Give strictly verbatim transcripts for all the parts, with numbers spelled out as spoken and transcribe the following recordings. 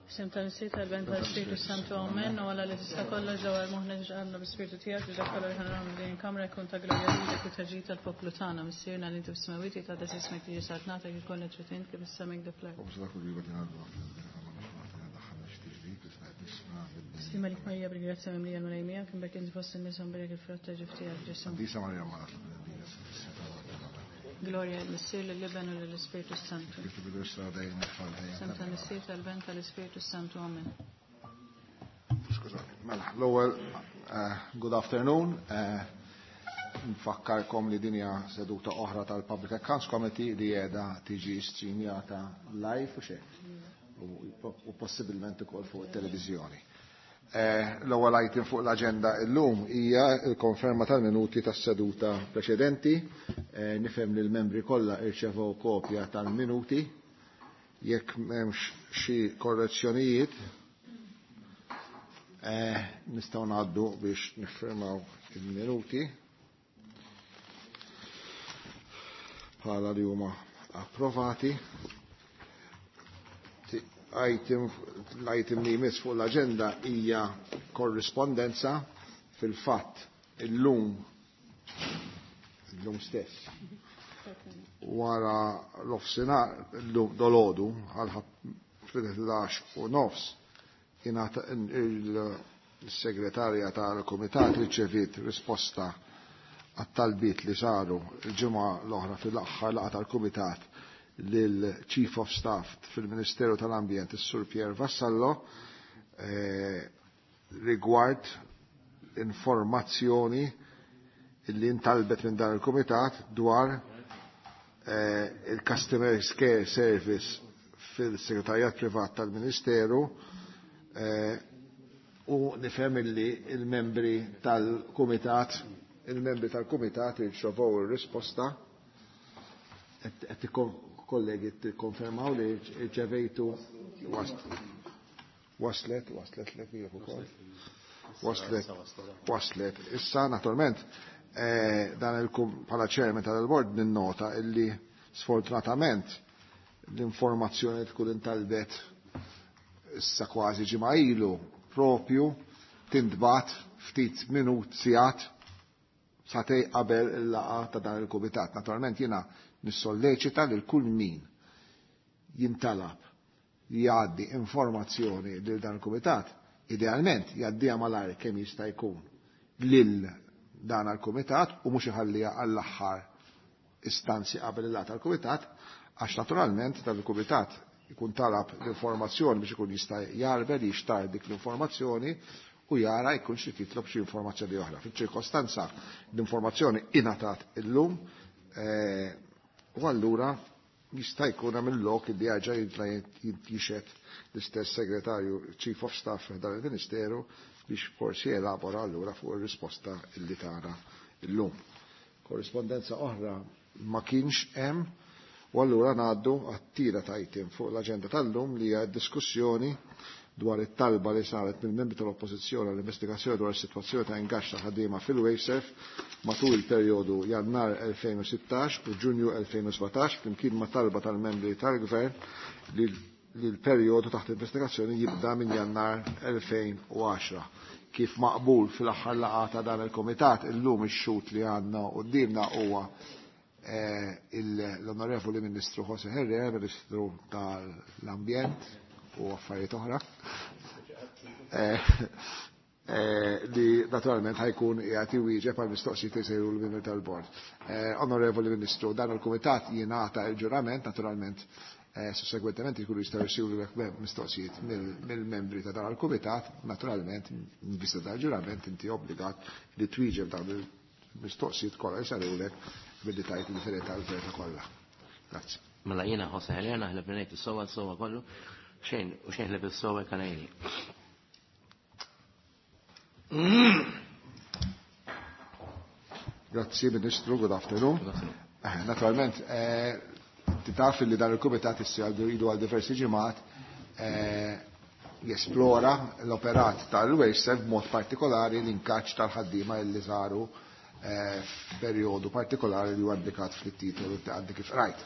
F'isem tal-Missier, tal-Iben, tal-Ispirtu Santu, Amen. U Alla li tista' kollox dawwar moħħna ġqalna bl-Ispirtu tiegħek biex dak kollu li ħa naraw minn din il-kamra jkun ta' glorja lilek u ta' ġid tal-poplu tagħna. Missierna li inti fis-smewwiet jitqaddes ismek tiġi saltnatek ikun li trid int kif fis-sema hekk fl-art. Sliem għalik Marija bil-grazzja mimlija l-Mulej miegħek, imbierka inti fost in-nisa u mbierek il-frott ta' ġuf tiegħek Ġesù. Glorja lill-Missier, lill-Iben u lill-Ispirtu Santu. F'isem tal-Missier, tal-Iben, tal-Ispirtu Santu. Amen. Skużani, mela, l-ewwel eh, good afternoon. Eh, nfakkarkom li din hija seduta oħra tal-Public Accounts Committee li qiegħda tiġi streamjata live u xejn. U possibilment ukoll fuq it-televiżjoni. Eh, l-ewwel item fuq l-aġenda llum hija l-konferma tal-minuti tas-seduta preċedenti. Eh, nifhem li l-membri kollha irċevew kopja tal-minuti. Jekk m'hemmx xi korrezzjonijiet, eh, nistgħu ngħaddu biex niffirmaw il-minuti bħala li huma approvati. Item, l-item li jmiss fuq l-agenda hija korrispondenza. Fil-fatt illum illum stess wara l-offsinar illum dolodu għal fil-ħdax u nofs ingħata il-segretarja tal-Kumitat riċeviet risposta għat-talbiet li saru il-ġimgħa l-oħra fil-aħħar laqgħa tal-Kumitat lil Chief of Staff fil-Ministeru tal-Ambjent, is-Sur Pier Vassallo, eh, rigward informazzjoni li intalbet minn dan il-Kumitat dwar eh, il-Customer Care Service fil-Segretarjat Privat tal-Ministeru eh, u nifhem illi il-membri tal-Kumitat il-membri tal-Kumitat irċevew ir-risposta. Qed kollegi tikkonfermaw li rċevejtu waslet waslet lek ukoll waslet waslet Issa naturalment eh, dan il bħala chairman tal-board ninnota illi sfortunatament l-informazzjoni tkun intalbet issa kważi ġimgħa ilu propju tintbat ftit minut sigħat satej qabel il-laqgħa ta' dan il-kumitat. Naturalment jiena nissolleċita lil kull min jintalab jgħaddi informazzjoni lil dan il-kumitat, idealment jgħaddiha malajr kemm jista' jkun lil dan il-kumitat u mhux iħalliha għall-aħħar istanzi qabel il-laqgħa tal-kumitat, għax naturalment dan il-kumitat ikun talab l-informazzjoni biex ikun jista' jarbel jixtar dik l-informazzjoni u jara jkun xi titlob xi informazzjoni oħra. Fiċ-ċirkostanza l-informazzjoni ingħatat illum eh, u allura jista' jkun hemm il-lok li diġà jixhed l-istess segretarju Chief of Staff dan il-Ministeru biex forsi elabora allura fuq ir-risposta illi tara illum. Korrispondenza oħra ma kienx hemm u allura ngħaddu għat-tielet item fuq l-aġenda tal-lum li hija diskussjoni dwar it-talba li saret mill-membri tal-Oppożizzjoni għall-investigazzjoni dwar is-sitwazzjoni ta' ingaġġ ta' ħaddiema fil-Wasteserv matul il-perjodu Jannar elfejn u sittax u Ġunju elfejn u sbatax flimkien ma' talba tal-membri tal-Gvern li l-perjodu taħt investigazzjoni jibda minn Jannar elfejn u għaxra. Kif maqbul fil-aħħar laqgħa ta' dan il-Kumitat, illum ix-xhud li għandna quddiemna huwa eh, l-Onorevoli Ministru Jose Herrera, Ministru tal-Ambjent u affarijiet oħra, eh, eh, li naturalment ħajkun qiegħed iwieġeb għal mistoqsijiet li jsejru l-membri tal-bord. Eh, Onorevoli Ministru, dan il-Kumitat jingħata il-ġurament, naturalment, eh, sussegwentement jkunu jistgħu jsiru mistoqsijiet mill-membri ta' dan il-Kumitat, naturalment, in vista tal-ġurament inti obbligat li twieġeb dawn il-mistoqsijiet kollha jsarulek billi tajt il-verità l-verità kollha. Grazzi. Mela jiena Jose Herrera naħlef li ngħid is-sewwa s-sewwa kollu, xejn u xejn ħlief is-sewwa kanajni. Grazzi Ministru, good afternoon. Good afternoon. Eh, naturalment, eh, titaf li dan il-Kumitat issa ilu għal diversi ġimgħat, eh, jesplora l-operat tal-Wasteserv b'mod partikolari l-inkaċ tal-ħaddiema li saru, eh, f'perjodu partikolari li huwa indikat fit-titolu li għandi kif rajt.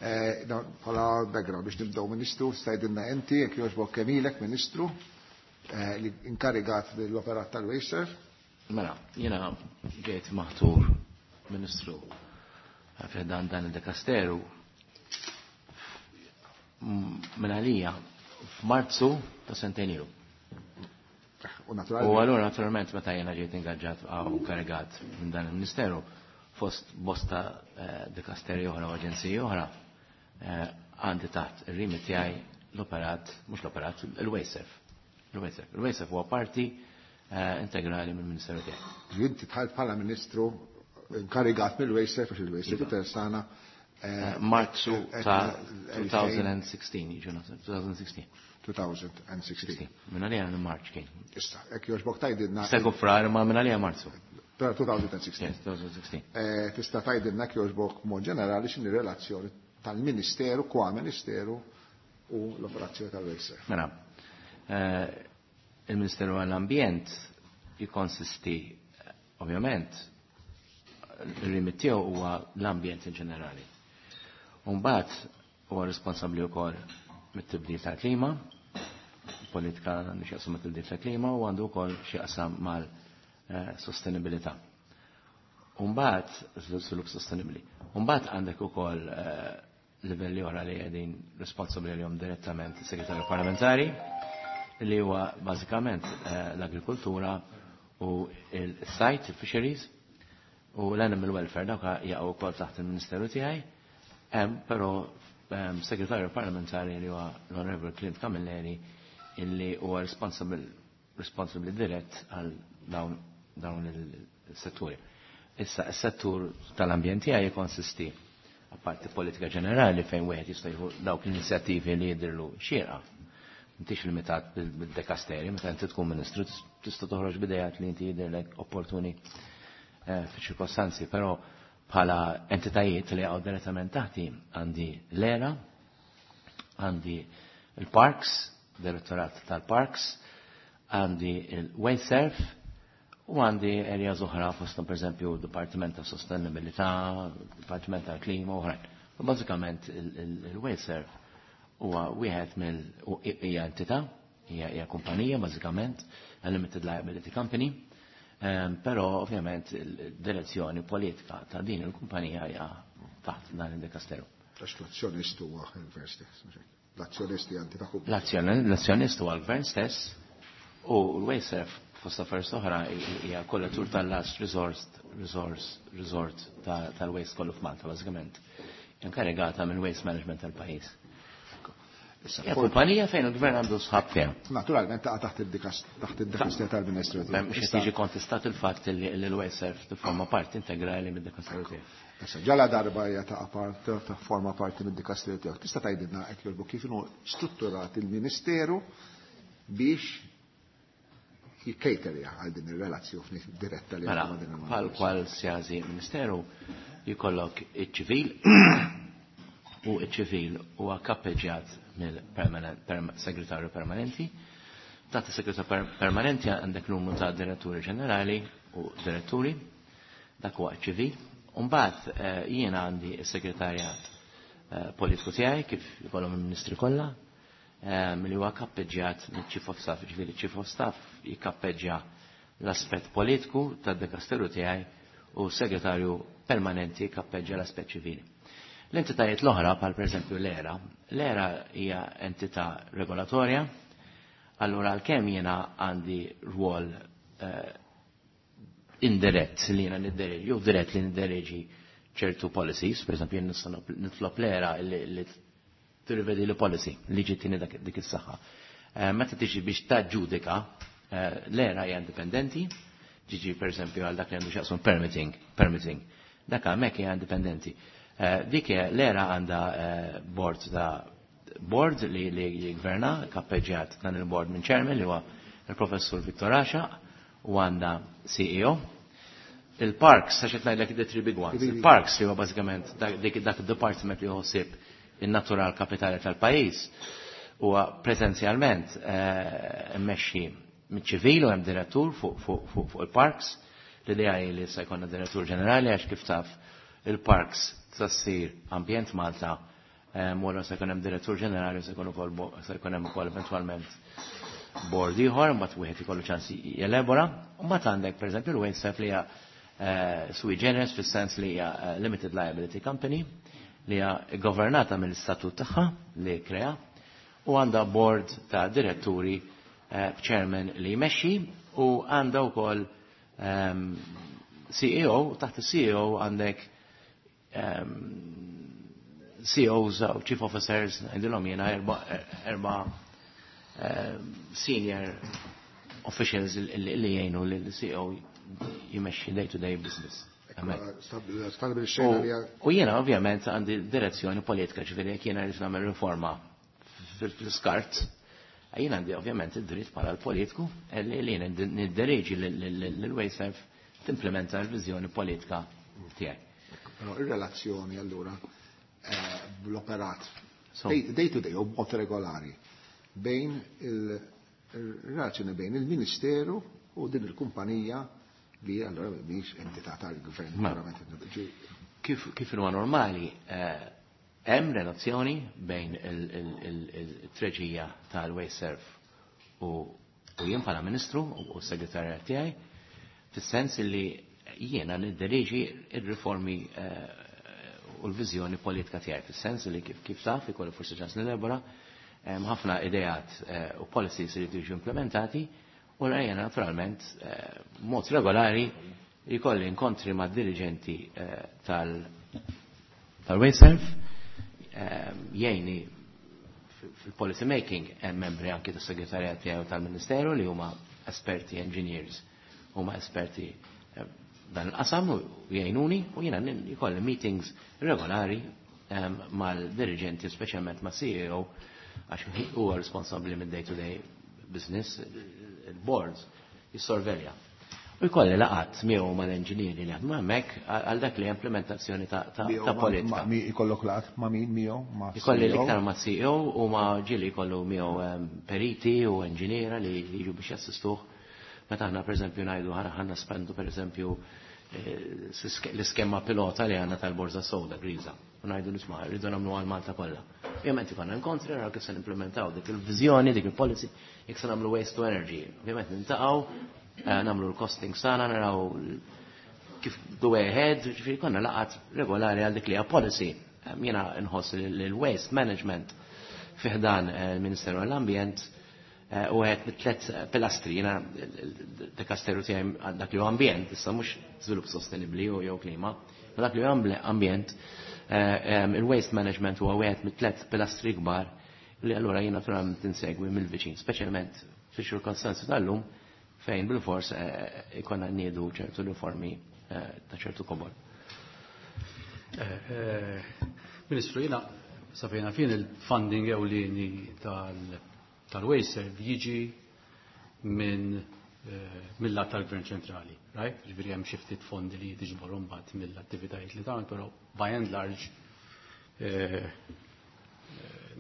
Bħala background biex nibdew Ministru, stajdilna inti, jekk jogħġbok kemm ilek Ministru li inkarigat l-operat tal-WasteServ. Mela, jiena ġejt maħtur Ministru dan dan il-dekasteru minn għalija f'Marzu ta' sentejn ilu. U U allura naturalment meta jiena ġejt ingaġġat u karigat minn dan il-Ministeru fost bosta dikasteri oħra u aġenziji oħra, għandi taħt ir-remit tiegħi l-operat, mhux l-operat, il-WasteServ. Il-WasteServ. Il-WasteServ huwa parti integrali mill-Ministeru tiegħi. Inti dħalt bħala Ministru inkarigat mill-WasteServ għax il-WasteServ Iva. interessana Marzu ta' twenty sixteen, jiġu naħseb, twenty sixteen. twenty sixteen. Minn għalija March kien. Issa, jekk jogħġbok tgħidilna. Segu frar ma minn għalija Marzu. twenty sixteen. Yes, twenty sixteen. Eh, Tista' tgħidilna jekk jogħġbok mod ġenerali x'inhi relazzjoni tal-Ministeru qua Ministeru u l-operazzjoni tal-WasteServ. Mela, eh, il-Ministeru għall-Ambjent jikonsisti, eh, ovvjament, il-remit tiegħu huwa l-ambjent in ġenerali. Mbagħad huwa responsabbli wkoll mit-tibdil tal-klima, politika għandu x'jaqsam mat-tibdil tal-klima u għandu wkoll x'jaqsam mal-sostenibilità. Mbagħad żvilupp sostenibbli. Mbagħad għandek ukoll eh, livelli oħra li qegħdin responsabbli għalihom direttament is-segretarju parlamentari, li huwa bażikament eh, l-agrikoltura u il-sajd, il-fisheries, u l-animal welfare, dawk jaqgħu wkoll taħt il-Ministeru tiegħi. Hemm però ehm, segretarju parlamentari li huwa l-Honorable Clint Camilleri, illi huwa responsible responsible dirett għal dawn dawn il-setturi. Issa, is-settur tal-ambjent tiegħi jikkonsisti, apparti politika ġenerali fejn wieħed jista' jieħu dawk l-inizjattivi li jidhirlu xierqa. M'intix limitat bil-dekasteri, meta inti tkun ministru tista' toħroġ b'idejat li inti jidhirlek opportuni eh, fi ċirkostanzi, però bħala entitajiet li għaw direttament taħti għandi l-E R A, għandi il-Parks, Direttorat tal-Parks, għandi il-WasteServ u għandi areas oħra fosthom, per eżempju, Dipartiment ta' Sostenibilità, Dipartiment tal-Klima u oħrajn. U bażikament il-WasteServ huwa wieħed mill hija entità, hija hija kumpanija bażikament, a limited liability company, um, però ovvjament il-direzzjoni politika ta' din il-kumpanija hija taħt dan il-dikasteru. Għax l-azzjonist huwa il-gvern stess. L-azzjonisti għanti ta' L-azzjonist huwa l-gvern stess u l-WasteServ fost affarijiet oħra hija kollettur tal-last resort resource resort tal-waste kollu f'Malta bażikament. Inkarigata minn waste management tal-pajjiż. Hija kumpanija fejn il-gvern għandu sħab fiha. Naturalment taqa' taħt id-dikasteru tal-Ministru. Mhux qed jiġi kontestat il-fatt li l-WasteServ tifforma parti integrali mid-dikasteru tiegħu. Issa, ġala darba hija ta' part ta' forma parti mid-dikasteru tiegħek. Tista' tgħidilna hekk jogħġbok kif inhu strutturat il-Ministeru biex jikkejterja għal din ir-relazzjoni diretta li Mela, bħal kwalsiasi ministeru jkollok iċ-ċivil u iċ-ċivil huwa kappeġġjat mill-segretarju permanenti. Taħt is-segretarju permanenti għandek numru ta' diretturi ġenerali u diretturi, dak huwa ċivil. Mbagħad eh, jiena għandi s-segretarjat eh, politiku tiegħi kif jkollhom il-ministri kollha, eh, li huwa kappeġġjat mill-Chief of Staff, ġifieri Chief of Staff jikappeġġja l-aspett politiku tad-dekasteru tiegħi u segretarju permanenti kappeġġja l-aspett ċivili. L-entitajiet l-oħra, bħal pereżempju l-E R A, l-E R A hija entità regolatorja, allura għalkemm jiena għandi rwol eh, indirett li jiena niddereġi, jew dirett li niddereġi ċertu policies, per eżempju jien nista' nitlob l-E R A li tirrivedi li policy li ġittini dik is-saħħa. Eh, meta tiġi biex taġġudika, eh, l-E R A hija indipendenti, ġiġi per eżempju għal dak li għandu x'jaqsam permitting, permitting. Dak hemmhekk hija indipendenti. Eh, dik l-E R A għandha board ta' board li li jgverna, kappeġġjat dan il-board minn chairman li huwa il-professur Victor Asha u għandha C E O. Il-parks, għax qed ngħidlek the three big ones. Il-parks li huwa bażikament dak id-department li jħossib in-natural kapitali tal-pajjiż huwa preżenzjalment mmexxi miċ-ċivil u hemm direttur fuq il-parks. L-idea hi li se jkollna direttur ġenerali għax, kif taf, il-parks ta ssir Ambjent Malta. Wara se jkun hemm direttur ġenerali, se jkun ukoll se jkun hemm ukoll eventwalment board ieħor, mbagħad wieħed ikollu ċans jelabora. U mbagħad għandek pereżempju l-WasteServ li hija eh, sui generis fis-sens li hija eh, limited liability company li hija governata mill-istatut tagħha li krea u għandha board ta' diretturi eh, chairman li jmexxi u għandha wkoll ehm, C E O, taħt il-C E O għandek um, C Os u Chief Officers, għandilhom jena erba, erba um, senior officials li li jgħinu li l-C E O jimexxi day-to-day business. Hemmhekk. Stabilixxejna li U jiena ovvjament għandi direzzjoni politika, ġifieri jekk jiena rrid nagħmel riforma fil-skart, jiena għandi ovvjament id-dritt bħala l-politiku li li jiena nidderieġi l-WasteServ timplementa l-viżjoni politika tiegħi. Però ir-relazzjoni allura eh, bl-operat So- day day to day u b'mod regolari bejn il-relazzjoni bejn il-Ministeru u din il-kumpanija li allura mhix entità tal-gvern. Ma. Verament, ġi- Kif kif huwa normali, eh, hemm relazzjoni bejn il-treġija tal-WasteServ u u jien bħala ministru u u s-segretarjat tiegħi, fis-sens li jiena nidderieġi ir-riformi eh, u l-viżjoni politika tiegħi, fis-sens li kif kif taf ikollu forsi ċans nilabora hemm ħafna ideat eh, u policies li jiġu implementati u jiena naturalment eh, mod regolari jkolli inkontri ma' dirigenti eh, tal tal-WasteServ eh, jgħini fil-policy making. Hemm membri anki tas-segretarjat tiegħu tal-Ministeru li huma esperti engineers, huma esperti eh, dan il-qasam u jgħinuni u jiena jkolli meetings regolari em, mal-dirigenti, speċjalment ma' C E O, għax huwa responsabbli mid-day to day business, il-boards jissorvelja. U jkolli laqgħat miegħu mal-enġinieri li jaħdmu hemmhekk għal dak li implementazzjoni ta' ta' Miegħu ta' ma- politika. ma- mi ikollok laqgħat ma' min miegħu ma' Ikolli C E O? l-iktar ma' C E O u ma' ġili jkollu miegħu em, periti u enġiniera li jiġu biex jassistuh. Meta aħna pereżempju ngħidu ħana ħanna spendu pereżempju eh, l-iskema pilota li għandna tal-borza sewda griża. U ngħidu nisma' rridu nagħmlu għal Malta kollha. Ovvjament ikollna inkontri naraw kif se nimplementaw dik il-viżjoni, dik il-policy, jekk se nagħmlu waste to energy. Ovvjament nintaqgħu, eh, nagħmlu l-costing sana, naraw kif the way ahead, ġifieri konna laqgħat regolari għal dik li hija policy. Em, Jiena nħoss li l-waste management fi ħdan eh, il-Ministeru għall-Ambjent eh, u għed mit-tlet pilastri, jiena dikasteru tiegħi għal dak li huwa ambjent, issa mhux żvilupp sostenibbli u jew klima, ma dak li huwa ambjent, eh, em, il-waste management huwa wieħed mit-tlet pilastri kbar li allura jiena naturalment insegwi mill-viċin, speċjalment fix-ċirkostanzi tal-lum fejn bil-fors eh, ikonna niedu ċertu riformi eh, ta' ċertu kobor. Eh, eh, Ministru, jina safejna fin il-funding ewlieni tal-WasteServ jiġi minn eh, mill-lat tal-Gvern ċentrali, right? Ġifieri hemm xi ftit fondi li tiġbor mbagħad mill-attivitajiet li tagħmel, però by and large eh, eh,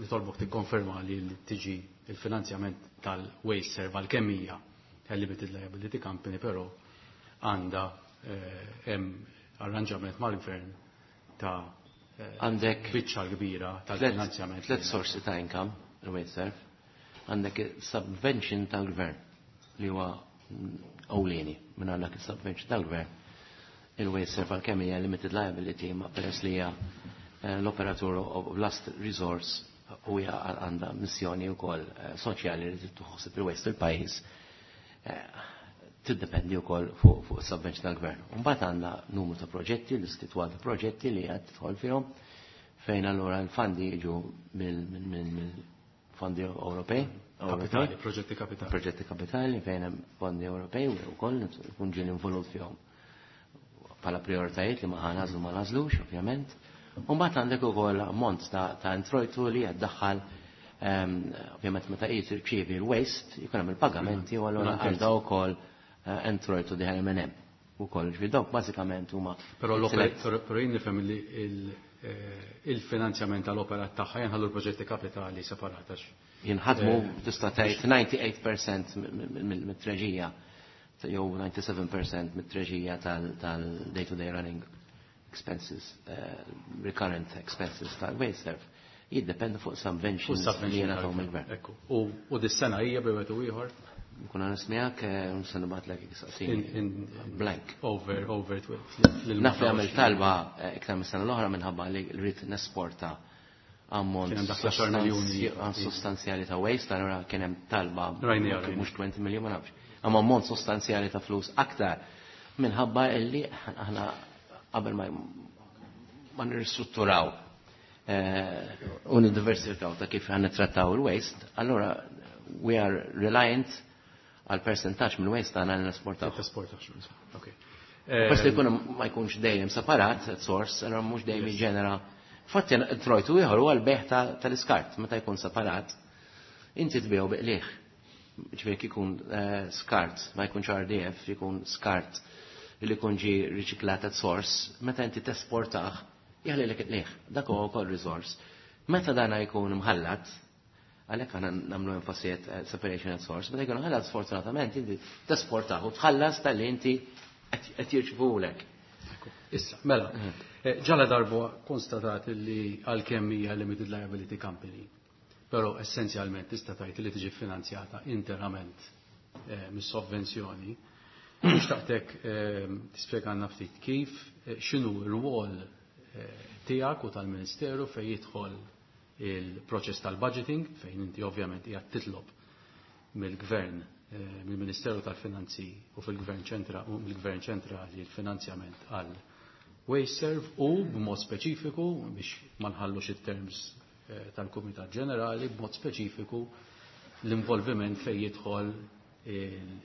nitolbok tikkonferma li li tiġi il-finanzjament tal-WasteServ għal kemm hija limited liability company, però għandha hemm arranġament mal-gvern ta' eh, Għandek biċċa kbira tal-finanzjament. tlet sorsi ta' income, il-WasteServ. Għandek subvention tal-gvern li huwa ewlieni. Minn għandek subvention tal-gvern. Il-WasteServ għal kemm hija limited liability, ma peress li hija eh, l-operatur of last resource u hija għandha missjoni wkoll eh, soċjali li tħossib il-waste il-pajjiż, tiddependi wkoll fuq fuq subvention tal-gvern. Mbagħad għandna numru ta' proġetti, l-istitwal ta' proġetti li qed tidħol fihom fejn allura l-fondi jiġu mill-fondi Ewropej. Kapitali, proġetti kapitali. Proġetti kapitali fejn hemm fondi Ewropej u wkoll ikun ġieli involut fihom bħala prioritajiet li ma ħanażlu ma nażlux, ovvjament. U mbagħad għandek ukoll ammont ta' ta' introjtu li qed daħħal, ehm, ovvjament meta qed tirċievi l-waste jkun hemm il-pagamenti u allura għandha wkoll eh, introjtu diħel minn hemm ukoll. Ġifieri dawk bażikament huma Però però jien nifhem li eh, il-finanzjament tal-operat tagħha jinħallu l-proġetti kapitali separatax. Jinħadmu eh, tista' tgħid disgħa u tmenin fil-mija mit-treġija jew disgħa u sebgħin fil-mija mit-treġija tal-day-to-day running expenses, uh, recurrent expenses tal-WasteServ Jiddependu fuq subventions li jingħataw mill-gvern. Ekku. U dis-sena hija bejn wieħed u ieħor? Nkun għan miegħek se nibgħatlek saqsini. Blank. Over, over Naf li għamil talba iktar mis-sena l-oħra minħabba li rrid nesporta ammont sostanzjali ta' waste, allura kien hemm talba mhux twenty million ma nafx. Amma ammont sostanzjali ta' flus aktar minħabba illi aħna qabel ma ma nirristrutturaw u niddiversifikaw ta' kif ħan nittrattaw il-waste, allura we are reliant għal percentaġġ mill-waste tagħna li nesportaw. Ok. Peress li jkun ma jkunx dejjem separat at source, allura mhux dejjem jiġġenera. Fatti trojtu ieħor huwa l-beħ tal-iskart meta jkun separat, inti tbigħu biqliħ. Ġifieri jkun skart, ma jkunx R D F, jkun skart li jkun ġie riċiklat at source, meta inti tesportah, jaħlilek il-qliħ, dak huwa wkoll resource. Meta dana jkun mħallat, għalhekk aħna nagħmlu enfasi separation at source, meta jkun mħallat sfortunatament inti tesportah u tħallas tal-li inti qed jirċivulek. Issa, mela, ġala darba konstatat li għalkemm hija limited liability company, però essenzjalment tista' tgħid li tiġi finanzjata interament mis-sovvenzjoni. Nixtaqtek tispjegana ftit kif x'inhu r-rwol tiegħek u tal-Ministeru fejn jidħol il-proċess tal-budgeting, fejn inti ovvjament qiegħed titlob mill-Gvern, mill-Ministeru tal-Finanzi u fil-Gvern ċentra u mill-Gvern ċentrali l-finanzjament għal WasteServ u b'mod speċifiku biex ma nħallux it-terms tal-Kumitat Ġenerali, b'mod speċifiku l-involviment fejn jidħol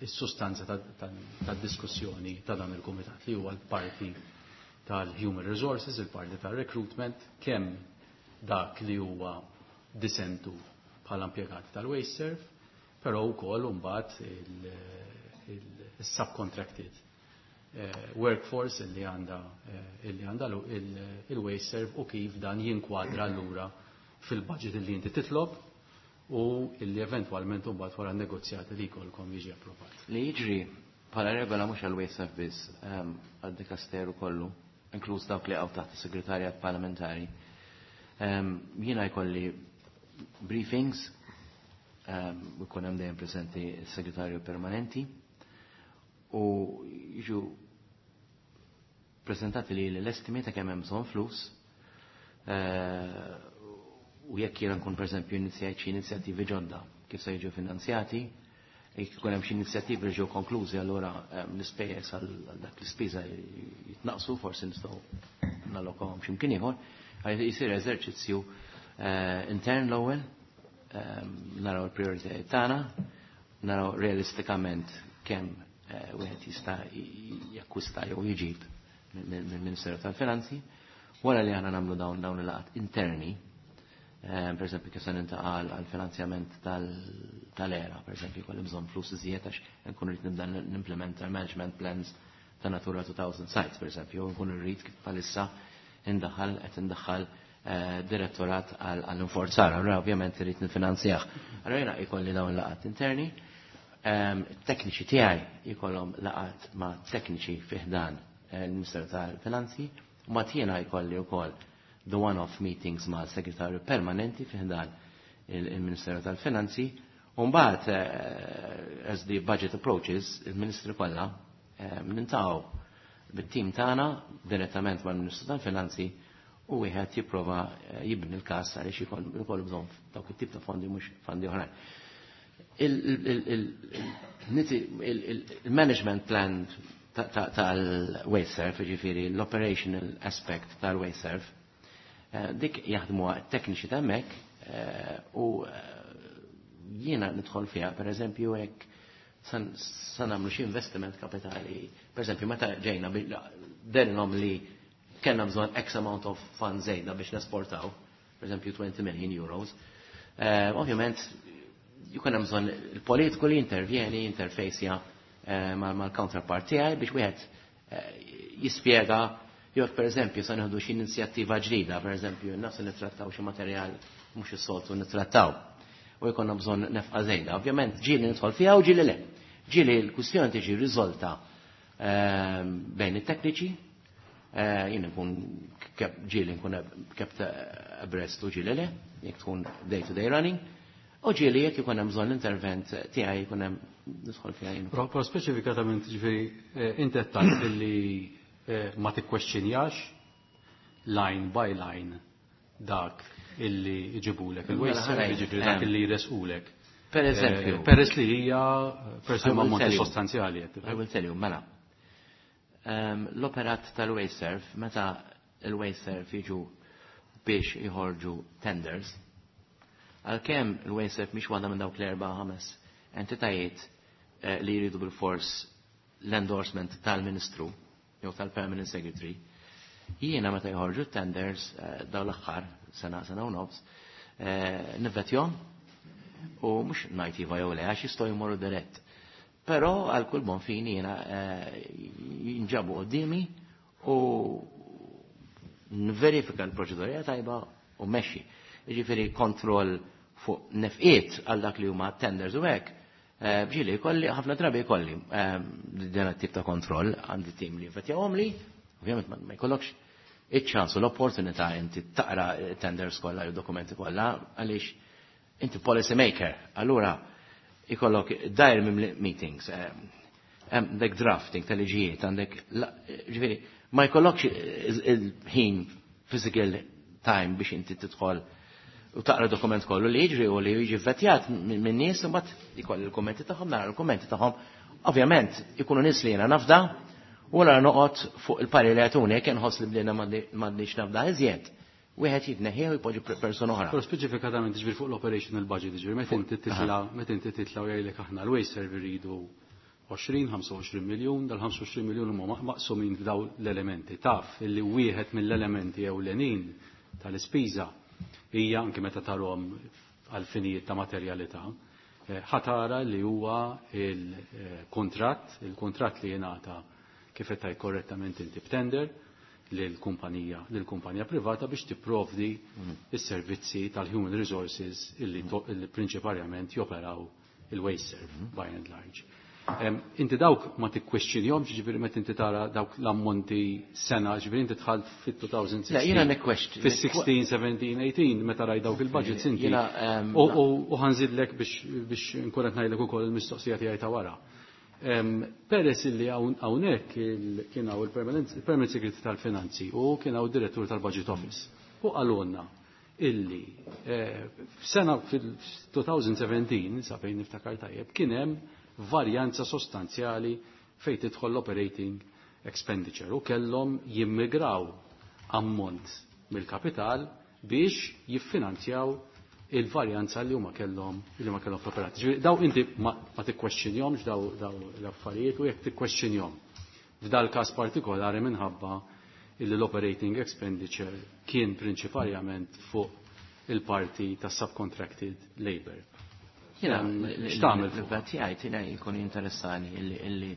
is-sustanza tad-diskussjoni ta' dan il-Kumitat li huwa l-parti tal-Human Resources, il-parti tal-Recruitment, kemm dak li huwa disentu bħala impjegati tal-WasteServ, però wkoll imbagħad il-subcontracted workforce illi għandha illi għandha il-WasteServ u kif dan jinkwadra allura fil-budget illi inti titlob u illi eventwalment imbagħad wara negozjati li jkollkom jiġi approvat. Li jiġri bħala regola mhux għall-WasteServ biss, għad-dikasteru kollu, inkluż dawk li għaw taħt is-segretarjat parlamentari. Jiena jkolli briefings, u jkun hemm dejjem preżenti s-segretarju permanenti u jiġu prezentati li l-estimi ta' kemm hemm bżonn flus, u jekk jiena nkun pereżempju inizjajt xi inizjattivi ġodda kif se jiġu finanzjati, jekk ikun hemm xi inizjattivi li ġew konklużi allura l-ispejjeż għal dak l-ispiża jitnaqsu, forsi nistgħu nallokawhom x'imkien ieħor, jsir eżerċizzju intern l-ewwel, naraw il-prijoritajiet tagħna, naraw realistikament kemm wieħed jista' jakkwista jew jġib mill-Ministeru tal-Finanzi, wara li aħna nagħmlu dawn dawn il-laqgħat interni, per esempio kif se nintaqa' għal finanzjament tal-era, per esempio jkolli bżonn flus iżjed għax nkun rrid nibda nimplementa management plans ta' Natura two thousand sites, per esempio, nkun rrid kif bħalissa indaħħal qed indaħħal direttorat għall-inforzar, allura ovvjament irrid nifinanzjah. Allura jiena jkolli dawn laqgħat interni, tekniċi tiegħi jkollhom laqgħat ma' tekniċi fi ħdan il-Ministeru tal-Finanzi, u ma' jiena jkolli wkoll the one-off meetings ma' segretarju permanenti fi ħdan il-Ministeru tal-Finanzi, u mbagħad as the budget approaches, il-Ministru kollha nintaqgħu bit-tim tagħna direttament mal-Ministru tal-Finanzi u wieħed jipprova jibni l-każ għaliex ikollu bżonn dawk it-tip ta' fondi mhux fondi oħrajn. Il-management plan tal-WasteServ, ġifieri l-operational aspect tal-WasteServ, dik jaħdmuha t-tekniċi ta' hemmhekk u jiena nidħol fiha, pereżempju hekk sa nagħmlu xi investiment kapitali. Pereżempju meta ġejna derinhom li kellna bżonn X amount of funds żejda biex nesportaw, pereżempju twenty million euros. Ovvjament jkun hemm bżonn il-politiku li jintervjeni, jinterfejsja mal-counterpart tiegħi biex wieħed jispjega jekk pereżempju se nieħdu xi inizjattiva ġdida, pereżempju nafs nittrattaw xi materjal mhux is-soltu nittrattaw u jkollna bżonn nefqa żejda. Ovvjament ġieli nidħol fiha u ġieli le. Ġieli l-kwistjoni tiġi riżolta bejn it-tekniċi, Eh, jien nkun ġieli nkun kept abreast u ġieli le, jekk tkun day to day running. U ġieli jekk ikun hemm bżonn intervent tiegħi jkun hemm nidħol fiha jien. Però speċifikatament ġifieri eh, inti qed tgħid li eh, ma tikkwestjonjax line by line dak illi jġibulek il-waste, Mela, ġifieri dak illi jresqulek. Per eżempju. Peress li hija peress li huma ammonti sostanzjali. I will tell you, mela. L-operat tal-Wasteserv, meta il-Wasteserv jiġu biex jħorġu tenders, għalkemm il-Wasteserv mhix waħda minn dawk l-erba' ħames entitajiet eh, li jridu bil-fors l-endorsement tal-Ministru jew tal-Permanent Secretary, jiena meta jħorġu tenders eh, daw l-aħħar sena sena u nofs, eh, nivvetjahom u mhux ngħid iva jew le għax jistgħu jmorru dirett. Però għal kull bon fini jiena jinġabu quddiemi u nverifika l-proċedura tajba u mexxi. Jiġifieri kontroll fuq nefqiet għal dak li huma tenders u hekk, ġieli jkolli, ħafna drabi jkolli din tip ta' kontroll għandi tim li jvettjahom li, ovvjament ma jkollokx iċ-ċans u l-opportunità inti taqra tenders kollha jew dokumenti kollha għaliex inti policy maker. Allura ikollok dajr minn meetings, għandek drafting tal-liġijiet, għandek, ġifieri, ma jkollokx il-ħin physical time biex inti tidħol u taqra dokument kollu li jiġri u li jiġi vetjat minn nies u mbagħad ikolli l-kummenti tagħhom, nara l-kummenti tagħhom. Ovvjament ikunu nies li jiena nafda u għara noqgħod fuq il-pari li jagħtuni jekk inħoss li bdejna m'għandniex nafda iżjed. Wieħed jitneħħieh u jpoġġi persuna oħra. Però speċifikatament ġifieri fuq l-operational budget, ġifieri meta inti titla' meta inti titla' u jgħidlek aħna l-Wasteserv iridu għoxrin, ħamsa u għoxrin miljun, dal-ħamsa u għoxrin miljun huma maqsumin f'daw l-elementi. Taf illi wieħed mill-elementi ewlenin tal-ispiża hija anke meta tarhom għal finijiet ta' materjalità, ħatara li huwa il-kontratt, il-kontratt li jingħata kif qed tgħid korrettament inti b'tender lill-kumpanija, lill-kumpanija privata biex tipprovdi is-servizzi tal-human resources illi, illi prinċiparjament joperaw il-Wasteserv by and large. Um, inti dawk ma tikkwestjonjhomx, ġifieri meta inti tara dawk l-ammonti sena, ġifieri inti dħalt fit-elfejn u sittax. Le, jiena nikkwestjon. Fis-sittax, sbatax, tmintax, meta raj dawk il-budgets inti. Jiena, um, U ħa nżidlek biex biex nkun qed ngħidlek ukoll il-mistoqsija tiegħi ta' wara. Um, peress illi hawnhekk kien hawn il-Permanent Secretary tal-Finanzi u kien hawn direttur tal-Budget Office. U qalulna illi f'sena fil-elfejn u sbatax, sa fejn niftakar tajjeb, kien hemm varjanza sostanzjali fejn tidħol l-operating expenditure u kellhom jimmigraw ammont mill-kapital biex jiffinanzjaw il-varjanza li huma kellhom li huma kellhom fl-operat. Ġifieri daw inti ma, ma tikkwestjonjhomx daw, daw l-affarijiet u jekk tikkwestjonjhom f'dal każ partikolari minħabba illi l-operating expenditure kien prinċiparjament fuq il-parti ta' subcontracted labor. Jiena, X'tagħmel fuq? l-vet jgħid jiena jkun interessani illi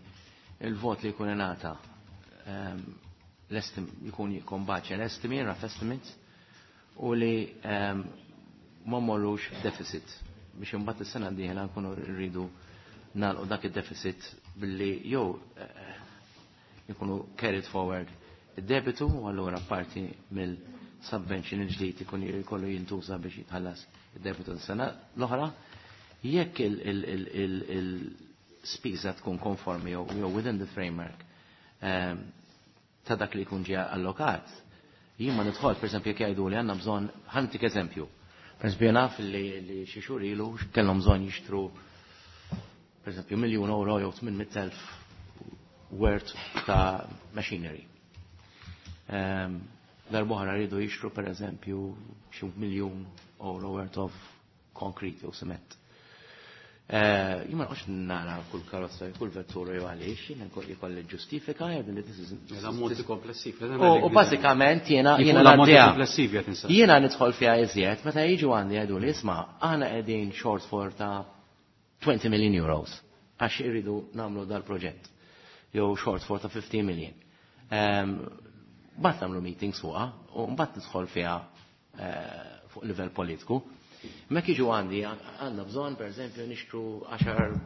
il-vot li jkun ingħata l-estim jkun jikkombaċja l-estimate, rough estimates, u li ma mmorrux deficit biex imbagħad is-sena d-dieħla nkunu rridu nagħlqu dak id-deficit billi jew jkunu carried forward id-debitu u allura parti mill-subvention il-ġdid ikun jkollu jintuża biex jitħallas id-debitu s-sena l-oħra. Jekk il-spiża tkun konformi jew within the framework ta' dak li jkun ġie allokat, jien ma nidħol, per esempio, jekk jgħidu li għandna bżonn, ħa ntik eżempju. Per esempio, naf li xi xhur ilu kellhom bżonn jixtru per esempio miljun euro jew tmien mitt elf worth ta' machinery. Darb'oħra rridu jixtru per eżempju xi miljun euro worth of concrete jew cement. Jien ma noqgħodx nara kull karozza, kull vettura jew għaliex, jiena jkolli ġustifika jgħid li this is L-ammonti komplessivi. U bażikament jiena jiena L-ammonti ngħaddiha. komplessivi qed insaqsi. Jiena nidħol fiha iżjed meta jiġu għandi jgħidu li isma' aħna qegħdin shortfall ta' twenty million euros għax irridu nagħmlu dal-proġett. Jew shortfall ta' fifteen million. Mbagħad nagħmlu meetings fuqha u mbagħad nidħol fiha fuq livell politiku. Mek jiġu għandi, għandna bżonn, per eżempju, nixtru għaxar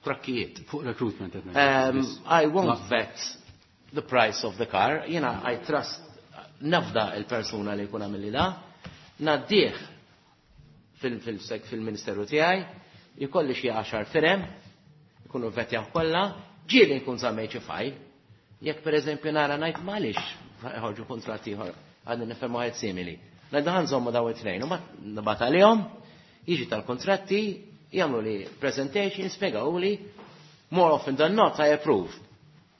trakkijiet. Fuq recruitment qed Um, I won't vet the price of the car, jiena I trust nafda il-persuna li jkun għamilli da, ngħaddih fil-ministeru tiegħi, jkolli xi għaxar firem, jkunu vetjaw kollha, ġieli nkun żammejt xi file. Jekk pereżempju nara ngħid m'għaliex ħorġu kuntratt ieħor għadni nifhem wieħed simili. Ngħidu ħa nżommu daw it-tnejn, u mbagħad nibgħat għalihom, jiġi tal-kontratti, jagħmlu li presentation, spjegaw li more often than not I approve.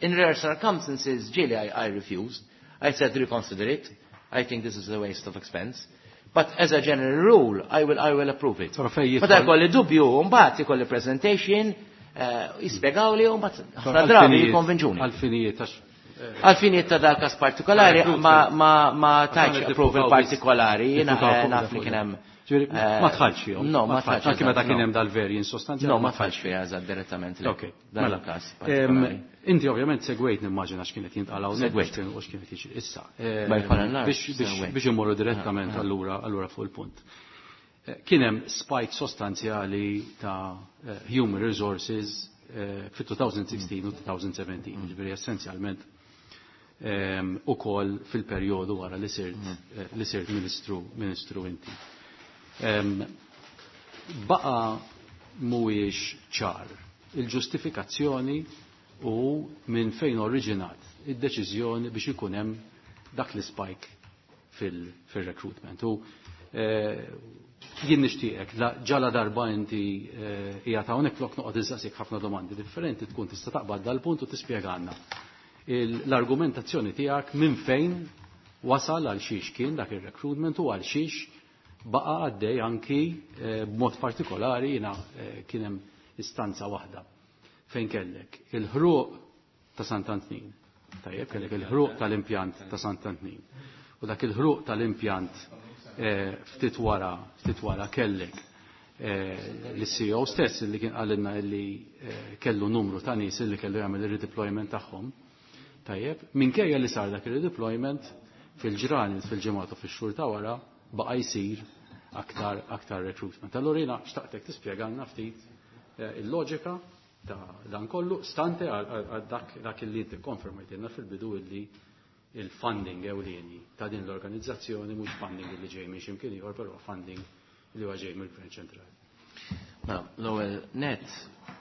In rare circumstances, ġieli I, I refused. I said reconsider it. I think this is a waste of expense. But as a general rule, I will, I will approve it. Però fejn Meta jidħol- jkolli dubju, mbagħad ikolli presentation, eh, jispjegaw li, u mbagħad ħafna drabi jikkonvinġuni. Għal-finijiet, għax Għal-finijiet ta' dal-kas partikolari, ma, ma, ma tajtx Għal- approval partikolari, jiena Niffukaw eh, fuq naf li fuq kien hemm. Ġifieri, eh, ma tħallx fihom. No, ma tħallx. Anke meta eżatt, kien no. hemm dal-variance sostanzjali. No, ma tħallx fiha eżatt direttament. le. Ok, Dan mela. il-każ Em, partikolari. Inti ovvjament segwejt nimmaġina x'kienet jintqal hawnhekk Segwejt. u x'kienet jiġri. Issa, em, By far and large, biex biex- segwejt. biex immorru direttament allura allura fuq il-punt. Eh, Kien hemm spike sostanzjali ta' eh, human resources eh, fit-twenty sixteen u twenty seventeen, ġifieri essenzjalment em, ukoll fil-perjodu wara li sirt eh, li sirt ministru ministru inti. Em, Baqa mhuwiex ċar il-ġustifikazzjoni u minn fejn oriġinat id-deċiżjoni biex ikun hemm dak l-spike fil-recruitment. U eh, jien nixtieqek, la- ġala darba inti eh, hija ta' hawnhekk flok noqgħod insaqsik ħafna domandi differenti tkun tista' taqbad dal-punt u tispjegana il- l-argumentazzjoni tiegħek minn fejn wasal għal xiex kien dak ir-recruitment u għal xiex baqa għaddej anki eh, b'mod partikolari jiena eh, kien hemm istanza waħda fejn kellek il-ħruq ta' Sant'Antnin. Tajjeb, kellek il-ħruq tal-impjant ta' Sant'Antnin. U dak il-ħruq tal-impjant eh, ftit wara, ftit wara kellek eh, l-C E O stess li kien qalilna li eh, kellu numru ta' nies li kellu jagħmel ir-redeployment tagħhom. Tajjeb, minkejja li sar dak ir-redeployment fil-ġranet, fil-ġimgħat u fix-xhur ta' wara baqa' jsir aktar aktar recruitment. Allura jiena xtaqtek tispjegalna ftit eh, il-loġika ta' dan kollu stante għal għal dak dak li inti konfermajtilna fil-bidu illi il-funding ewlieni ta' din l-organizzazzjoni mhux funding li ġej minn x'imkien ieħor, però funding li huwa ġej mill-Gvern ċentrali. Mela, l-ewwel net,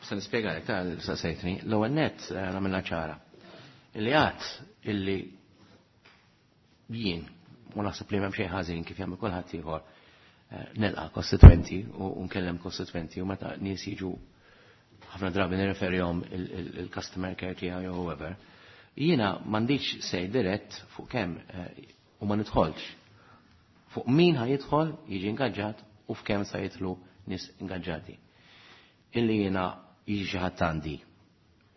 se nispjegalek tal saqsejtni, l-ewwel net eh, nagħmilha ċara. Illi għad illi jien, u naħseb li m'hemm xejn ħażin kif jagħmel kulħadd ieħor, eh, nilqa' kostitwenti u u nkellem kostitwenti u meta nies jiġu ħafna drabi nirreferihom il-customer care tiegħi jew whoever. Jiena m'għandix say dirett fuq kemm eh, u ma nidħolx fuq min ħa jidħol jiġi ingaġġat u f'kemm sa jidħlu nies ingaġġati. Illi jiena jiġi xi ħadd għandi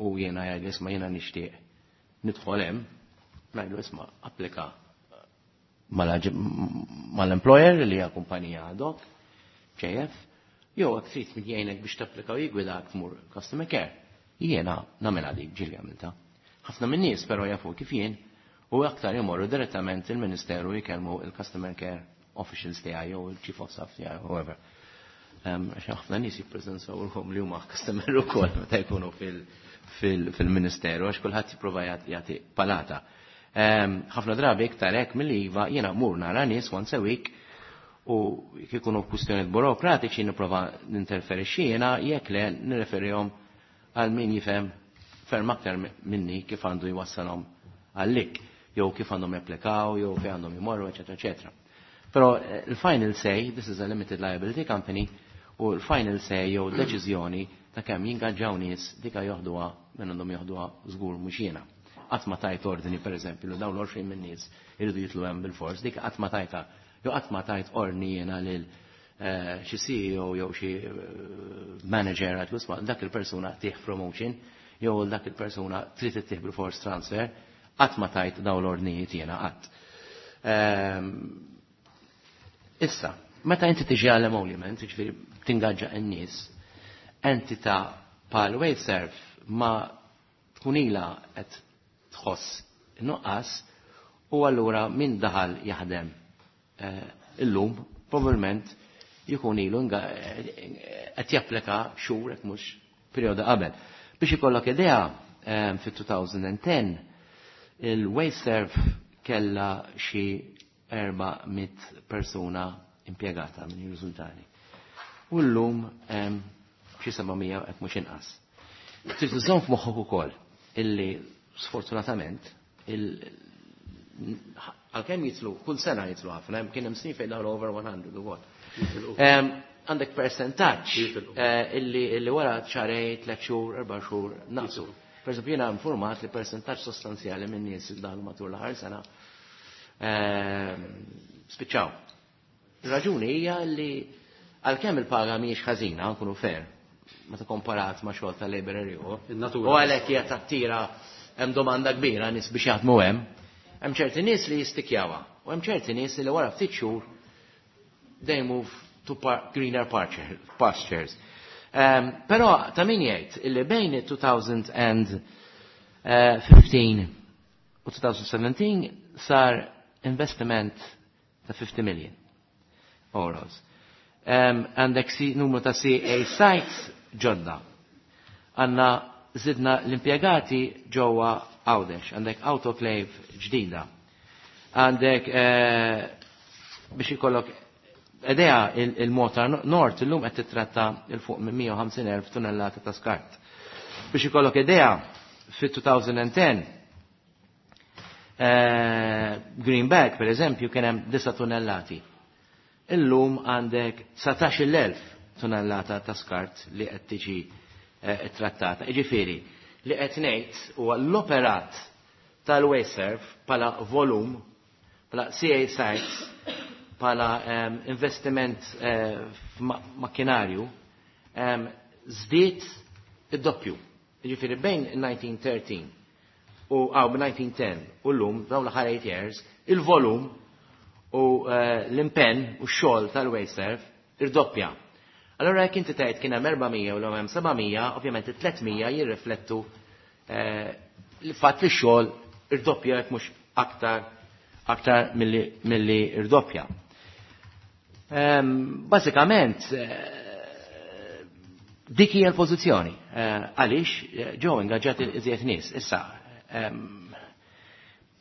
u jiena jgħid isma' jiena nixtieq nidħol hemm, ngħidlu isma' applika mal-employer li hija kumpanija ad hoc, J F, jew jekk trid min jgħinek biex tapplika u jigwidak tmur customer care. Jiena nagħmilha dik ġieli għamilta. Ħafna minn nies però jafu kif jien u aktar jmorru direttament il-Ministeru jkellmu il-customer care officials tiegħi jew il-chief of staff tiegħi, whoever. Għax ħafna nies jippreżentaw ruħhom li huma customer ukoll meta jkunu fil-Ministeru għax kulħadd jipprova jagħti palata. Ħafna drabi iktar hekk milli iva jiena mur nara nies once a week u jekk ikunu kwistjonijiet burokratiċi nipprova ninterferixxi jiena, jekk le nirreferihom għal min jifhem ferm aktar minni kif għandu jwassalhom għallik, jew kif għandhom japplikaw, jew fejn għandhom jmorru, eċetera, eċetera. Però eh, il-final say, this is a limited liability company, u l-final say jew deċiżjoni ta' kemm jingaġġaw nies dika joħduha minn għandhom joħduha żgur mhux jiena. Qatt ma tajt ordni pereżempju li dawn l-għoxrin minn nies iridu jitlu hemm bil-fors, dik qatt ma tajta. Jew qatt ma tajt ordni jiena lil eh, xi C E O jew xi eh, manager għad isma' dak il-persuna tih promotion jew dak il-persuna trid ittih bil-fors transfer, qatt ma tajt dawn l-ordnijiet jiena qatt. Ehm, issa, meta inti tiġi għal emolument, ġifieri tingaġġa n-nies, entità bħal WasteServ ma tkun ilha qed tħoss nuqqas u allura min daħal jaħdem eh, illum probabbilment jkun ilu eh, qed japplika xhur hekk mhux perjodu qabel. Biex ikollok idea, eh, fit-elfejn u għaxra Il-WasteServ kella xi erba' mitt persuna impjegata minn riżultati. U llum xi seba' mija hekk mhux inqas. Trid iżżomm f'moħħok ukoll illi sfortunatament għalkemm jitlu kull sena jitlu ħafna, kien hemm snin fejn daħlu over one hundred ukoll. Għandek percentaġġ illi illi wara xahrejn, tliet xhur, erba' xhur naqsu. Per eżempju, jiena informat li percentaġġ sostanzjali minn nies li daħlu matul l-aħħar sena spiċċaw. Ir-raġuni hija li għalkemm il-paga mhijiex ħażina, nkunu fair, meta komparat ma' xogħol ta' labor ieħor, u għalhekk hija tattira hemm domanda kbira nies biex jaħdmu hemm, hemm ċerti nies li jistikjawha u hemm ċerti nies li wara ftit xhur they move to greener pastures. Però ta' min jgħid illi bejn two thousand fifteen u two thousand seventeen sar investiment ta' fifty million euros. Għandek numru ta' C A sites ġodda. Għanna zidna l-impjegati ġewwa Għawdex, għandek autoclave ġdida. Għandek biex ikollok idea il-Malta North illum qed titratta il fuq minn mija u ħamsin elf tunnellata ta' skart. Biex ikollok idea fit two thousand and ten Green Bag per eżempju kien hemm disa' tunnellati. Illum għandek dsatax-il elf tunnellata ta' skart li qed tiġi trattata. Jiġifieri li qed ngħid huwa l-operat tal-WasteServ bħala volum, bħala C A sites, bħala investiment f'makkinarju, żdied id-doppju. Jiġifieri bejn nineteen thirteen u għaw nineteen ten u llum dawn l-aħħar eight years, il-volum u l-impenn u x-xogħol tal-WasteServ irdoppja. Allora jekk inti tgħid kien hemm erba' mija u l hemm seba' mija, ovvjament it-tliet mija jirriflettu l-fatt li x-xogħol irdoppja jekk mhux aktar, aktar milli, milli irdoppja. Bażikament dik hija l-pożizzjoni. Għaliex ġew ingaġġati iżjed nies. Issa,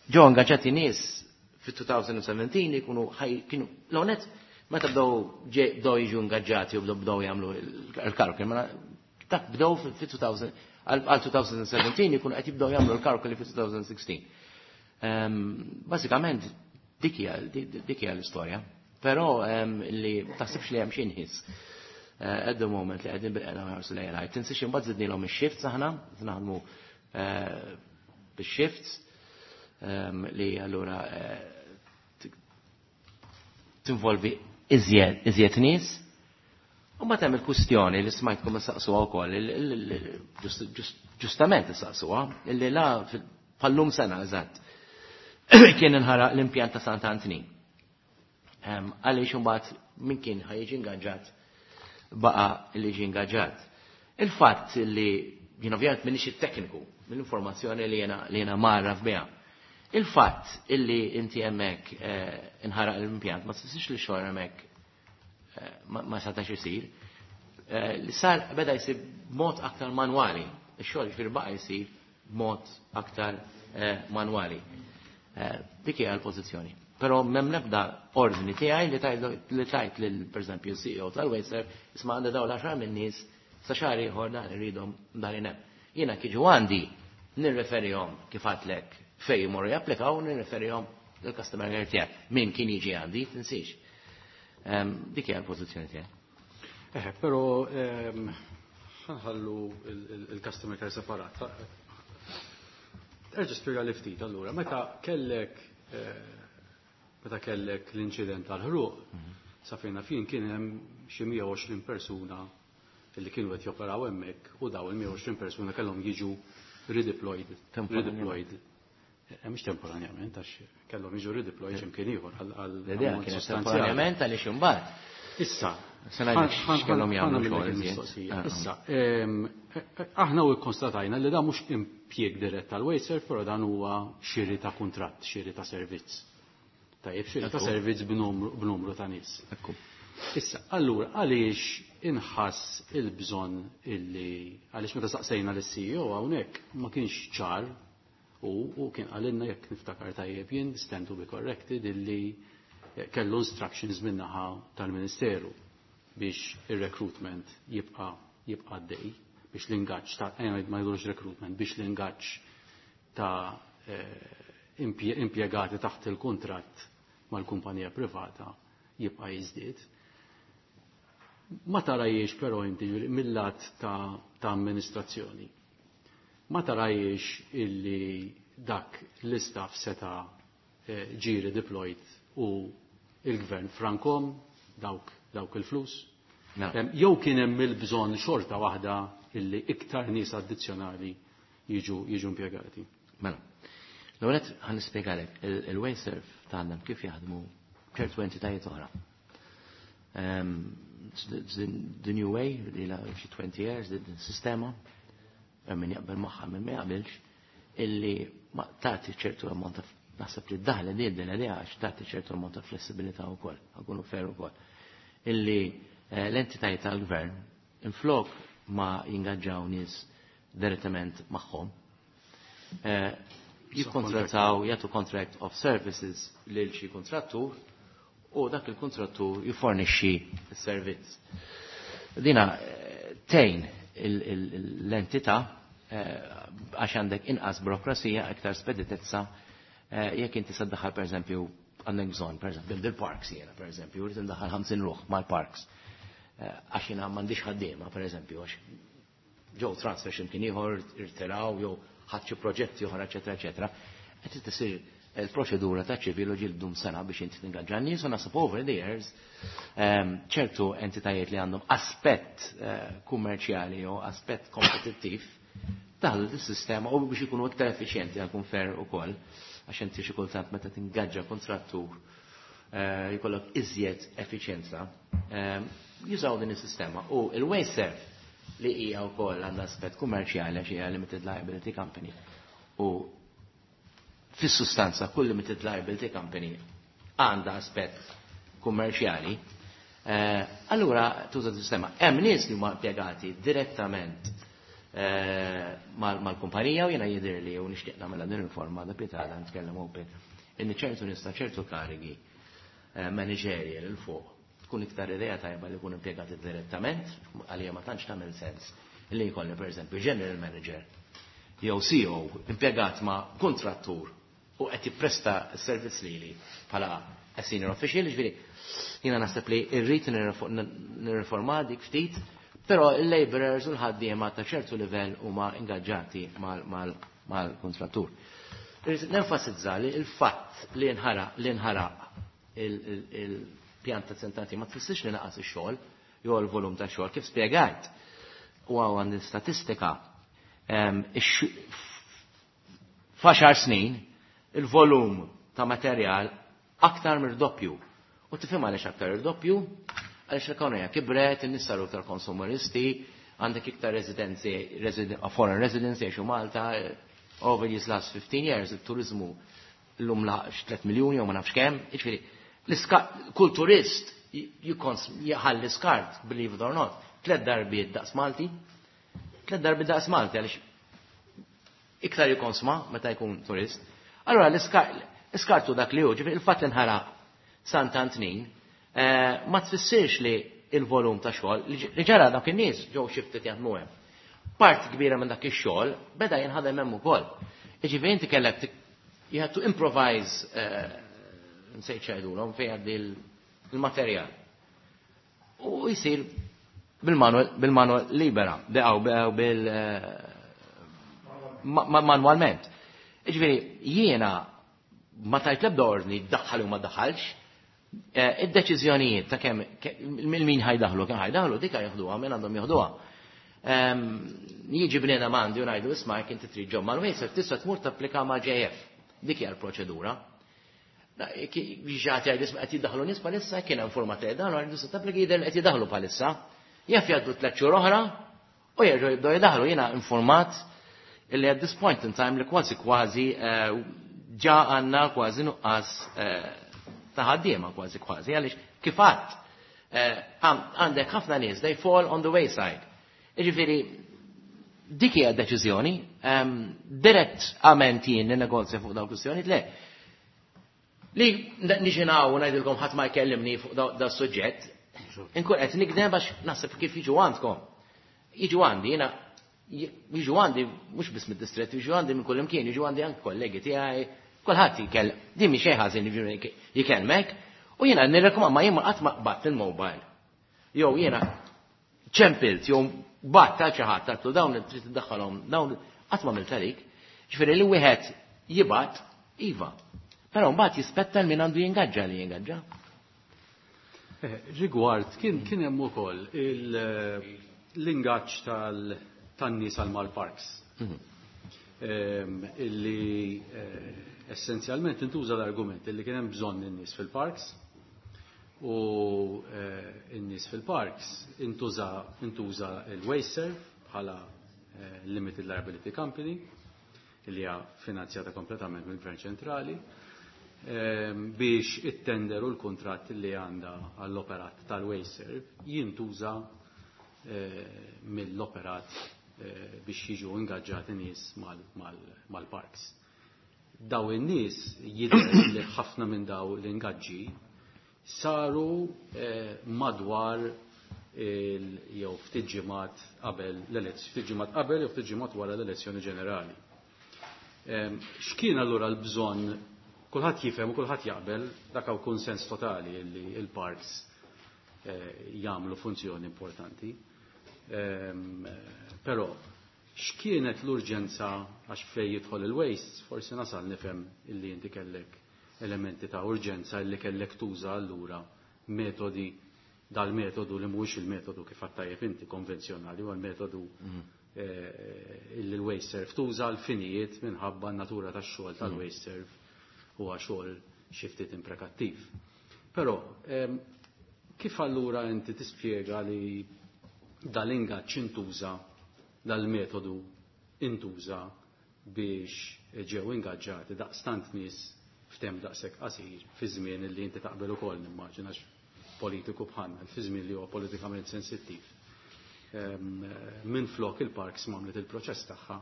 ġew ingaġġati nies fit two thousand seventeen ikunu ħaj, kienu l-onet meta bdew bdew jiġu ingaġġati u bdew bdew jagħmlu l-kalkoli, ma dak bdew fi two thousand, għal two thousand seventeen ikunu qed jibdew jagħmlu l-kalkoli fi two thousand sixteen. Bażikament dik hija, dik hija l-istorja. Però li taħsibx li hemm xi nħiss at the moment li qegħdin bil-qeda ħarsu lejn ħajt. Tinsiex imbagħad żidnilhom ix-shifts aħna, naħdmu bix-shifts li allura tinvolvi iżjed, iżjed nies. U ma hemm il-kwistjoni li smajtkom issaqsuha wkoll, ġustament issaqsuha, illi la bħallum sena eżatt kien inħaraq l-impjant ta' Sant Antnin. Għaliex imbagħad min kien ħajġi ingaġġat baqa' li ġie ingaġġat. Il-fatt li jien ovvjament m'iniex it-tekniku mill-informazzjoni li jiena li jiena marraf biha. Il-fatt illi inti hemmhekk inħaraq l-impjant ma tfissirx li xogħol hemmhekk ma setax isir. Li sar beda jsir b'mod aktar manwali. Ix-xogħol ġifieri baqa' jsir b'mod aktar manwali. Dik hija l-pożizzjoni. Però m'hemm l-ebda ordni tiegħi li tajt li tajt lil pereżempju C E O tal-WasteServ isma' għandha dawn l-għaxar minn nies sa xahar ieħor dan irridhom dan hemm. Jiena kiġu għandi nirreferihom kif għadlek fejn jmorru japplikaw, nirreferihom lill-customer care tiegħek. Min kien jiġi għandi, tinsiex. Dik hija l-pożizzjoni tiegħi. Eh, però ħanħallu il-customer care separat. Erġa' spjega li ftit allura, meta kellek meta kellek l-inċident tal-ħruq, sa fejna fin kien hemm xi mija u għoxrin persuna li kienu qed joperaw hemmhekk u daw il-mija u għoxrin persuna kellhom jiġu redeployed. Temporanjament. Redeployed. Eh, mhux temporanjament, għax kellhom jiġu redeployed x'imkien ieħor għal, għal L-idea ammont kienet sostanzjali. temporanjament għaliex imbagħad. Issa, Se ngħidlek ħan-, x'kellhom ħan-, jagħmlu ħan xogħol nagħmel iżjed. mistoqsija. Ah, ah. Issa, ehm, eh, eh, aħna u kkonstatajna li dan mhux impjieg dirett tal-WasteServ, però dan huwa xiri ta' kuntratt, xiri ta' servizz. Tajjeb, xiri ta' Ekku. servizz b'numru, b'numru ta' nies. Ekku. Issa, allura, għaliex inħass il-bżonn illi, għaliex meta saqsejna lis-C E O hawnhekk ma kienx ċar U, u kien qalilna, jekk niftakar tajjeb jien, stand to be corrected, illi kellu instructions min-naħa tal-Ministeru biex il-recruitment jibqa jibqa għaddej, biex l-ingaġġ ta' eh, ma jgħidux recruitment, biex l-ingaġġ ta' eh, impjegati taħt il-kuntratt mal-kumpanija privata jibqa' jiżdied. Ma tarahiex però inti mill-lat ta', ta amministrazzjoni? Ma tarahiex illi dak l-istaff seta' eh, ġie deployed u il-gvern frankom dawk, dawk il-flus? Jew kien hemm il-bżonn xorta waħda illi iktar nies addizzjonali jiġu jiġu impjegati? Mela, l-ewwel ħa nispjegalek il-WasteServ tagħna kif jaħdmu ċertu entitajiet oħra. The new way, li la xi twenty years, the sistema, min jaqbel magħha, min ma jaqbilx, illi ma tagħti ċertu ammont ta', naħseb li d-daħla di d li għax tagħti ċertu ammont ta' flessibilità wkoll, ħa nkunu fair ukoll. Illi eh, l-entitajiet tal-gvern inflok ma jingaġġaw nies direttament magħhom, eh, jikkontrattaw, jagħtu contract of services lil xi kontrattur u dak il-kontrattur jifornixxi s-servizz. Dina eh, tgħin l-entità għax għandek inqas burokrasija, iktar speditezza. Jekk inti se ddaħħal, pereżempju, għandek bżonn, pereżempju, bil-parks jiena, pereżempju, rrid indaħħal ħamsin ruħ mal-parks. Għax jiena m'għandix ħaddiema, pereżempju, għax ġew transfer x'imkien ieħor, irtiraw jew ħadd xi proġetti oħra, eċetera, eċetera. Qed tisir il-proċedura ta' ċivil u ġildum sena biex inti tingaġġa nies, u naħseb over the years ċertu entitajiet li għandhom aspett kummerċjali jew aspett kompetittiv daħlu s-sistema u biex ikunu iktar effiċjenti, ħa nkun fair ukoll, għax inti xi kultant meta tingaġġa kontrattur jkollok iżjed effiċjenza, jużaw din is-sistema. U il-WasteServ li hija wkoll għandha aspett kummerċjali għax hija limited liability company. U fis-sustanza kull limited liability company għandha aspett kummerċjali. Eh, allura tuża sistema. Hemm nies li huma impjegati direttament eh, mal-kumpanija u jiena jidhirli u nixtieq nagħmilha din il-forma da pitgħada nitkellem open inni ċertu nies ta' ċertu karigi eh, managerial 'il fuq tkun iktar idea tajba li jkun impjegati direttament. Għalija ma tantx tagħmel sens li jkolli, pereżempju, general manager jew C E O impjegat ma' kontrattur u qed jippresta s-servizz lili bħala a senior official. Ġifieri jiena naħseb li rrid nirriforma dik ftit, però il-laborers u l-ħaddiema ta' ċertu livell huma ingaġġati mal-kontrattur. Irrid nenfasizza li il-fatt li nħaraq li nħaraq il-pjanta sentati ma tfissirx li naqas ix-xogħol jew l-volum ta' xogħol, kif spjegajt. U għandi statistika, f'għaxar snin il-volum ta' materjal aktar mir-doppju. U tifhem għaliex aktar ir-doppju? Għaliex l-ekonomija kibret, in-nies saru iktar konsumeristi, għandek iktar residenzi, foreign residency jgħixu Malta, over these last fifteen years, il-turizmu l-lum laħaq tliet miljoni u ma nafx kemm, jiġifieri, kull turist jħalli skart, believe it or not, tliet darbiet daqs Malti, tliet darbiet daqs Malti, għaliex iktar jikonsma meta jkun turist. Allora l-iskartu dak li hu, ġifieri il-fatt li nħaraq Sant'Antnin eh, ma tfissirx li il-volum ta' xogħol li ġara, dak in-nies ġew shifted jaħdmu hemm. Part kbira minn dak ix-xogħol beda jinħadem hemm ukoll. Jiġifieri inti kellek, you had to improvise, eh, nsejt x'għidulhom fejn għaddi il-materjal. U jisir bil-manual libera, beqgħu bil eh, manualment. Ġifieri jiena ma tajt lebda ordni daħħal u ma daħħalx, eh, id-deċiżjonijiet ta' kemm min ħa jdaħħlu, kemm ħa jdaħħlu, dika jeħduha min għandhom jeħduha. Jiġi bniedem għandi u ngħidu, "Isma', jekk inti trid job mal-WasteServ, tista' tmur tapplika ma' J F" Dik hija l-proċedura. Ġati għajd, "Isma', qed jiddaħlu nies bħalissa," kien hemm forma ta' dan, għajdu se tapplika, jidher qed jiddaħlu bħalissa. Jaf jgħaddu tliet xhur oħra u jerġgħu jibdew jiddaħlu. Jiena informat illi at this point in time li kważi kważi eh, ġa għandna kważi nuqqas eh, ta' ħaddiema kważi kważi, għaliex kif għedt eh, għandek ħafna nies, they fall on the wayside. Jiġifieri Dik hija deċiżjoni, direttament jien ninnegozja fuq dawn kwistjoni, le. Li niġi u ngħidilkom ħadd ma jkellimni fuq da suġġett, inkun qed nikdem għax naħseb kif jiġu għandkom. Jiġu għandi, jiena jiġu għandi mhux biss mid-distrett, jiġu għandi minn kull imkien, jiġu għandi anke kollegi tiegħi, kulħadd jikell, din mhi xejn ħażin jikellmek, u jiena nirrekomand ma jien qatt ma qbadt il-mobile. Jew jiena ċempilt, jew bat ta' xi ħadd għatlu dawn trid tiddaħħalhom, dawn qatt ma għamilt għalik. Ġifieri li wieħed jibgħat iva. Però mbagħad jispetta l min għandu jingaġġa li jingaġġa. Rigward, kien kien hemm ukoll l-ingaġġ tan-nies għal mal-parks. Illi essenzjalment intuża l-argument illi kien hemm bżonn in-nies fil-parks u n-nies fil-parks intuża intuża il-WasteServ bħala Limited Liability Company illi hija finanzjata kompletament mill-Gvern Ċentrali biex it-tender u l-kuntratt li għandha għall-operat tal-WasteServ jintuża mill-operat biex jiġu ingaġġati nies mal-parks. Daw in-nies jidher li ħafna minn daw l-ingaġġi saru madwar jew ftit ġimgħat qabel l-elezzjoni, ftit ġimgħat qabel jew ftit ġimgħat wara l-elezzjoni ġenerali. X'kien allura l-bżonn? Kulħadd jifhem u kulħadd jaqbel dak hawn kunsens totali li l-parks jagħmlu funzjoni importanti. Però x'kienet l-urġenza għax fejn jidħol il-waste, forsi nasal nifhem illi inti kellek elementi ta' urġenza illi kellek tuża allura metodi dal-metodu li mhuwiex il-metodu kif għattajjeb inti konvenzjonali, huwa l-metodu illi l-WasteServ tuża l-finijiet minħabba n-natura tax-xogħol tal-WasteServ huwa xogħol xi ftit imprekattiv. Però kif allura inti tispjega li dal-ingaġġ intuża, dal-metodu intuża biex ġew ingaġġati daqstant nies f'temp daqshekk qasir fi żmien li inti taqbel ukoll nimmaġina politiku bħalna, fi żmien li huwa politikament sensittiv. Minn flok il-parks m'għamlet il-proċess tagħha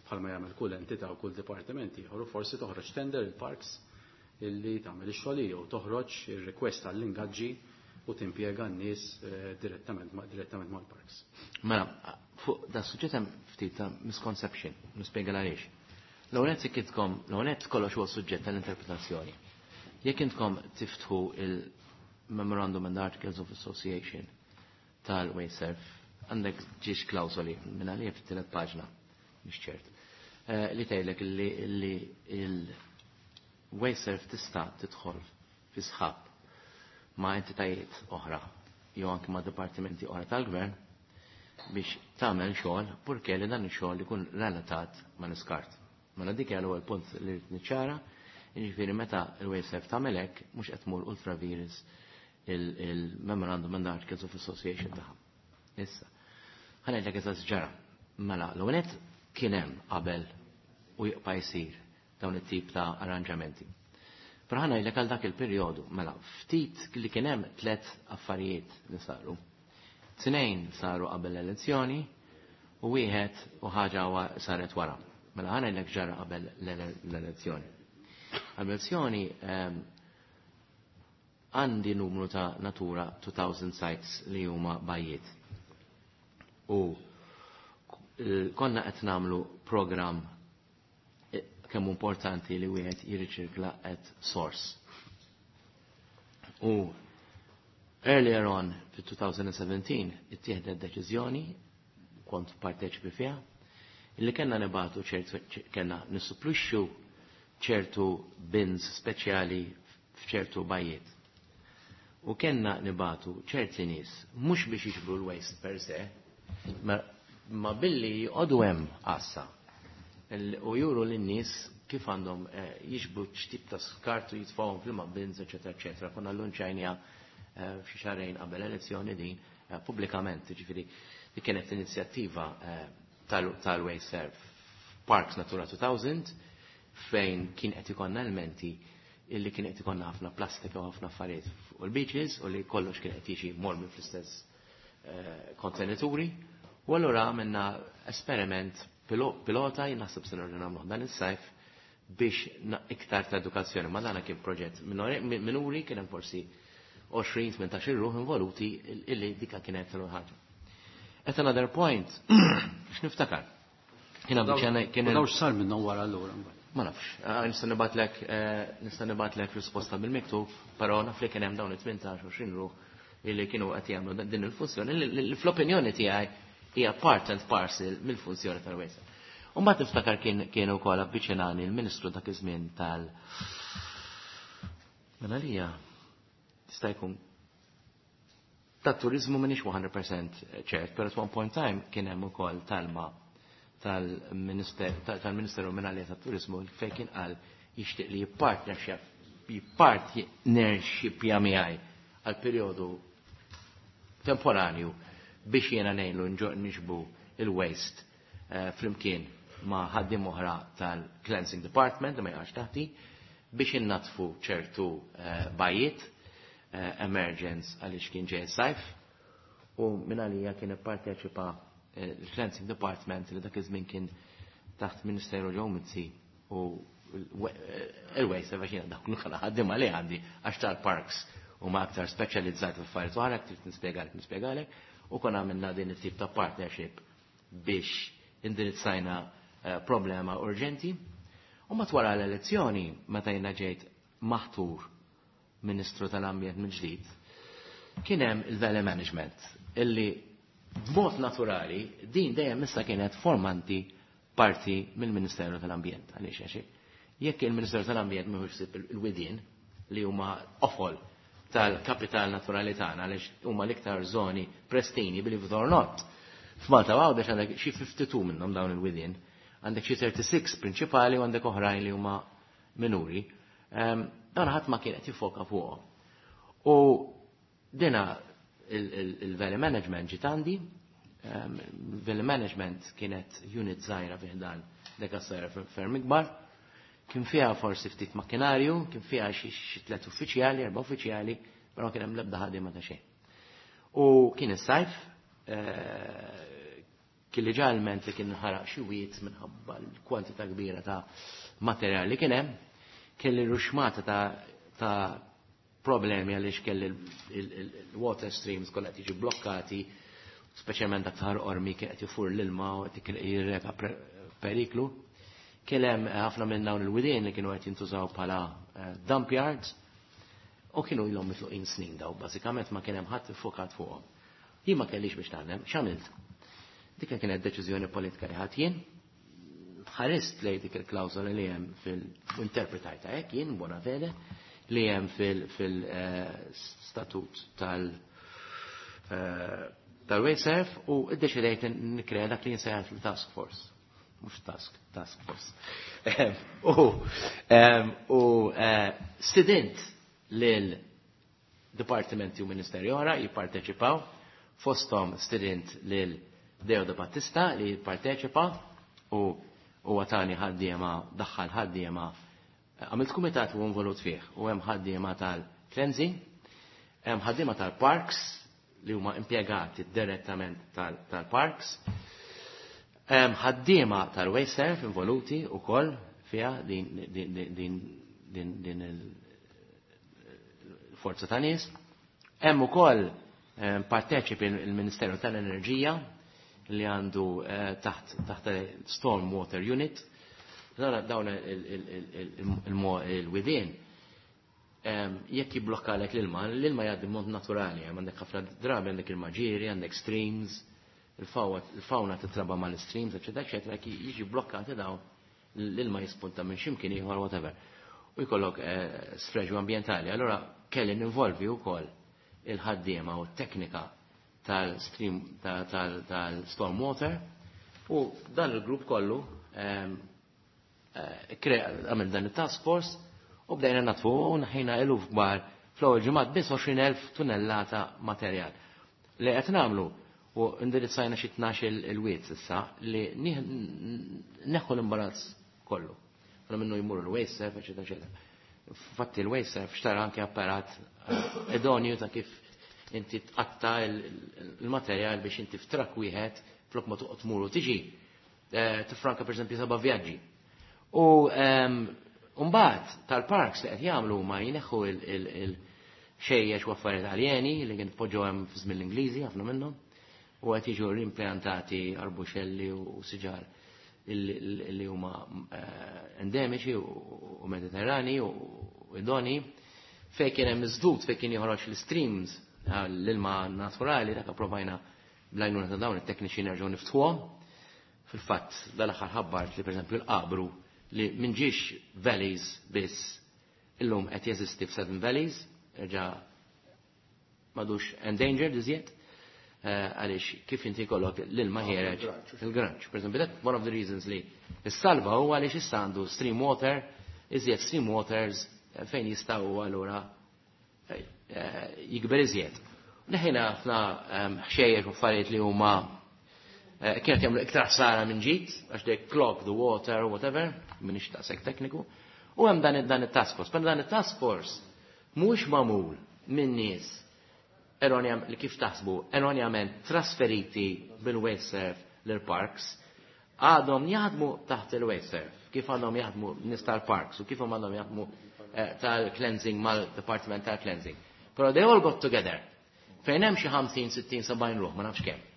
bħalma jagħmel kull entità u kull dipartiment ieħor u forsi toħroġ tender il-parks illi tagħmel ix-xogħol jew toħroġ ir-request għall-ingaġġi u timpjega n-nies direttament direttament mal-parks. Mela, fuq da suġġett hemm ftit ta' misconception, nispjega għaliex. L-ewwel nett ikitkom, l-ewwel nett kollox huwa suġġett tal-interpretazzjoni. Jekk intkom tiftħu il-Memorandum and Articles of Association tal-WasteServ, għandek ġiex klawsoli minn għalija fit-tielet paġna, mhix ċert, li tgħidlek li il-WasteServ tista' tidħol fi sħab ma' entitajiet oħra jew anke ma' dipartimenti oħra tal-gvern biex tagħmel xogħol purché li dan ix-xogħol ikun relatat ma' l-iskart. Mela dik hija l-ewwel punt li rrid niċċara, jiġifieri meta l-WasteServ tagħmel hekk mhux qed tmur ultra vires il-Memorandum and Articles of Association tagħha. Issa, ħa ngħidlek eżatt ġara. Mela, l-ewwel nett kien hemm qabel u jibqa' jsir dawn it-tip ta' arranġamenti. Però ħa ngħidlek għal dak il-perjodu, mela, ftit li kien hemm tliet affarijiet li saru. Tnejn saru qabel l-elezzjoni u wieħed u ħaġa saret wara. Mela ħa ngħidlek ġara qabel l-elezzjoni. Qabel l-elezzjoni għandi numru ta' Natura two thousand sites li huma bajjiet. U konna qed nagħmlu programm kemm importanti li wieħed jirriċirkla at source. U earlier on fit-twenty seventeen ittieħdet deċiżjoni, kont parteċipi fiha, illi kellna nibatu ċertu, kellna nissupplixxu ċertu bins speċjali f'ċertu bajjiet. U kellna nibatu ċerti nies mhux biex jiġbru l-waste per se, ma, ma billi jqogħdu hemm għassa u juru lin-nies kif għandhom eh, jiġbru x'tip ta' skart u jitfgħuhom fl bins, eċetera, eċetera. Konna llunċajnieha eh, f'xi xahrejn qabel elezzjoni din eh, pubblikament, ġifieri di kienet inizjattiva tal-WasteServ Parks Natura two thousand fejn kien qed ikollna elementi illi kien qed ikollna ħafna plastika u ħafna affarijiet fuq il-beaches u li kollox kien qed jiġi mormi fl-istess kontenituri. U allura għamilna esperiment pilota, jien naħseb se nerġa' nagħmluh dan is-sajf biex iktar ta' edukazzjoni. Ma dana kien proġett minuri, kien hemm forsi għoxrin tmintax ruħ involuti illi dika kienet ħaġa. At another point, x'niftakar. Kien kien Daw x'sar minnhom wara allura? Ma nafx, nista' nibgħatlek nista' nibgħatlek risposta bil-miktub, però naf li kien hemm dawn it-tmintax għoxrin ruħ illi kienu qed jagħmlu din il-funzjoni li fl-opinjoni tiegħi hija part and parcel mill-funzjoni tal-Waste. U mbagħad niftakar kien kien ukoll avviċinani l-Ministru dak iż-żmien tal Mela lija tista' jkun tat-turiżmu m'iniex mija fil-mija ċert, però at one point time kien hemm ukoll talma tal-Ministeru Minali tat-Turiżmu fejn kien qal jixtieq li jippartnership jippartnership miegħi għal perjodu temporanju biex jiena ngħinlu niġbru il-waste flimkien ma' ħaddiem oħra tal-Cleansing Department ma jaqax taħti biex innatfu ċertu bajiet emergence għaliex kien ġej sajf u minn għalija kien ipparteċipa il-Cleansing Department li dak iż-żmien kien taħt Ministeru Joe Mizzi u il-waste għax jiena dak l ħaddiema li għandi għax tal-parks u ma aktar speċjalizzati f'affarijiet oħra, trid nispjegalek nispjegalek u konna għamilna din it-tip ta' partnership biex indirizzajna problema urġenti. U matwara l-elezzjoni, meta jiena ġejt maħtur Ministru tal-Ambjent mill-ġdid, kien hemm il-Valley Management illi b'mod naturali din dejjem issa kienet formanti parti mill-Ministeru tal-Ambjent. Għaliex għax jekk il-Ministeru tal-Ambjent mhuwiex ħsieb il-widien li huma qofol tal-kapital naturali tagħna għaliex huma l-iktar żoni prestini, believe it or not. F'Malta Għawdex għandek xi tnejn u ħamsin minnhom dawn il-widien, għandek xi tlieta u tletin prinċipali u għandek oħrajn li huma minuri. Dawn ħadd ma kien qed jifoka fuqhom. U dina il-Valley Management ġiet għandi, Valley Management kienet unit żgħira fi ħdan dekassera ferm ikbar, kien fiha forsi ftit makkinarju, kien fiha xi tliet uffiċjali, erba' uffiċjali, però kien hemm l-ebda ħaddiema ta' xejn. U kien is-sajf, kien li ġalment li kien ħaraq xi wied minħabba l-kwantità kbira ta' materjal li kien hemm, kelli ruxmata ta', ta problemi għaliex kelli il-water streams kollha qed jiġu blokkati, speċjalment dak ta' Qormi kien qed jifur l-ilma u qed jirreka periklu. Kien hemm ħafna minn dawn il-widien li kienu qed jintużaw bħala dump yards u kienu ilhom mitluqin snin daw, bażikament ma kien hemm ħadd iffokat fuqhom. Jien ma kellix biex taħdem, x'għamilt? Dik kienet deċiżjoni politika li ħadd jien, ħarist lej dik il-klawżola li hemm fil-interpretajta hekk jien bona fede li hemm fil-statut tal tal-WasteServ u iddeċidejt nikrea dak li jinsejjaħ fil-task force. Mhux task, task force. U u stedint lil dipartimenti u ministeri oħra jipparteċipaw, fosthom stedint lil Deo De Battista li jipparteċipa u u għatani ħaddiema, daħħal ħaddiema, għamilt kumitat u involut fih, u hemm ħaddiema tal-cleansing, hemm ħaddiema tal-parks li huma impjegati direttament tal-parks, hemm ħaddiema tal-wasteserv involuti wkoll fiha din din din din il-forza ta' nies. Hemm ukoll parteċipi il-Ministeru tal-Enerġija li għandu taħt taħt Storm Water Unit. Dawn il-widien jekk jiblokkalek l-ilma, l-ilma jgħaddi mod naturali, għandek ħafna drabi għandek il-maġiri, għandek streams, il-fauna titraba mal-streams, eccetera, eccetera, jiġi blokkati dawn l-ilma jispunta minn ximkien ieħor whatever. U jkollok sfreġu ambientali. Allora kelli ninvolvi wkoll il-ħaddiema u t-teknika tal-stream tal-storm water u dan il-grupp kollu għamil dan il-task force u bdejna natfu u neħħejna eluf kbar fl-ewwel ġimgħat biss għoxrin elf tunnellata materjal. Li qed nagħmlu u indirizzajna xi tnax il-wied issa li neħħu l-imbarazz kollu. Għana minnu jmur il-waste serv, eċetera, eċetera. Fatti il-waste serv xtara anke apparat idonju ta' kif inti tqatta il-materjal biex inti f'trak wieħed Flok ma toqgħod tmur u tiġi, eh, tifranka pereżempju seba' vjaġġi. U ehm, mbagħad tal-parks li qed jagħmlu ma jneħħu il-ħxejjex u affarijiet aljeni li kien tpoġġew hemm fi żmien l-Ingliżi ħafna minnhom u qed jiġu rimplantati arbuxelli u siġar illi huma eh, endemiċi u mediterrani u idoni fejn kien hemm iżdud fejn kien joħroġ l-streams l-ilma naturali dak approvajna bl-għajnuna ta' dawn it-tekniċi nerġgħu niftħuhom. Fil-fatt dal-aħħar ħabbart li pereżempju l-qabru li minn ġiex valleys biss illum qed jeżisti f'Seven Valleys, erġa' m'għadux endangered iżjed, eh, għaliex kif inti jkollok l-ilma ħiereġ il-granċ. Per esempio, that one of the reasons li s-salva huwa għaliex issa għandu stream water, iżjed stream waters eh, fejn jistgħu allura eh, jikber iżjed. Neħħejna ħafna ehm, ħxejjex u affarijiet li huma kienet jagħmlu iktar ħsara minn ġid, għax they clog the water or whatever, m'iniex daqshekk tekniku. U hemm dan dan it-task force. Però dan it-task force mhux magħmul minn nies erronjam li kif taħsbu erronjament trasferiti bil-WasteServ l-parks għadhom jaħdmu taħt il-WasteServ, kif għadhom jaħdmu nies tal-parks u kif għadhom jaħdmu eh, tal-cleansing mal-department tal-cleansing. Però they all got together. Fejn hemm xi ħamsin, sittin, sebgħin ruħ, ma nafx kemm.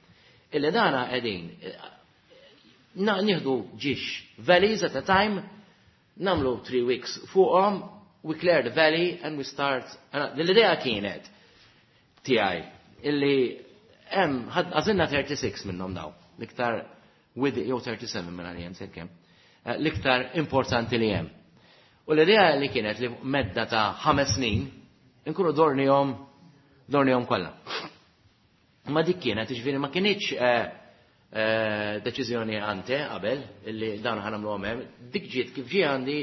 Illi dana qegħdin eh, nieħdu ġiex valleys at a time, nagħmlu three weeks fuqhom, we clear the valley and we start. L-idea kienet tiegħi illi hemm għażilna tlieta u tletin minnhom daw, l-iktar with jew tlieta u sebgħin minn għalija nsejt kemm, eh, l-iktar importanti li hemm. U l-idea li kienet li medda ta' ħames snin inkunu dornihom dornihom kollha. Ma dik kienet, ġifieri ma kinitx eh, eh, deċiżjoni ante qabel illi dawn ħa nagħmlu hemm, dik ġiet kif ġie għandi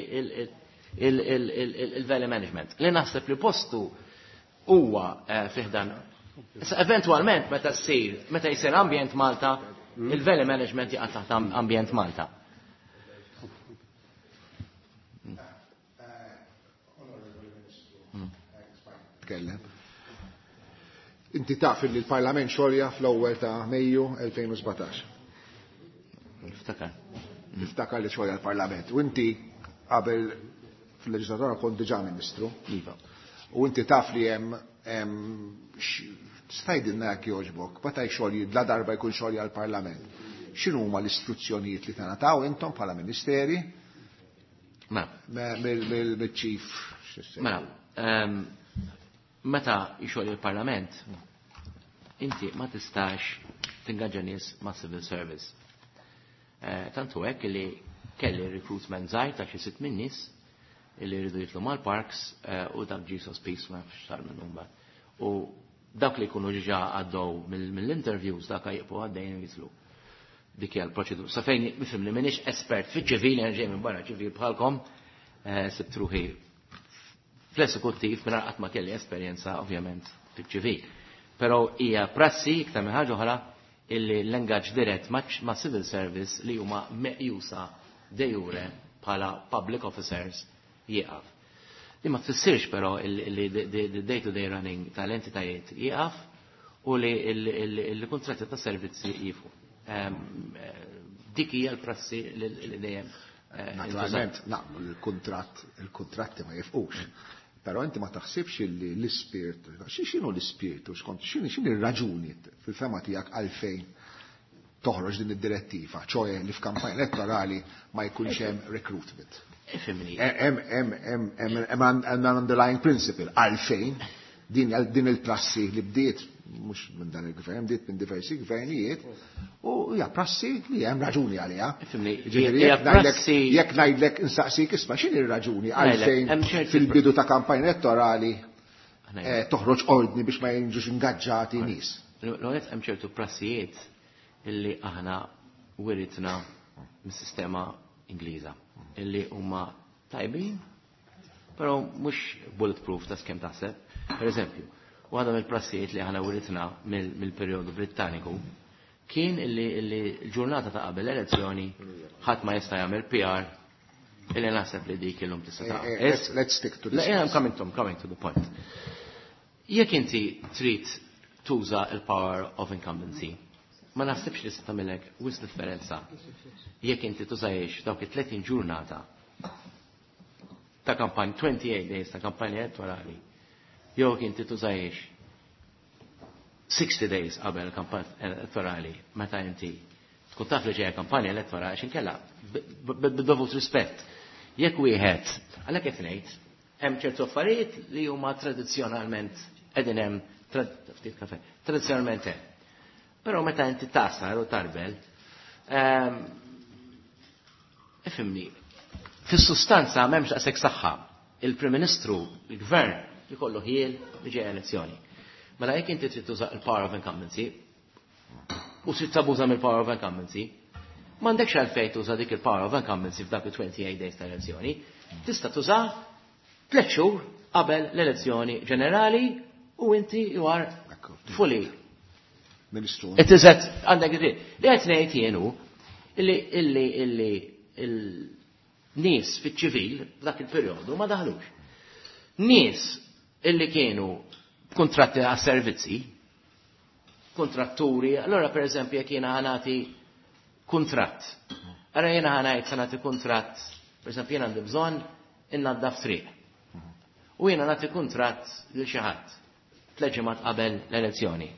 il-valley management. Li naħseb li postu huwa eh, fiħdan. Issa eventualment meta ssir, meta jsir Ambjent Malta, il-valley management jaqa' taħt Ambjent Malta. Tkellem. Inti taf li l-Parlament xolja fl-ewwel ta' Mejju elfejn u sbatax. Niftakar. Niftakar li xolja l-Parlament. U inti qabel fil-leġislatura kont diġà ministru. Iva. U inti taf li hemm tgħidilna jekk jogħġbok, meta jxolji la darba jkun xolja l-Parlament. X'inhu huma l-istruzzjonijiet li tingħataw intom bħala ministeri? Mela. Mill-chief. Mela, ehm, meta jxolji il-Parlament, inti ma tistax tingaġġa nies ma' civil service. Eh, tantu hekk li kelli recruitment żgħir ta' xi sitt minn nies illi jridu jitlu mal-parks eh, u dak ġie sospiż, ma nafx sar minn mbagħad. U dak li jkunu ġiġa għaddew mill-interviews dak jibqgħu għaddejn jitlu. Dik hija l-proċedura. Sa fejn nifhem li m'iniex espert fiċ-ċivili, ġej minn barra ċivil bħalkom, eh, sibt ruħi fl-esekuttiv minn qatt ma kelli esperjenza ovvjament fiċ-ċivil. Però hija prassi iktar minn ħaġa oħra illi l-ingaġġ dirett ma' civil service li huma meqjusa de jure bħala public officers jieqaf. Li ma tfissirx però li the day-to-day running tal-entitajiet jieqaf u li l-kontratti ta' servizzi jieqfu. Ehm, eh, dik hija l-prassi li dejjem. Eh, Naturalment, naqblu l-kontratt, il-kontratti ma jieqfux. Però inti ma taħsibx li l-ispirtu, x'inhu l-ispirtu, xkont, x'inhi r-raġuni fil-fehma tiegħek għalfejn toħroġ din id-direttiva, ċoè li f'kampanja elettorali ma jkunx hemm recruitment. Ifhimni. Hemm hemm hemm hemm an underlying principle għalfejn din din il-prassi li bdiet mhux minn dan il-gvern, bdiet minn diversi gvernijiet u hija prassi li hemm raġuni għaliha. Ifhimni, Ġifieri hija jekk ngħidlek prassi jekk ngħidlek insaqsik isma' x'inhi r-raġuni Ngħidlek, għalfejn hemm ċerti fil-bidu ta' kampanja elettorali Ngħidlek. eh, toħroġ ordni biex ma jiġux ingaġġati nies. L-għonet hemm ċertu prassijiet illi aħna wiritna mis-sistema Ingliża illi huma tajbin, però mhux bulletproof ta' skem taħseb. Per eżempju, waħda mill-prassijiet li aħna wiritna mill-perjodu Brittaniku kien illi illi l-ġurnata ta' qabel elezzjoni ħadd ma jista' jagħmel P R illi naħseb li dik illum tista' ta' Eh, eh, let's- let's stick to this. Le, I'm coming to, I'm coming to the point. Jekk inti trid tuża il-power of incumbency, Ma naħsibx li se tagħmilek wisq differenza jekk inti tużajiex dawk it-tletin ġurnata ta' kampanja, twenty-eight days ta' kampanja elettorali, jew jekk inti tużajiex sixty days qabel kampanja elettorali meta inti tkun taf li ġejja kampanja elettorali, għax inkella bid-dovut rispett. Jekk wieħed, għalhekk qed ngħid, hemm ċertu affarijiet li huma tradizzjonalment qegħdin hemm, ftit kafe, tradizzjonalment hemm. Però meta inti tasar u tarbel, ifhimni, fis-sustanza m'hemmx daqshekk saħħa. Il-Prim Ministru, il-Gvern, jkollu ħiel li ġejja elezzjoni. Mela jekk inti trid tuża il-power of incumbency, u trid tabuża mill-power of incumbency, m'għandekx għalfejn tuża dik il-power of incumbency f'dak il-twenty-eight days ta' elezzjoni. Tista' tuża tliet xhur qabel l-elezzjoni ġenerali u inti you are fully. Ministru. It is at, għandek id-dritt. Li qed ngħid jien hu illi, illi, illi il-nies fiċ-ċivil f'dak il-perjodu ma daħlux. Nies illi kienu kontratti għas servizzi, kontratturi, allora per eżempju jekk jiena ħa nagħti kuntratt. Allora jiena ħa ngħid se nagħti kuntratt, per eżempju jiena għandi bżonn innaddaf triq. U jiena nagħti kuntratt lil xi ħadd tliet ġimgħat qabel l-elezzjoni.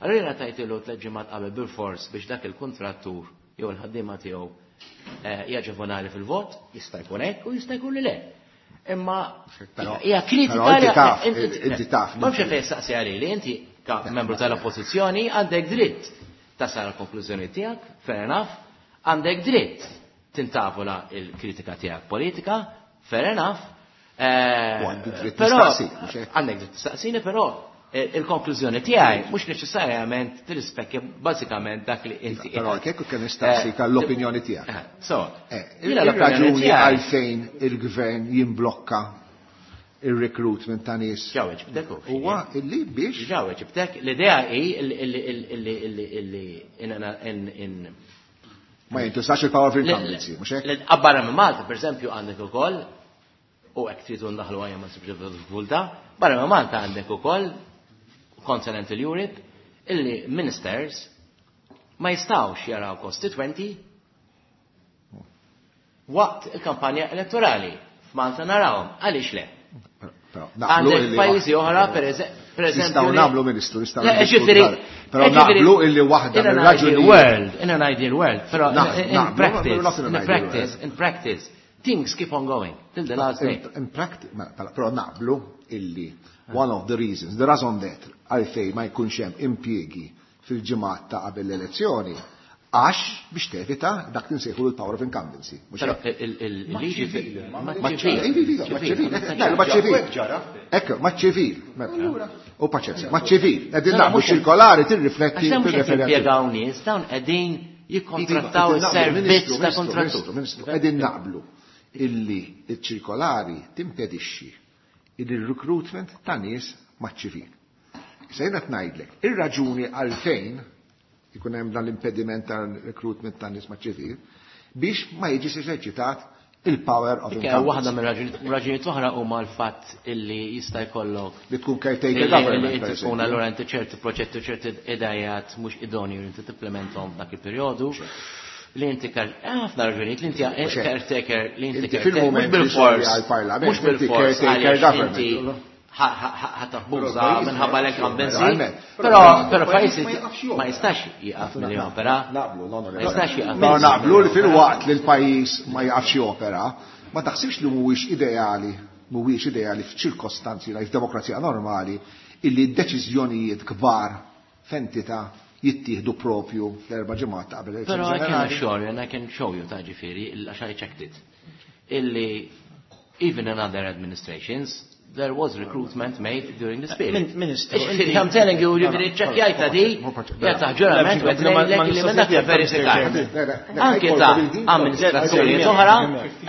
Allora jiena tajtilu tliet ġimgħat qabel bil-fors biex dak il-kontrattur jew il-ħaddiema tiegħu, eh, jaġevonali fil-vot, jista' jkun hekk u jista' jkun li le. Imma Però- hija kritika però inti li taf, inti- inti taf. Ma nafx fejn saqsi għalili, li inti ka membru tal-oppożizzjoni għandek dritt tasal għall-konklużjoni tiegħek, fair enough, għandek dritt tintavola il-kritika tiegħek politika, fair enough. Eh, U għandek dritt però tistaqsi, mhux hekk? Għandek dritt tistaqsini, però eh, il-konklużjoni tiegħi mhux neċessarjament tirrispekkja bażikament dak li inti Però kieku kien nistaqsik Eh, għall-opinjoni tiegħek. Eh, so, Eh, jiena l-opinjoni Il-raġuni tiegħi- għalfejn il-gvern jimblokka il-recruitment ta' nies Ġawet, ġibtek u. huwa illi biex Ġawet, ġibtek, l-idea hi illi illi illi illi illi in in in ma jintużax il-power of incumbency, mhux hekk? Barra minn Malta, per eżempju, għandek ukoll, u hekk tridu ndaħlu għajja ma nsibx diffikultà, barra minn Malta għandek ukoll Continental Europe, illi ministers ma jistawx jaraw constituenti waqt il-kampanja elettorali. F'Malta narawhom, għaliex le? Però naqblu Għandek illi pajjiżi oħra, per eże-, per eżempju, Nistgħu li- nagħmlu, Ministru, nistgħu Le, niddiskutu ġifieri, dan. Però ġifieri, naqblu illi waħda in an mir-raġunijiet- ideal world, in an ideal world, però in, Naħ- in naqblu, practice, not in an in ideal practice, world. in practice, things keep on going till the last day. In, in practice, mela, pala- però naqblu illi one of the reasons, the raison d'être għalfej ma jkunx hemm impjiegi fil-ġimgħat ta' qabel l-elezzjoni, għax biex tevita dak li nsejħu l-power of incumbency. Mhux Però hekk? il- il- il-liġi ċivil, ma Ma ċivil, iva, iva, ma ċivil, le, ma ċivil. Ġara. Ekku, ma ċivil. Mela. U paċenzja, ma ċivil. Qegħdin No, no, naqblu mhux- ċirkolari tirrifletti Għax dawn mhux qed tirreferi għal- jimpjegaw nies, dawn qegħdin jikkontrattaw Iva, qegħdin naqblu, is-servizz Ministru, ta' Ministru, kontrattur. Ministru, Ministru, qegħdin naqblu illi il-ċirkolari timpedixxi il-recruitment ta' nies maċ-ċivil. Issa jiena ngħidlek, ir-raġuni għalfejn ikun hemm dan l-impediment ta' recruitment ta' nies maċ-ċivil biex ma jiġix eżerċitat il-power of Dik hija waħda incumbency. mir-raġuni- raġunijiet oħra huma l-fatt illi jista' jkollok Li tkun caretaker Illi government. illi per inti tkun eżempju. allura inti ċerti proġetti u ċerti idejat mhux idonju li inti timplementhom f'dak il-perjodu. Li inti kar ħafna raġunijiet li inti Mhux hekk. caretaker li inti Inti caretaker fil-mument mhux li bil-fors xogħli għall-Parlament, mhux inti bil-fors caretaker għaliex government. inti ħa tabbuża Però l-pajjiż minħabba ma l-incumbency. Naturalment. Però però Il-pajjiż pajjiż ma jaqafx jopera. ma jistax jieqaf milli jopera. Naqblu, no, no, Ma jistax jieqaf. Però naqblu li fil-waqt li l-pajjiż ma jaqafx jopera, ma taħsibx li mhuwiex ideali, mhuwiex ideali f'ċirkostanzi li f'demokrazija normali illi deċiżjonijiet kbar f'entità jittieħdu propju fl-erba' ġimgħat ta' qabel Però l-elezzjoni I can ġenerali. assure you, and I can show you ta' ġifieri, għax I checked it, illi even in other administrations, there was recruitment made during this period. Min- Ministru, Ġifieri, inti- I'm telling you, ġifieri, ċekkjajta di, jgħata ġurament, u qed ngħidlek li minn dak verifikat. Anke ta' amministrazzjonijiet oħra,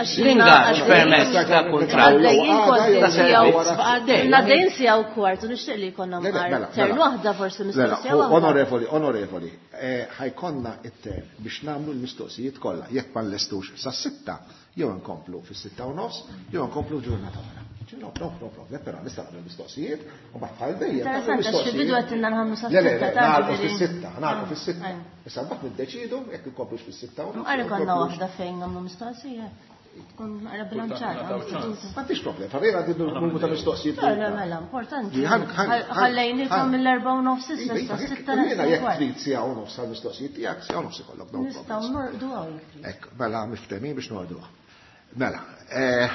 l-ingaġġ permezz ta' kuntratt Għaddejjin kważi ta' servizz għaddej. Għaddejjin siegħa u kwart, u nixtieq li jkollna Le, le, mqar mela, turn mela. waħda forsi Le, le, mistoqsija waħda. Onorevoli, onorevoli, eh, ħa jkollna it-turn biex nagħmlu l-mistoqsijiet kollha, jekk ma nlestux sa sitta, jew nkomplu fis-sitta u nofs, jew nkomplu ġurnata oħra. No, no, no problem, però nista' nagħmel mistoqsijiet u mbagħad bħal dejjem. Interessanti, għax fil-bidu għedtilna nħamlu sa Le, le, sitta le, ta' nagħlqu ġifieri. fis-sitta, nagħlqu fis-sitta. Ajja. Issa mbagħad niddeċidu jekk inkomplux fis-sitta u nofs, Mqar ikollna inkomplux. waħda fejn nagħmlu mistoqsija. Tkun naqra bilanċata. M'għandix problem, farina għandi numru ta' mistoqsijiet. Le, le, mela, importanti. Ħan- ħan- Ħallejnikom ħan- mill-erba' u nofs issa, Iva, issa iva, sitta jekk- jiena naqs jekk kwart. trid siegħa u nofs għal-mistoqsijiet tiegħek, siegħa u nofs ikollok, no Nistgħu problems. norqdu hawn jekk trid. Ekk, mela miftemin biex norduha. Mela, eh,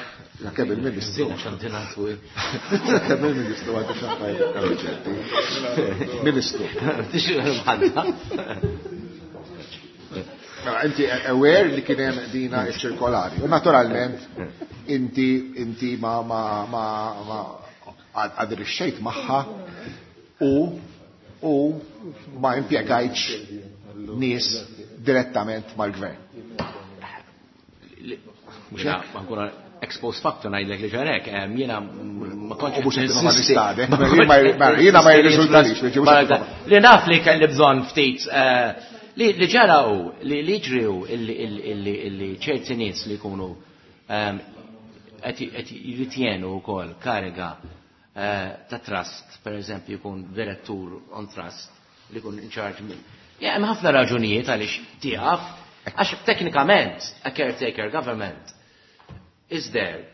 la kemm il-Ministru. Kemm il-Ministru għandu x'affarijiet urġenti. Ministru. Mela, inti aware li kien hemm dina ċ-ċirkolari. U naturalment inti inti ma ma ma ma adirixxejt magħha u u ma impjegajtx nies direttament mal-gvern. Mhux hekk, ma nkun ex post facto ngħidlek li ġarek, em, jiena ma kontx U mhux qed ninsisti. ma nistadek, Ma ma kontx jien ma- jiena ma jirriżultalix, ninsisti. mhux qed Ma- Li naf li kelli bżonn ftit eh, li li ġara hu li li jiġri hu illi illi illi illi ċerti nies li jkunu em, qed qed jirritjenu wkoll kariga eh, ta' trust, per eżempju jkun direttur on trust li jkun in charge minn. Ja, hemm ħafna raġunijiet għaliex tieqaf, għax teknikament a caretaker government is there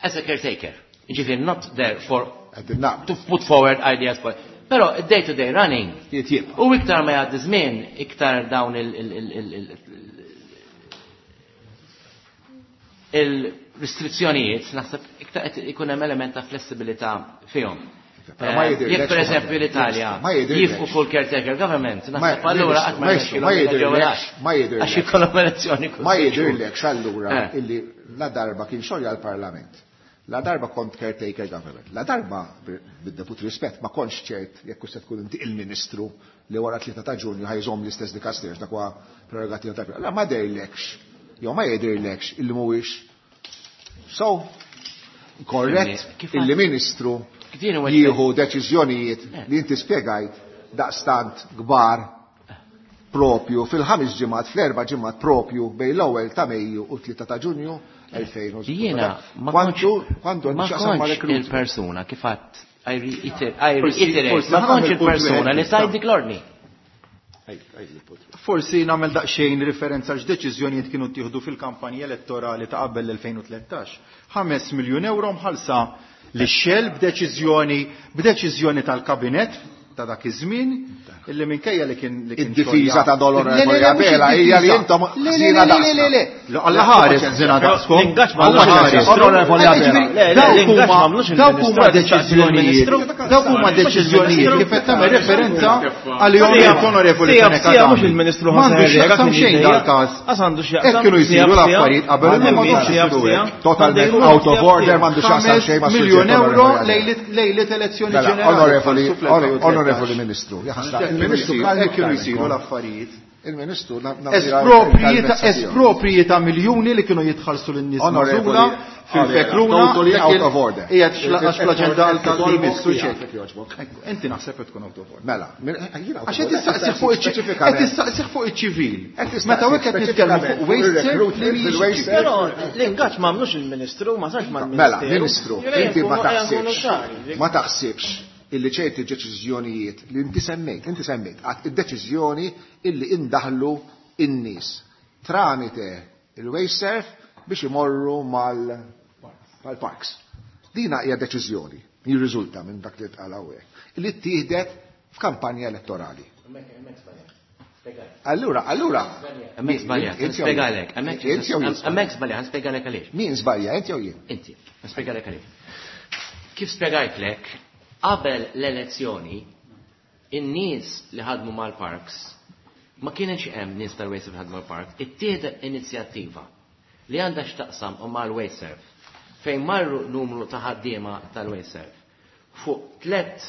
as a caretaker. Ġifieri not there for Qed naqbel. to put forward ideas for. Però day to day running Jitjieb. u iktar ma jgħaddi żmien, iktar dawn il- il- il- il- il- il-restrizzjonijiet, naħseb iktar qed ikun hemm element ta' flessibilità fihom. Però ma Eh, jidhirlekx Jekk pereżempju l-Italja Ma jidhirlekx. jifqu kull caretaker government, Ma- naħseb allura qatt ma Maestro, ma jirnexxilhom jidhirlekx, ma jidhirlekx. Għax ikollhom elezzjoni kull Ma sitt xhur. jidhirlekx allura Eh. illi la darba kien xogħol għall-Parlament. La darba kont caretaker government. La darba, bid-dovut rispett, ma kontx ċert jekk se tkun inti il-Ministru li wara tlieta ta' Ġunju ħajżomm l-istess dikasters dak huwa prerogativa ta' La ma dehrlekx, jew ma jidhirlekx illi mhuwiex so korrett Kif illi Ministru Kif huwa jieħu deċiżjonijiet Eh. li inti spjegajt daqstant kbar propju fil-ħames ġimgħat, fl-erba' ġimgħat propju bejn l-ewwel ta' Mejju u tlieta ta' Ġunju elfejn u Jiena ma Kwantu kontx kwantu għandu ma x'jaqsam ma' kontx recruitment. il-persuna kif għadt I reiter- I Forsi- reiterate, forsi ma ħa kontx nagħmel punt il-persuna wieħed li issa. tajt dik l-ordni. Ej, ej, il-punt. Forsi nagħmel daqsxejn riferenza x'deċiżjonijiet kienu ttieħdu fil-kampanja elettorali ta' qabel l-elfejn u tlettax. Ħames miljun euro mħallsa li Shell b'deċiżjoni b'deċiżjoni tal-kabinet ta' dak iż-żmien illi minkejja li kien li kien Id-difiża xogħol ta' Dolor Le, le, le, Abela mhux id-difiża. hija li intom Le, le, ħżiena le, le, le, le, le. Alla ħares ħżiena daqskom. L-ingaġġ ma Alla għamlux ħares. il-Ministru. Onorevoli Abela. Ġifieri, Le, le, dawk l-ingaġġ huma- ma għamlux dawk huma il-Ministru, deċiżjonijiet. Dawk huma deċiżjonijiet kif qed tagħmel referenza għalihom Sija- l-Onorevoli sija- Fenech sija mhux Adami. il-Ministru M'għandu José x'jaqsam Herrera xejn kien dal-każ. Għas għandu x'jaqsam, Hekk kienu sija- jsiru sija- l-affarijiet qabel għandu imma m'għandhomx sija- isiru sija. hekk. Totalment Għandu out of sija- order, m'għandu x'jaqsam xejn ma' Ħames miljun suġġett euro onorevoli Abela. lejlit lejlit elezzjoni Mela, ġenerali. onorevoli, Falsu fl-elfejn u tlettax. onorevoli Ministru, jaħasra, il-Ministru Hekk kienu jsiru l-affarijiet. Il-Ministru na- na- Espropriji ta' tiegħu. espropriji ta' miljuni li kienu jitħallsu lin-nies Onorevoli, magħżula fil-fekruna. totally jekk out il- of order. Qiegħed xla- għax fl-aġenda għal-Ministru Tiegħek, ċek. jogħġbok. Ekku, Inti naħseb qed tkun out of order. Mela, min- jiena out Għax of qed order, tistaqsih fuq iċ-ċivil. speċifikament. Qed tistaqsih fuq iċ-ċivil. Qed tistaqsih Meta hekk qed nitkellmu fuq speċifikament waste fuq serve li il-recruitment mhijiex fil-waste ċivil. serve. Però l-ingaġġ ma għamlux il-Ministru, ma sarx Mela, mal-Ministeru. Ministru, Ejja inti ma nkunu- ejja nkunu taħsibx, ċari. ma taħsibx illi ċerti deċiżjonijiet li inti semmejt, inti semmejt, għad id-deċiżjoni illi indaħlu in-nies tramite il-WasteServ biex imorru mal- mal-parks. Dina hija deċiżjoni, jirriżulta minn dak li tqal hawnhekk, illi ttieħdet f'kampanja elettorali. Allura, allura. Hemmhekk żbaljat, Inti jew jien? nispjegalek, hemmhekk Inti jew jien? hemmhekk żbaljat, nispjegalek għaliex. Min żbalja, inti jew jien? Inti, nispjegalek għaliex. Kif spjegajtlek, qabel l-elezzjoni, in-nies li ħadmu mal-parks, ma kienx hemm nies tal-WasteServ li ħadmu mal-parks, ittieħdet inizjattiva li għandha x'taqsam u mal-WasteServ, fejn marru numru ta' ħaddiema tal-WasteServ fuq tlet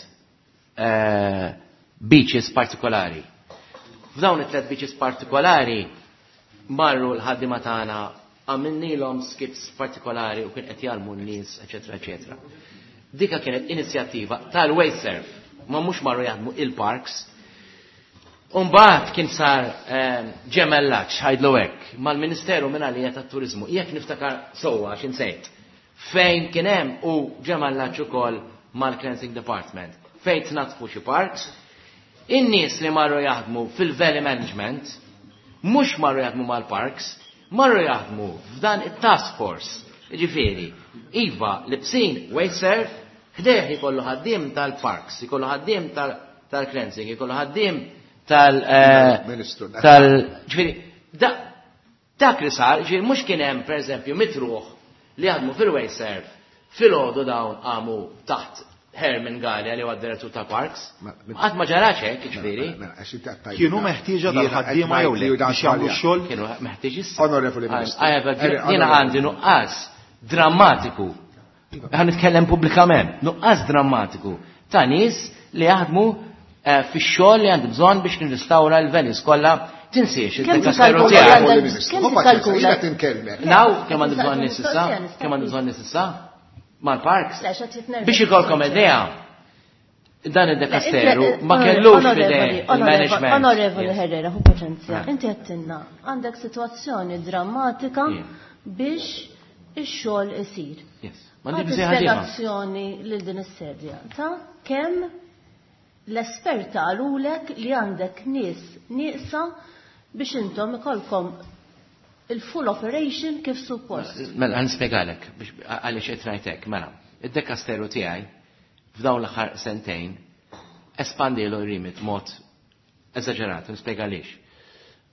eh, beaches partikolari. F'dawn it-tlet beaches partikolari marru l-ħaddiema tagħna għamilnilhom skips partikolari u kien qed jgħallmu n-nies, eċetera, eċetera. Dika kienet inizjattiva tal-WasteServ, ma mhux marru jaħdmu il-parks. Umbagħad kien sar eh, ġemellaġġ ħajdlu hekk mal-Ministeru minn għalija tat-Turiżmu. Jekk niftakar sewwa għax insejt. Fejn kien hemm u ġemallaġġ ukoll mal-Cleansing Department. Fejn tnatfu xi parks, in-nies li marru jaħdmu fil-Valley Management, mhux marru jaħdmu mal-parks, marru jaħdmu f'dan it-task force. Ġifieri, iva, libsin WasteServ, ħdejh ikollu ħaddiem tal-parks, ikollu ħaddiem tal- tal-cleansing, ikollu ħaddiem tal- eh, Ministru, tal ġifieri, da- dak li sar, ġifieri mhux kien hemm pereżempju mitt ruħ li jaħdmu fil-WasteServ, filgħodu dawn qamu taħt Herman Galea li huwa d-direttur ta' Parks. Ma- Qatt ma ġarax hekk, ġifieri. Mela, għax inti qed tgħid- Kienu meħtieġa Jiena dal-ħaddiema qed jew le ngħid li dan biex jagħmlu żbalja. x-xogħol? Kienu meħtieġ issa. Onorevoli Ministru. I have a- Eri, Jiena onorevoli. għandi nuqqas drammatiku. Ħa nitkellem pubblikament. Nuqqas drammatiku ta' nies li jaħdmu eh, fix-xogħol li għandi bżonn biex nirrestawra l-values kollha. Tinsiex Kemm il-dekasteru tikkalkula tiegħek. Onorevoli għandek- Ministru, kemm hu paċenza, tikkalkula? jiena tinkellmek. Naw, kemm għandi bżonn nies issa? Mistoqsija nistaqsi. Kemm għandi bżonn nies issa? Mal-parks. Le, x'qed jitnervez. Biex ikolkom idea, dan id-dekasteru Le, ma inti- kellux onorevoli, f'idej onorevoli, il-management. Onorevoli Yes. Herrera, hu paċenzja. Ah. Inti għedtilna, għandek situazzjoni drammatika Yeah. biex ix-xogħol isir. Yes. M'għandi Għati bżonn ħaddiema. spjegazzjoni lil din is-sedja ta' kemm l-esperta qalulek li għandek nies nieqsa biex intom ikolkom il-full operation kif suppost. Mela, ħa nispjegalek biex għaliex qed ngħidlek, mela, id-dekasteru tiegħi f'dawn l-aħħar sentejn espandielu r-remit mod eżaġerat, nispjega għaliex.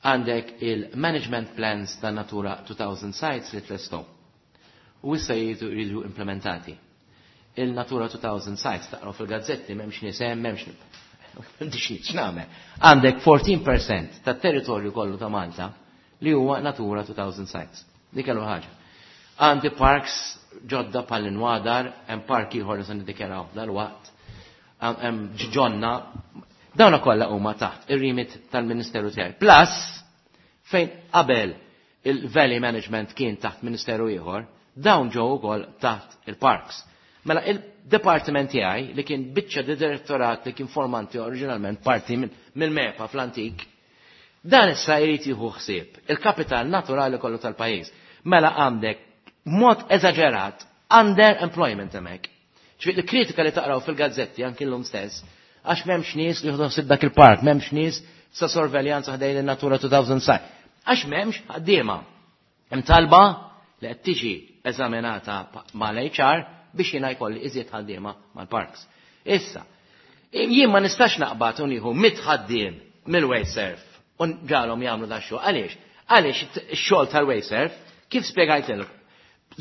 Għandek il-management plans ta' Natura two thousand sites li tlestow. U issa jridu jridu implementati. Il-Natura two thousand sites taqraw fil-gazzetti m'hemmx nies hemm, m'hemmx m'hemmx x'nagħmel. Għandek erbatax fil-mija tat-territorju kollu ta' Malta li huwa Natura two thousand sites. Dik kellu ħaġa. Għandi parks ġodda pal-Inwadar, hemm park ieħor li se niddikjaraw dal-waqt, hemm ġonna, dawna kollha huma taħt ir-remit tal-Ministeru tiegħi. Plus, fejn qabel il-Valley Management kien taħt Ministeru ieħor, dawn ġew ukoll taħt il-parks. Mela il-departiment tiegħi li kien biċċa di direttorat li kien formanti oriġinalment parti mill-MEPA fl-antik, dan issa jrid jieħu ħsieb il-kapital naturali kollu tal-pajjiż. Mela għandek mod eżaġerat underemployment hemmhekk. Ġifieri l-kritika li taqraw fil-gazzetti anki llum stess, għax m'hemmx nies li jieħdu ħsieb dak il-park, m'hemmx nies sa sorveljanza ħdejn in-Natura two thousand site. Għax m'hemmx ħaddiema. Hemm talba li qed tiġi eżaminata mal-H R biex jiena jkolli iżjed ħaddiema mal-parks. Issa, jien ma nistax naqbad u nieħu mitt ħaddiem mill-WasteServ u ġalhom jagħmlu da xogħol. Għaliex? Għaliex ix-xogħol tal-WasteServ, kif spjegajtilek,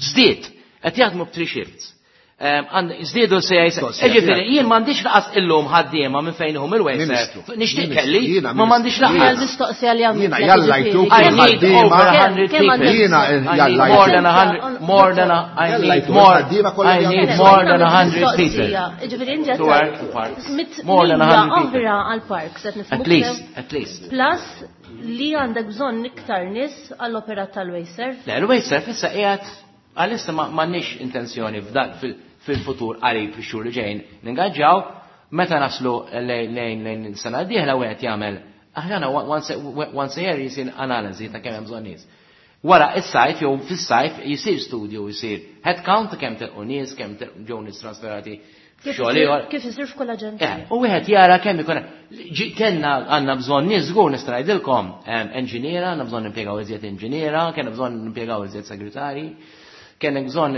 żdied, qed jaħdmu b'three shifts. Żdiedu se Ġifieri, jien m'għandix laqas illum ħaddiema minn fejn hum il-WasteServ. Nixtieq kelli, ma m'għandix laqas. Mistoqsija li għamilt. Jiena jalla jtuk I need over a hundred people. Jiena I need more than a hundred, more than a, I need more, I need more than a hundred people. Ġifieri inti To work the parks. More than a hundred people. oħra għal-parks. qed nifhmuk At least, sew? at least. Plus li għandek bżonn iktar nies għall-operat tal-WasteServ. Le, il-WasteServ issa qiegħed għalissa ma m'għandniex intenzjoni f'dan fil- fil-futur qarib fix-xhur li ġejjin ningaġġaw meta naslu lejn lejn lejn sena d-dieħla wieħed jagħmel aħna once once a year jisir analiżi ta' kemm hemm bżonn nies. Wara is-sajf jew fis-sajf jisir studju jisir head count ta' kemm telqu nies, kemm telqu ġew nies trasferati Kif f'xogħol isir- ieħor. Kif isir f'kull Eh, aġenzija. u wieħed jara kemm ikun ġi- kellna għandna bżonn nies żgur nista' ngħidilkom enġiniera, għandna bżonn nimpjegaw iżjed inġiniera, kellna bżonn nimpjegaw iżjed segretarji, kellna bżonn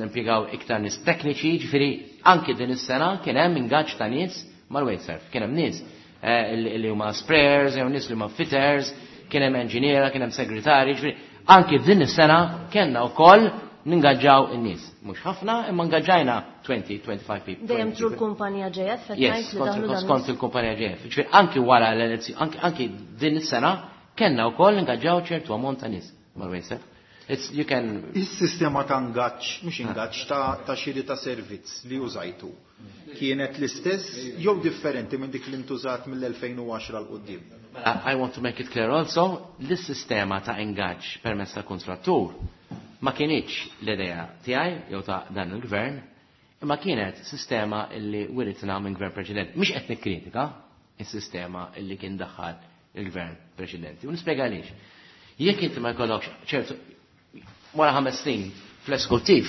nimpjegaw iktar nies tekniċi, ġifieri anki din is-sena kien hemm ingaġġ ta' nies mal-WasteServ, kien hemm nies eh, li li huma sprayers, jew nies li huma fitters, kien hemm enġiniera, kien hemm segretarji, ġifieri anki din is-sena kellna wkoll ningaġġaw in-nies. Mhux ħafna, imma ngaġġajna twenty, twenty-five people. Dejjem through l-kumpanija J F qed Yes, ngħid li kont daħlu dan skont il-kumpanija J F. Ġifieri anki wara l-elezzjoni, anki, anki din is-sena kellna wkoll ngaġġaw ċertu ammont ta' nies mal-WasteServ. It's you can Is-sistema ta' ngaġġ, mhux ingaġġ, ta' ta' xiri ta' servizz li użajtu. Kienet l-istess jew differenti minn dik li ntużat mill-elfejn u għaxra 'l quddiem? I want to make it clear also, l-sistema ta' ingaġġ permezz ta' kontrattur ma kienitx l-idea tiegħi jew ta' dan il-gvern, imma kienet sistema illi wiritna minn gvern preċedenti. Mhix qed nikkritika is-sistema illi kien daħħal il-gvern preċedenti. U nispjega għaliex. Jekk inti ma jkollokx ċertu wara ħames snin fl-eskuttiv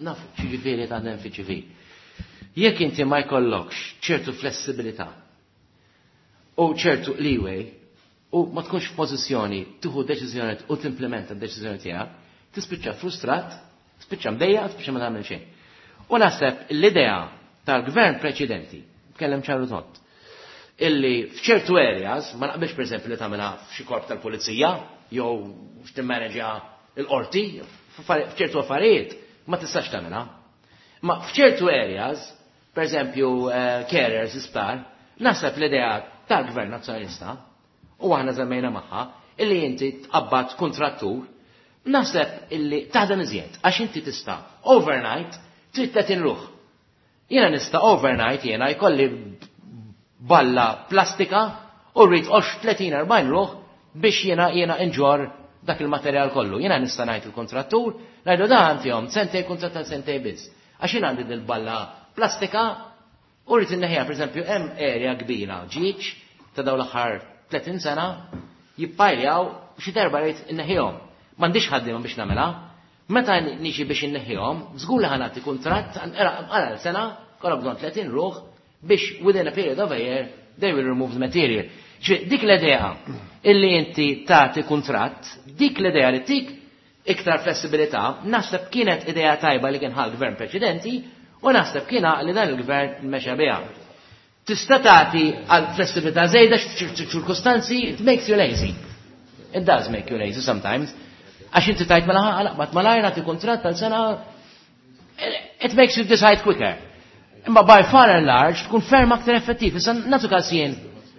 Naf x'jiġifieri taħdem fiċ-ċivil. Jekk inti ma jkollokx ċertu flessibilità u ċertu leeway u ma tkunx f'pożizzjoni tieħu deċiżjoni u timplementa d-deċiżjoni tiegħek, tispiċċa frustrat, tispiċċa mdejja, tispiċċa ma tagħmel xejn. U naħseb l-idea tal-gvern preċedenti, tkellem ċaru tont, illi f'ċertu areas, ma naqbilx pereżempju li tagħmilha f'xi korp tal-pulizija, jew x'timmaneġja l-qorti, f'ċertu affarijiet ma tistax tagħmilha. Ma f'ċertu areas, pereżempju carers isptar, naħseb l-idea tal-Gvern Nazzjonalista, u aħna żemmejna magħha, illi inti tqabbad kontrattur, naħseb illi taħdem iżjed, għax inti tista' overnight trid tletin ruħ. Jiena nista' overnight jiena jkolli balla plastika u rrid għox tletin erbgħin ruħ biex jiena jiena inġor dak il-materjal kollu. Jiena nista' ngħid il-kontrattur, ngħidu dan fihom sentej kuntratt tal sentej biss. Għax jiena għandi dil-balla plastika u rrid inneħħiha, pereżempju hemm area kbira ġieġ ta' dawn l-aħħar tletin sena jippajljaw xi darba rrid inneħħihom. M'għandix ħaddiema biex nagħmilha. Meta niġi biex inneħħihom, żgur li ħanati kuntratt għal sena, kollha bżonn tletin ruħ biex within a period of a year they will remove the material. Dik l-idea illi inti tagħti kuntratt, dik l-idea li tik iktar flessibilità, naħseb kienet idea tajba li kien ħal gvern preċedenti u naħseb kien li dan il-gvern mexa biha. Tista' tagħti għal flessibilità żejda ċirkustanzi, it makes you lazy. It does make you lazy sometimes. Għax inti tajt mela ħalaqbat malajr nagħti kuntratt tal sena, it makes you decide quicker. Imma by far and large tkun ferm aktar effettiv. Issa nagħtu każ jien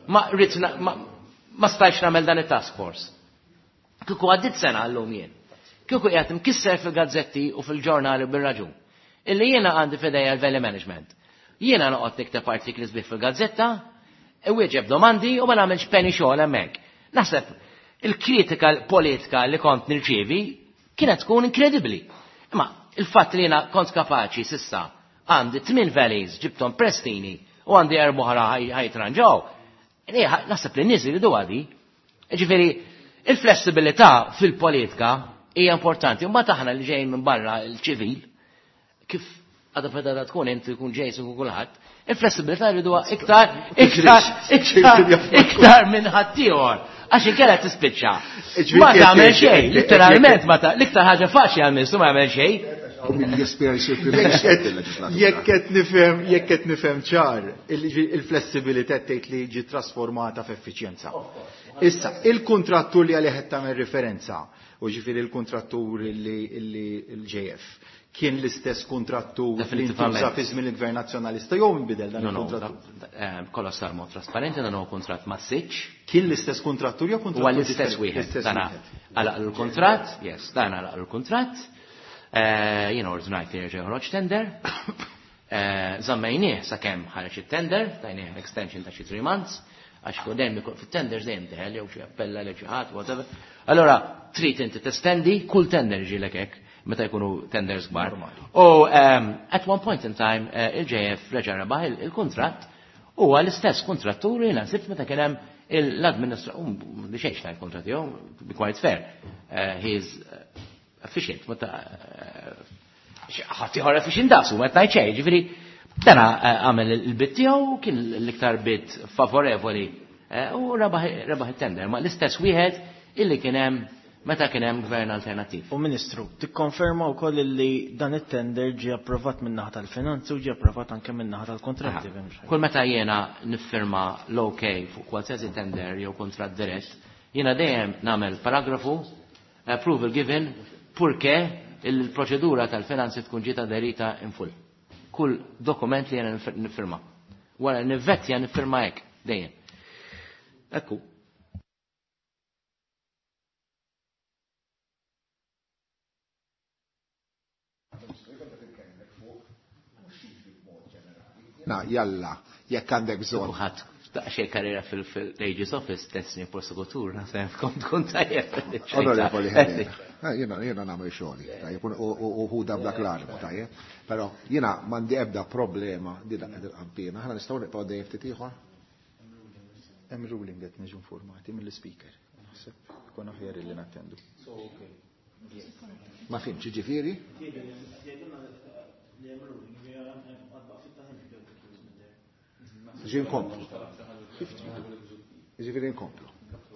ma rrid ma stajtx nagħmel dan it-task force. Kieku għaddit sena llum jien. Kieku qiegħed imkisser fil-gazzetti u fil-ġurnali bir-raġun. Illi jiena għandi f'idejja l-value management. Jiena noqgħod nikteb artikli sbieħ fil-gazzetta, iwieġeb domandi u ma nagħmilx penny xogħol hemmhekk. Naħseb il-kritika politika li kont nirċievi kienet tkun inkredibbli. Imma il-fatt li jiena kont kapaċi sissa għandi tmien valleys ġibtom prestini u għandi erba' oħra ħajtranġaw. Naħseb li n-nies iridu għadi. Ġifieri, il-flessibilità fil-politika hija importanti. Imbagħad aħna li ġejjin minn barra l-ċivil, kif għadha fedha tkun inti tkun ġej u kulħadd, il-flessibilità jriduha iktar iktar iktar iktar minn ħaddieħor. Għax inkella tispiċċa. Ma tagħmel xejn, literalment ma ta' l-iktar ħaġa faċli għal ministru ma jagħmel xejn. Jekk qed nifhem, jekk qed nifhem ċar, il-flessibilità tgħid li ġi trasformata f'effiċjenza. Issa, il-kontrattur li għalih qed tagħmel referenza, u ġifieri il-kontrattur li l-J F, kien l-istess kontrattur li ntuża fi żmien il-Gvern Nazzjonalista jew inbidel dan il-kontrattur? Kollox sar mod trasparenti, dan huwa kuntratt ma' siċ. Kien l-istess kontrattur jew kontrattur? Huwa l-istess wieħed. Dan għalaq il-kuntratt, yes, dan għalaq il-kuntratt. Jiena ordnajt li jerġa' joħroġ tender. Żammejnieh sakemm ħareġ it-tender, tajnieh extension ta' xi three months, għax fuq dejjem ikun fit-tenders dejjem teħel jew xi appella lil xi ħadd, whatever. Allora trid inti testendi kull tender ġielek hekk meta jkunu tenders kbar. U at one point in time il-J F reġa' rebaħ il-kuntratt u l-istess kontratturi jiena sibt meta kien hemm l-administratur, li xejn xtajt kuntratt tiegħu, to be quite fair, he is efficient, meta ħadd ieħor efficient daqsu, ma tgħid xejn, ġifieri dana għamel il-bid tiegħu kien l-iktar bid favorevoli u rebaħ it-tender, ma l-istess wieħed illi kien hemm meta kien hemm gvern alternattiv. U Ministru, tikkonferma wkoll li dan it-tender ġie approvat min-naħa tal-finanzi u ġie approvat anke min-naħa tal-kontratti. Kull meta jiena niffirma l-OK fuq qualsiasi tender jew kuntratt dirett, jiena dejjem nagħmel paragrafu approval given purché il-proċedura tal-finanzi tkun ġiet aderita in full. Kull dokument li jiena niffirma. Wara nivvettja niffirma hekk dejjem. Ekku. Na, jalla, jekk għandek bżonn. Kulħadd xej karriera fil-Aegis Office, tessni prosekutur, naħseb kont tkun tajjeb. Onorevoli Helena, jiena jiena nagħmel xogħli, tajjeb, u hu dak l-armu, tajjeb. Però jiena m'għandi ebda problema di dak il-qampina, aħna nistgħu nibqgħu dejjem ftit ieħor. Hemm ruling qed niġu informati mill-speaker. Naħseb ikun aħjar illi nattendu. Ma fimx, ġifieri? Ġi nkomplu. Ġifieri nkomplu.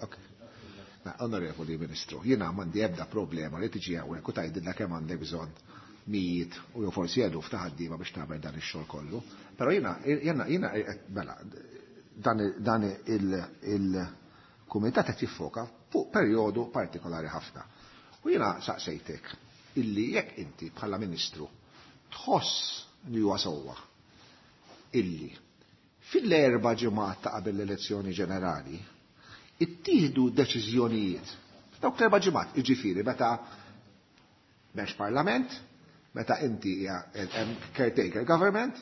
Ok. Ma, onorevoli Ministru, jiena m'għandi ebda problema li tiġi hawnhekk u tgħidilna kemm għandek bżonn mijiet u jew forsi eluf ta' ħaddiema biex tagħmel dan ix-xogħol kollu. Però jiena jiena jiena mela dan dan il-kumitat qed jiffoka fuq perjodu partikolari ħafna. U jiena saqsejtek illi jekk inti bħala Ministru tħoss li huwa sewwa illi fil-erba' ġimgħat ta' qabel l-elezzjoni ġenerali ittieħdu deċiżjonijiet f'dawk l-erba' ġimgħat, jiġifieri meta m'hemmx parlament, meta inti hija hemm caretaker government,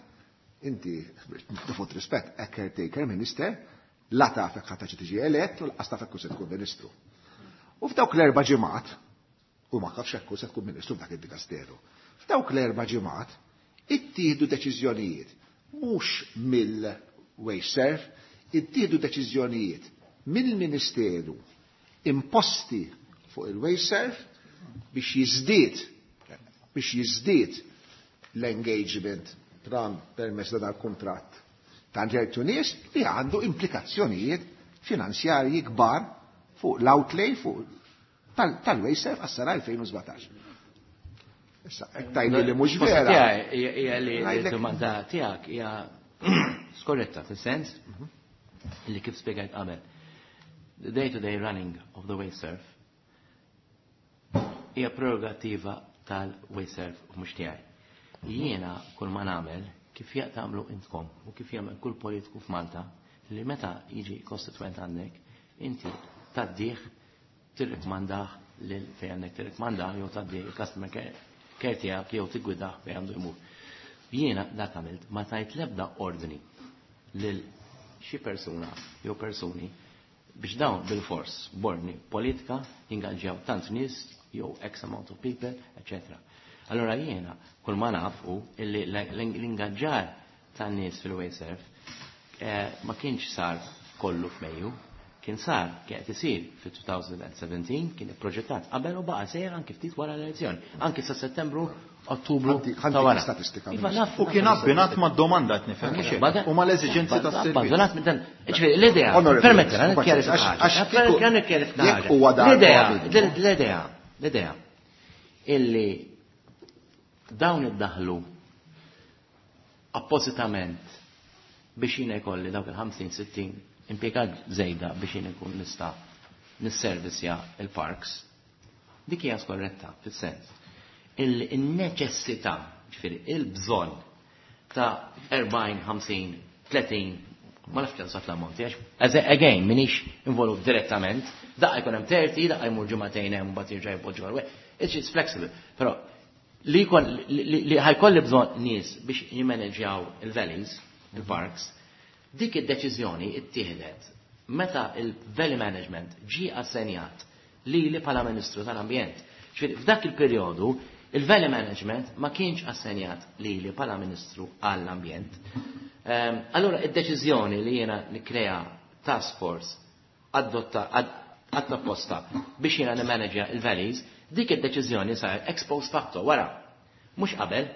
inti b'dofut rispett a caretaker minister, la taf jekk ħadd tiġi elett u lanqas taf jekk se tkun ministru. U f'dawk l-erba' ġimgħat, u ma tafx jekk se tkun ministru f'dak id-dikasteru, f'dawk l-erba' ġimgħat ittieħdu deċiżjonijiet mhux mill-WasteServ, ittieħdu deċiżjonijiet mill-Ministeru imposti fuq il-WasteServ biex jiżdied biex jiżdied l-engagement tram permezz ta' dal-kuntratt ta' ċertu nies li għandu implikazzjonijiet finanzjarji kbar fuq l-outlay fuq tal-WasteServ għas-sena elfejn u sbatax. Issa, hekk tgħidli li mhux vera. Hija li d-domanda tiegħek hija skorretta fis-sens li kif spjegajt qabel. The day-to-day running of the WasteServ hija prerogativa tal-WasteServ u mhux tiegħi. Jiena kull ma nagħmel kif jaqt tagħmlu intkom u kif jagħmel kull politiku f'Malta li meta jiġi kostituent għandek inti tgħaddih tirrikmandah lil fejn għandek tirrikmandah jew tgħaddih il-customer care tiegħek jew tiggwidah fejn għandu jmur. Jiena dak għamilt ma tajt l-ebda ordni lil xi persuna jew persuni biex dawn bil-fors borni politika jingaġġjaw tant nies jew X amount of people, eccetera. Allora jiena kull ma naf hu illi l-ingaġġar tan-nies fil-WasteServ ma kienx sar kollu f'Mejju, kien sar kien qed isir fi two thousand seventeen, kien ipproġettat qabel u baqa' sejjer anki ftit wara l-elezzjoni, anki sa Settembru, Ottubru ta' wara. Statistika. Iva, naf. U kien abbinat ma' domanda qed nifhem, mhux hekk? U ma' l-eżiġenzi tas-servizz. Abbandonat minn dan. Ġifieri l-idea, permettila, nikkjarifika ħaġa. Nikkjarifika ħaġa. L-idea, l-idea, l-idea illi dawn iddaħlu appositament biex jiena jkolli dawk il-ħamsin sittin impjegat żejda biex jiena nkun nista' nisservisja il-parks, dik hija skorretta fis-sens il-neċessità, ġifieri il-bżonn ta' erbgħin, ħamsin, tletin, ma nafx kemm sat l-ammonti, għax again minix involut direttament, daqqa jkun hemm thirty, daqqa jmur ġimagħtejn hemm mbagħad jerġa' jpoġġu għal. It's just flexible. Però li jkun li ħajkolli bżonn nies biex jimmaneġjaw il-valleys, il-parks, dik id-deċiżjoni ittieħdet meta il-valley management ġie assenjat li li bħala Ministru tal-Ambjent. Ġifieri f'dak il-perjodu il-valley management ma kienx assenjat li li bħala Ministru għall-Ambjent. Allora id-deċiżjoni li jiena nikkrea task force adotta apposta biex jiena nimanaġja il-valleys, dik id-deċiżjoni sar ex post facto wara, mhux qabel.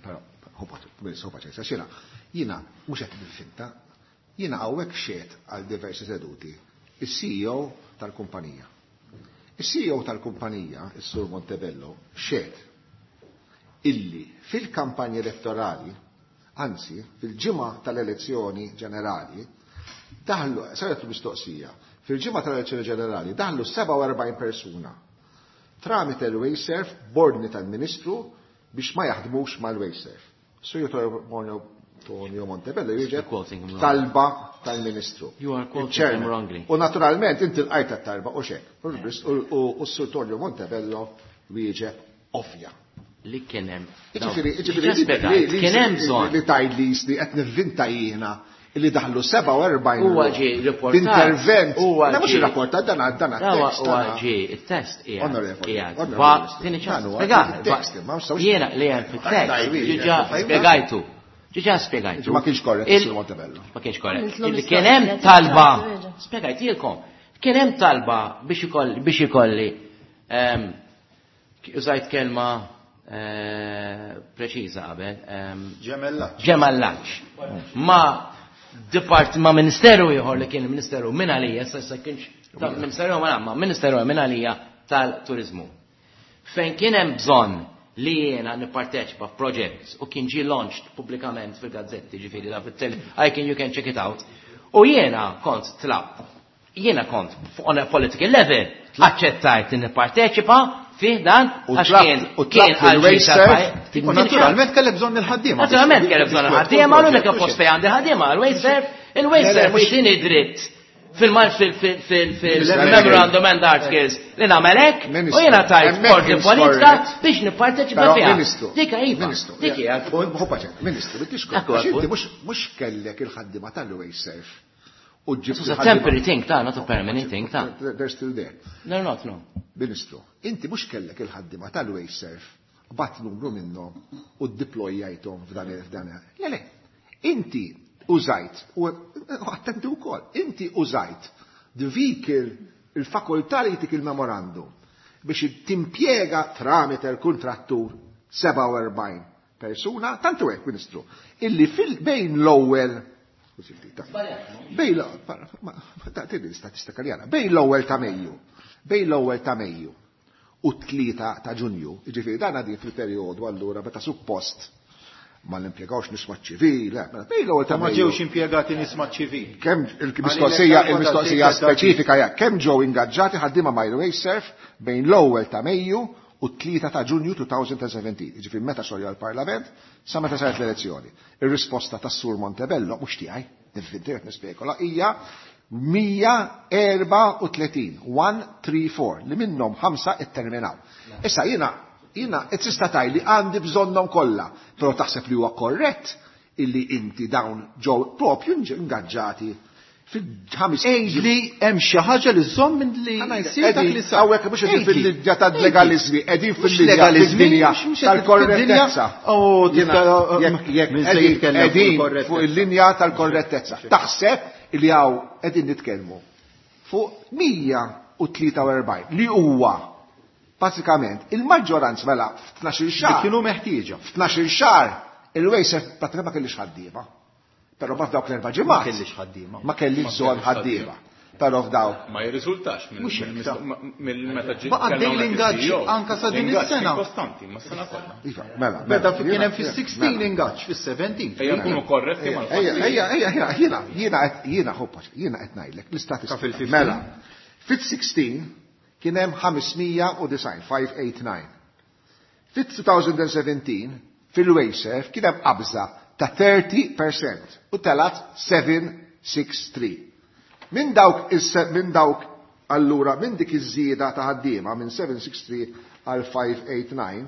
Però, jiena, jiena mhux qed niffinta, jiena hawnhekk xehed għal diversi seduti il-C E O tal-kumpanija. Il-C E O tal-kumpanija, il-Sur Montebello, xehed illi fil-kampanja elettorali, anzi, fil-ġimgħa tal-elezzjoni ġenerali, daħlu, saret mistoqsija, fil-ġimgħa tal-elezzjoni ġenerali daħlu sebgħa u erbgħin persuna tramite l-WasteServ b'ordni tal-Ministru biex ma jaħdmux mal-WasteServ. Sur Tonio Montebello jiġi talba tal-Ministru. You are quoting him wrongly. U naturalment inti l-qajta talba u xek. U s-Sur Tonio Montebello wieġeb ovvja. Li kien hemm. Ġifieri, ġifieri, Kien hemm bżonn. li tgħid li li qed nivvinta jiena li daħlu sebgħa u erbgħin Huwa ġie riportat. Intervent. Huwa Na mhux ġie- irrapportat dan dan Huwa tekst. huwa ġie it-test qiegħed. Onorevoli, Qiegħed. onorevoli, Va, tieni ċans. dan huwa Spjegat. il-tekst, ma nistgħux- Jiena li hemm fit-tekst ġiġa spjegajtu. Ġiġa spjegajtu. Ma kienx korrett Il- Sur Montebello. Ma kienx korrett. Għamiltlu Illi kien hemm mistoqsija, talba. tiġa. Spjegajtilkom. Kien hemm talba biex ikolli biex ikolli ehm, Użajt kelma eh, preċiża qabel. Ehm, Ġemellaġġ. Ġemellaġġ. Ma depart ma ministeru ieħor li kien il-ministeru minn għalija, issa kienx ministeru ma ma ministeru minn għalija tal-turizmu. Fejn kien hemm bżonn li jiena nipparteċipa f'project u kien ġie launched pubblikament fil-gazzetti, ġifieri da fit-tele, I can you can check it out. U jiena kont tlab, jiena kont on a political level aċċettajt li nipparteċipa fih dan għax kien u tlab fil-Wasteserv. U naturalment kellek bżonn il-ħaddiema. Naturalment kellek bżonn il-ħaddiema, l-unika post fejn għandi ħaddiema, il-Wasteserv, il-Wasteserv jtini dritt fil-memorandum and articles li nagħmel hekk u jiena tajt ordni politika biex nipparteċipa fiha. Dik iva. Dik hija l-punt. Ministru, bitixkom. Inti mhux kellek il-ħaddiema tal-Wasteserv. U ġib. It's a temporary thing, ta' not a permanent thing, ta' They're still there. They're not, no. Ministru, inti mhux kellek il-ħaddiema tal-Wasteserv, bat numru minnhom u ddiplojjajthom f'dan f'dan. Le, le. Inti użajt, u attenti wkoll, inti użajt the vehicle, il-fakultà li jtik il-memorandum biex timpjega tramite l-kontrattur sebgħa u erbgħin persuna, tantu hekk, Ministru, illi fil bejn l-ewwel bejn l-istatistika li għana, bejn l-ewwel ta' Mejju, bejn l-ewwel ta' Mejju u t-tlieta ta' Ġunju, jiġifieri dan għadin fil-perjodu allura meta suppost ma l-impjegawx nies maċ-ċivil, bejn l-ewwel ta' Ma ġewx impjegati nies maċ-ċivil. Kemm il-mistoqsija il-mistoqsija speċifika hija kemm ġew ingaġġati ħaddiema mal-Wasteserv bejn l-ewwel ta' Mejju u t-tlieta ta' Ġunju elfejn u sbatax, jiġifieri meta xolja l-Parlament sa meta saret l-elezzjoni. Ir-risposta tas-Sur Montebello mhux tiegħi, nivvintiet nispekola, hija mija u erbgħa u tletin, mija u erbgħa u tletin, li minnhom ħamsa itterminaw. Issa jiena jiena qed tista' tgħid li għandi bżonnhom kollha, però taħseb li huwa korrett illi inti dawn ġew propju ingaġġati fil-ħamis. Li hemm xi ħaġa li żomm minn li jsir dak li sar. Hawnhekk mhux qegħdin fil-linja tal-legalizmi, qegħdin fil-linja fid-dinja tal-korrettezza. Qegħdin fuq il-linja tal-korrettezza. Taħseb li hawn qegħdin nitkellmu fuq mija u tlieta u erbgħin li huwa bażikament il-maġġoranza mela f'tnax-il xahar. Kienu meħtieġa. F'tnax-il xahar il-Wasteserv pratikament ma kellix ħaddiema. Però ma f'dawk l-erba' ġimgħat. Ma kellix ħaddiema. Ma kellix bżonn ħaddiema. Però f'dawk. Ma jirriżultax mill meta ġi. Baqa' dej l-ingaġġ anka sa din is-sena. Kostanti, ma sena kollha. Iva, mela. Beda kien hemm fis-sittax ingaġġ, fis-sbatax. Ejja nkunu korretti mal-fatti. Ejja, ejja, ejja, jiena, jiena jiena ħobba, jiena qed ngħidlek l-istatistika. Mela, fit-sittax kien hemm ħames mija u disgħin, ħames mija u tmien disgħin. Fit-elfejn u sbatax fil-Wasteserv kien hemm qabża ta' tletin fil-mija u telat seba' tlieta sitta. Minn dawk minn dawk allura minn dik iż-żieda ta' ħaddiema minn seba' sitta tlieta għal ħames tmien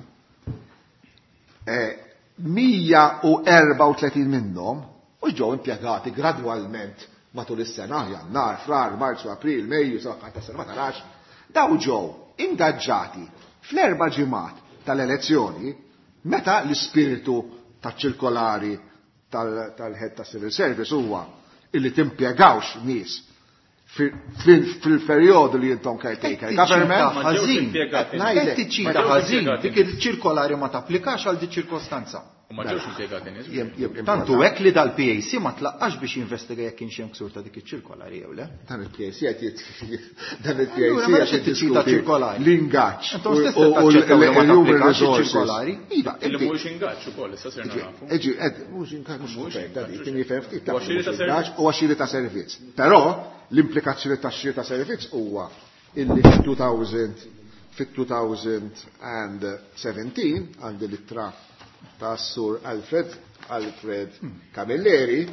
disa', mija u erbgħa u tletin minnhom u ġew impjegati gradwalment matul is-sena, Jannar, Frar, Marzu, April, Mejju, sa ta' sena ma tarax, daw ġew ingaġġati fl-erba' ġimgħat tal-elezzjoni meta l-ispiritu taċ-ċirkolari tal-head ta' civil service huwa illi timpjegawx nies fil-perjodu li jintom caretaker government. Ħażin. Qed tiċċita ħażin, dik il-ċirkolari ma tapplikax għal dik ċirkostanza. U ma ġewx impjegati nies. Tantu hekk li dal-P A C ma tlaqqax biex jinvestiga jekk kienx hemm ksur ta' dik iċ-ċirkolari jew le. Dan il-P A C qed dan il-P A C Allura, qed qed tiċċita ċirkolari. L-ingaġġ. Intom stess qed taċċettaw li ma tapplikax iċ-ċirkolari. Iva, Illi mhuwiex ingaġġ ukoll, issa sirna nafu. Eġi, ed, mhux ingaġġ, mhux Mhuwiex ingaġġ, ingaġġ, kien jifhem ftit Huwa xiri ta' servizz. Huwa xiri ta' servizz. Però l-implikazzjoni ta' xiri ta' servizz huwa illi fit-elfejn fit-elfejn u sbatax għandi l-ittra ta' Sur Alfred Alfred Camilleri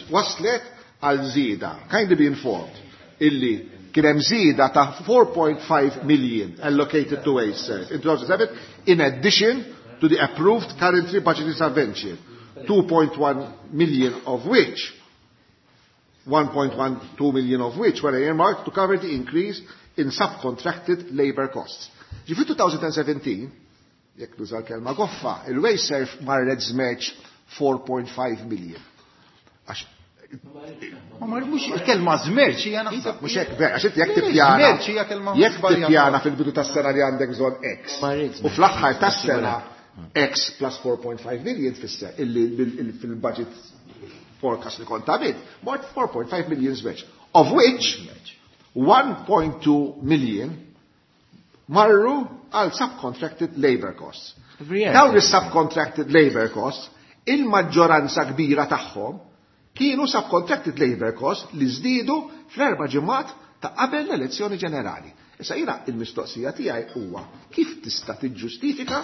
waslet għal żieda. Kindly be informed illi kien hemm żieda ta' four point five million allocated to Wasteserv in two thousand seven in addition to the approved currently budgeted subvention, two point one million of which one point one two million of which were earmarked to cover the increase in subcontracted labor costs. Ġifi elfejn u sbatax, jekk nuża l-kelma goffa, il-Wasteserv marret żmerċ four point five million. Għax Ma mhux il-kelma żmerċ hija naħseb. Mhux hekk vera, għax inti jekk tippjana. Żmerċ hija kelma Jekk tippjana fil-bidu tas-sena li għandek bżonn X. U fl-aħħar tas-sena X plus four point five million tfisser illi fil-budget forecast li kont għamilt, mort four point five million żmerċ. Of which one point two million marru għal subcontracted labor costs. Dawn is-subcontracted labor costs, il-maġġoranza kbira tagħhom kienu subcontracted labor costs li żdiedu fl-erba' ġimgħat ta' qabel l-elezzjoni ġenerali. Issa jiena il-mistoqsija tiegħi huwa kif tista' tiġġustifika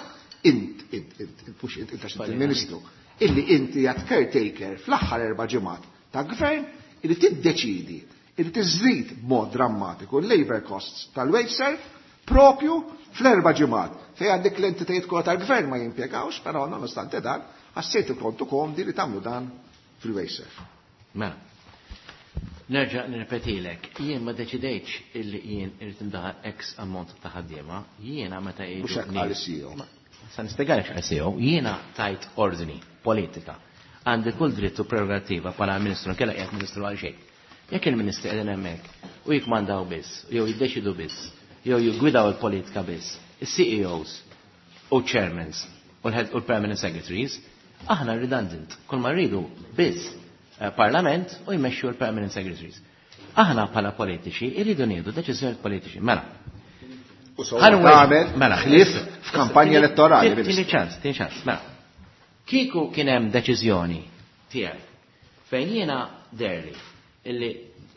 int, int, int, int, mhux int, int għax inti il-Ministru, illi inti għad caretaker fl-aħħar erba' ġimgħat ta' gvern illi tiddeċidi illi tiżżid b'mod drammatiku l-labor costs tal-WasteServ propju fl-erba' ġimgħat fejn għandek l-entitajiet kollha tal-gvern ma jimpjegawx, però nonostante dan ħassejtu kontu komdi li tagħmlu dan fil-WasteServ. Mela, nerġa' nirrepetilek, jien ma deċidejtx illi jien irid indaħal X ammont ta' ħaddiema, jiena meta jgħidu Mhux hekk qal is-C E O. Sa nispjegalek x'qal C E O, jiena tajt ordni politika. Għandi kull dritt u prerogattiva bħala ministru, nkella qiegħed ministru għal xejn. Jekk il-ministri qegħdin hemmhekk u jikmandaw biss, jew jiddeċidu biss, jew jiggwidaw il-politika biss, is-C E Os u chairmans u l-head u l-permanent secretaries, aħna redundant, kull ma rridu biss parlament u jmexxu l-permanent secretaries. Aħna bħala politiċi irridu nieħdu deċiżjonijiet politiċi. Mela. U sewwa tagħmel Mela. ħlief f'kampanja elettorali, Tieni Ministru. ċans, tieni ċans. Mela. Kieku kien hemm deċiżjoni tiegħi fejn jiena derli illi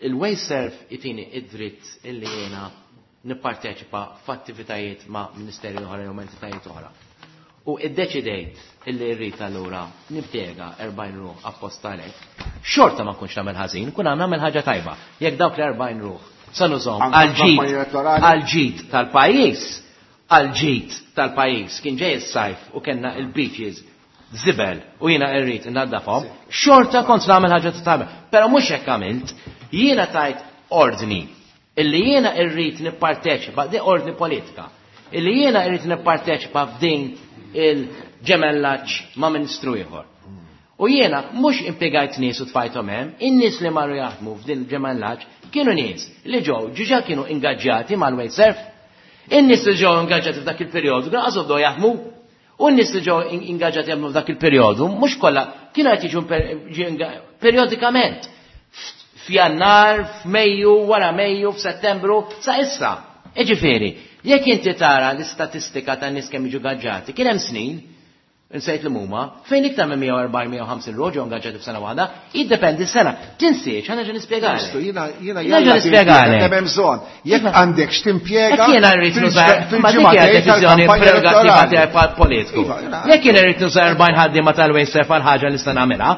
il-WasteServ itini id-dritt illi jiena nipparteċipa f'attivitajiet ma' ministeri oħra jew entitajiet oħra. U iddeċidejt illi rrid allura nimpjega erbgħin ruħ apposta għalhekk, xorta ma nkunx nagħmel ħażin, kun nagħmel ħaġa tajba. Jekk dawk l-erbgħin ruħ sa nużhom Anke għal ġid f'kampanja elettorali? għal ġid tal-pajjiż, għal ġid tal-pajjiż, kien ġej is-sajf u kellna il-beaches żibel u jiena rrid innaddafhom, xorta kont nagħmel ħaġa tajba. Però mhux hekk għamilt, jiena tajt ordni illi jiena rrid nipparteċipa, di ordni politika, illi jiena rrid nipparteċipa f'din il-ġemellaġġ ma' ministru ieħor. U jiena mhux impjegajt nies u tfajthom hemm, in-nies li marru jaħdmu f'din il-ġemellaġġ kienu nies li ġew ġiġa kienu ingaġġjati mal-WasteServ. In-nies li ġew ingaġġjati f'dak il-perjodu kienu qas bdew jaħdmu. U n-nies li ġew ingaġġjati jaħdmu f'dak il-perjodu mhux kollha kienu qed jiġu per-, ġi inga-, periodikament. F'Jannar, f'Mejju, wara Mejju, f'Settembru, sa issa. Jiġifieri, jekk inti tara l-istatistika tan nies kemm jiġu gaġġati, kien hemm snin, insejt li huma, fejn iktar minn mija u erbgħin, mija u ħamsin ruħ ġew ingaġġati f'sena waħda, jiddependi s-sena. Tinsiex, ħa nerġa' nispjegalek. Ministru, jiena, jiena Nerġa' jalla nispjegalek. timpjega kemm hemm bżonn. Jekk Iva. għandek x'timpjega Jekk jiena rrid fil- nuża, fil- ma dik hija fil-ġimgħatejn deċiżjoni tal-kampanja prerogattiva elettorali. tiegħi bħal politiku. Iva, jiena- Jekk jiena rrid nuża erbgħin ħaddiema tal-WasteServ għal ħaġa li nista' nagħmilha,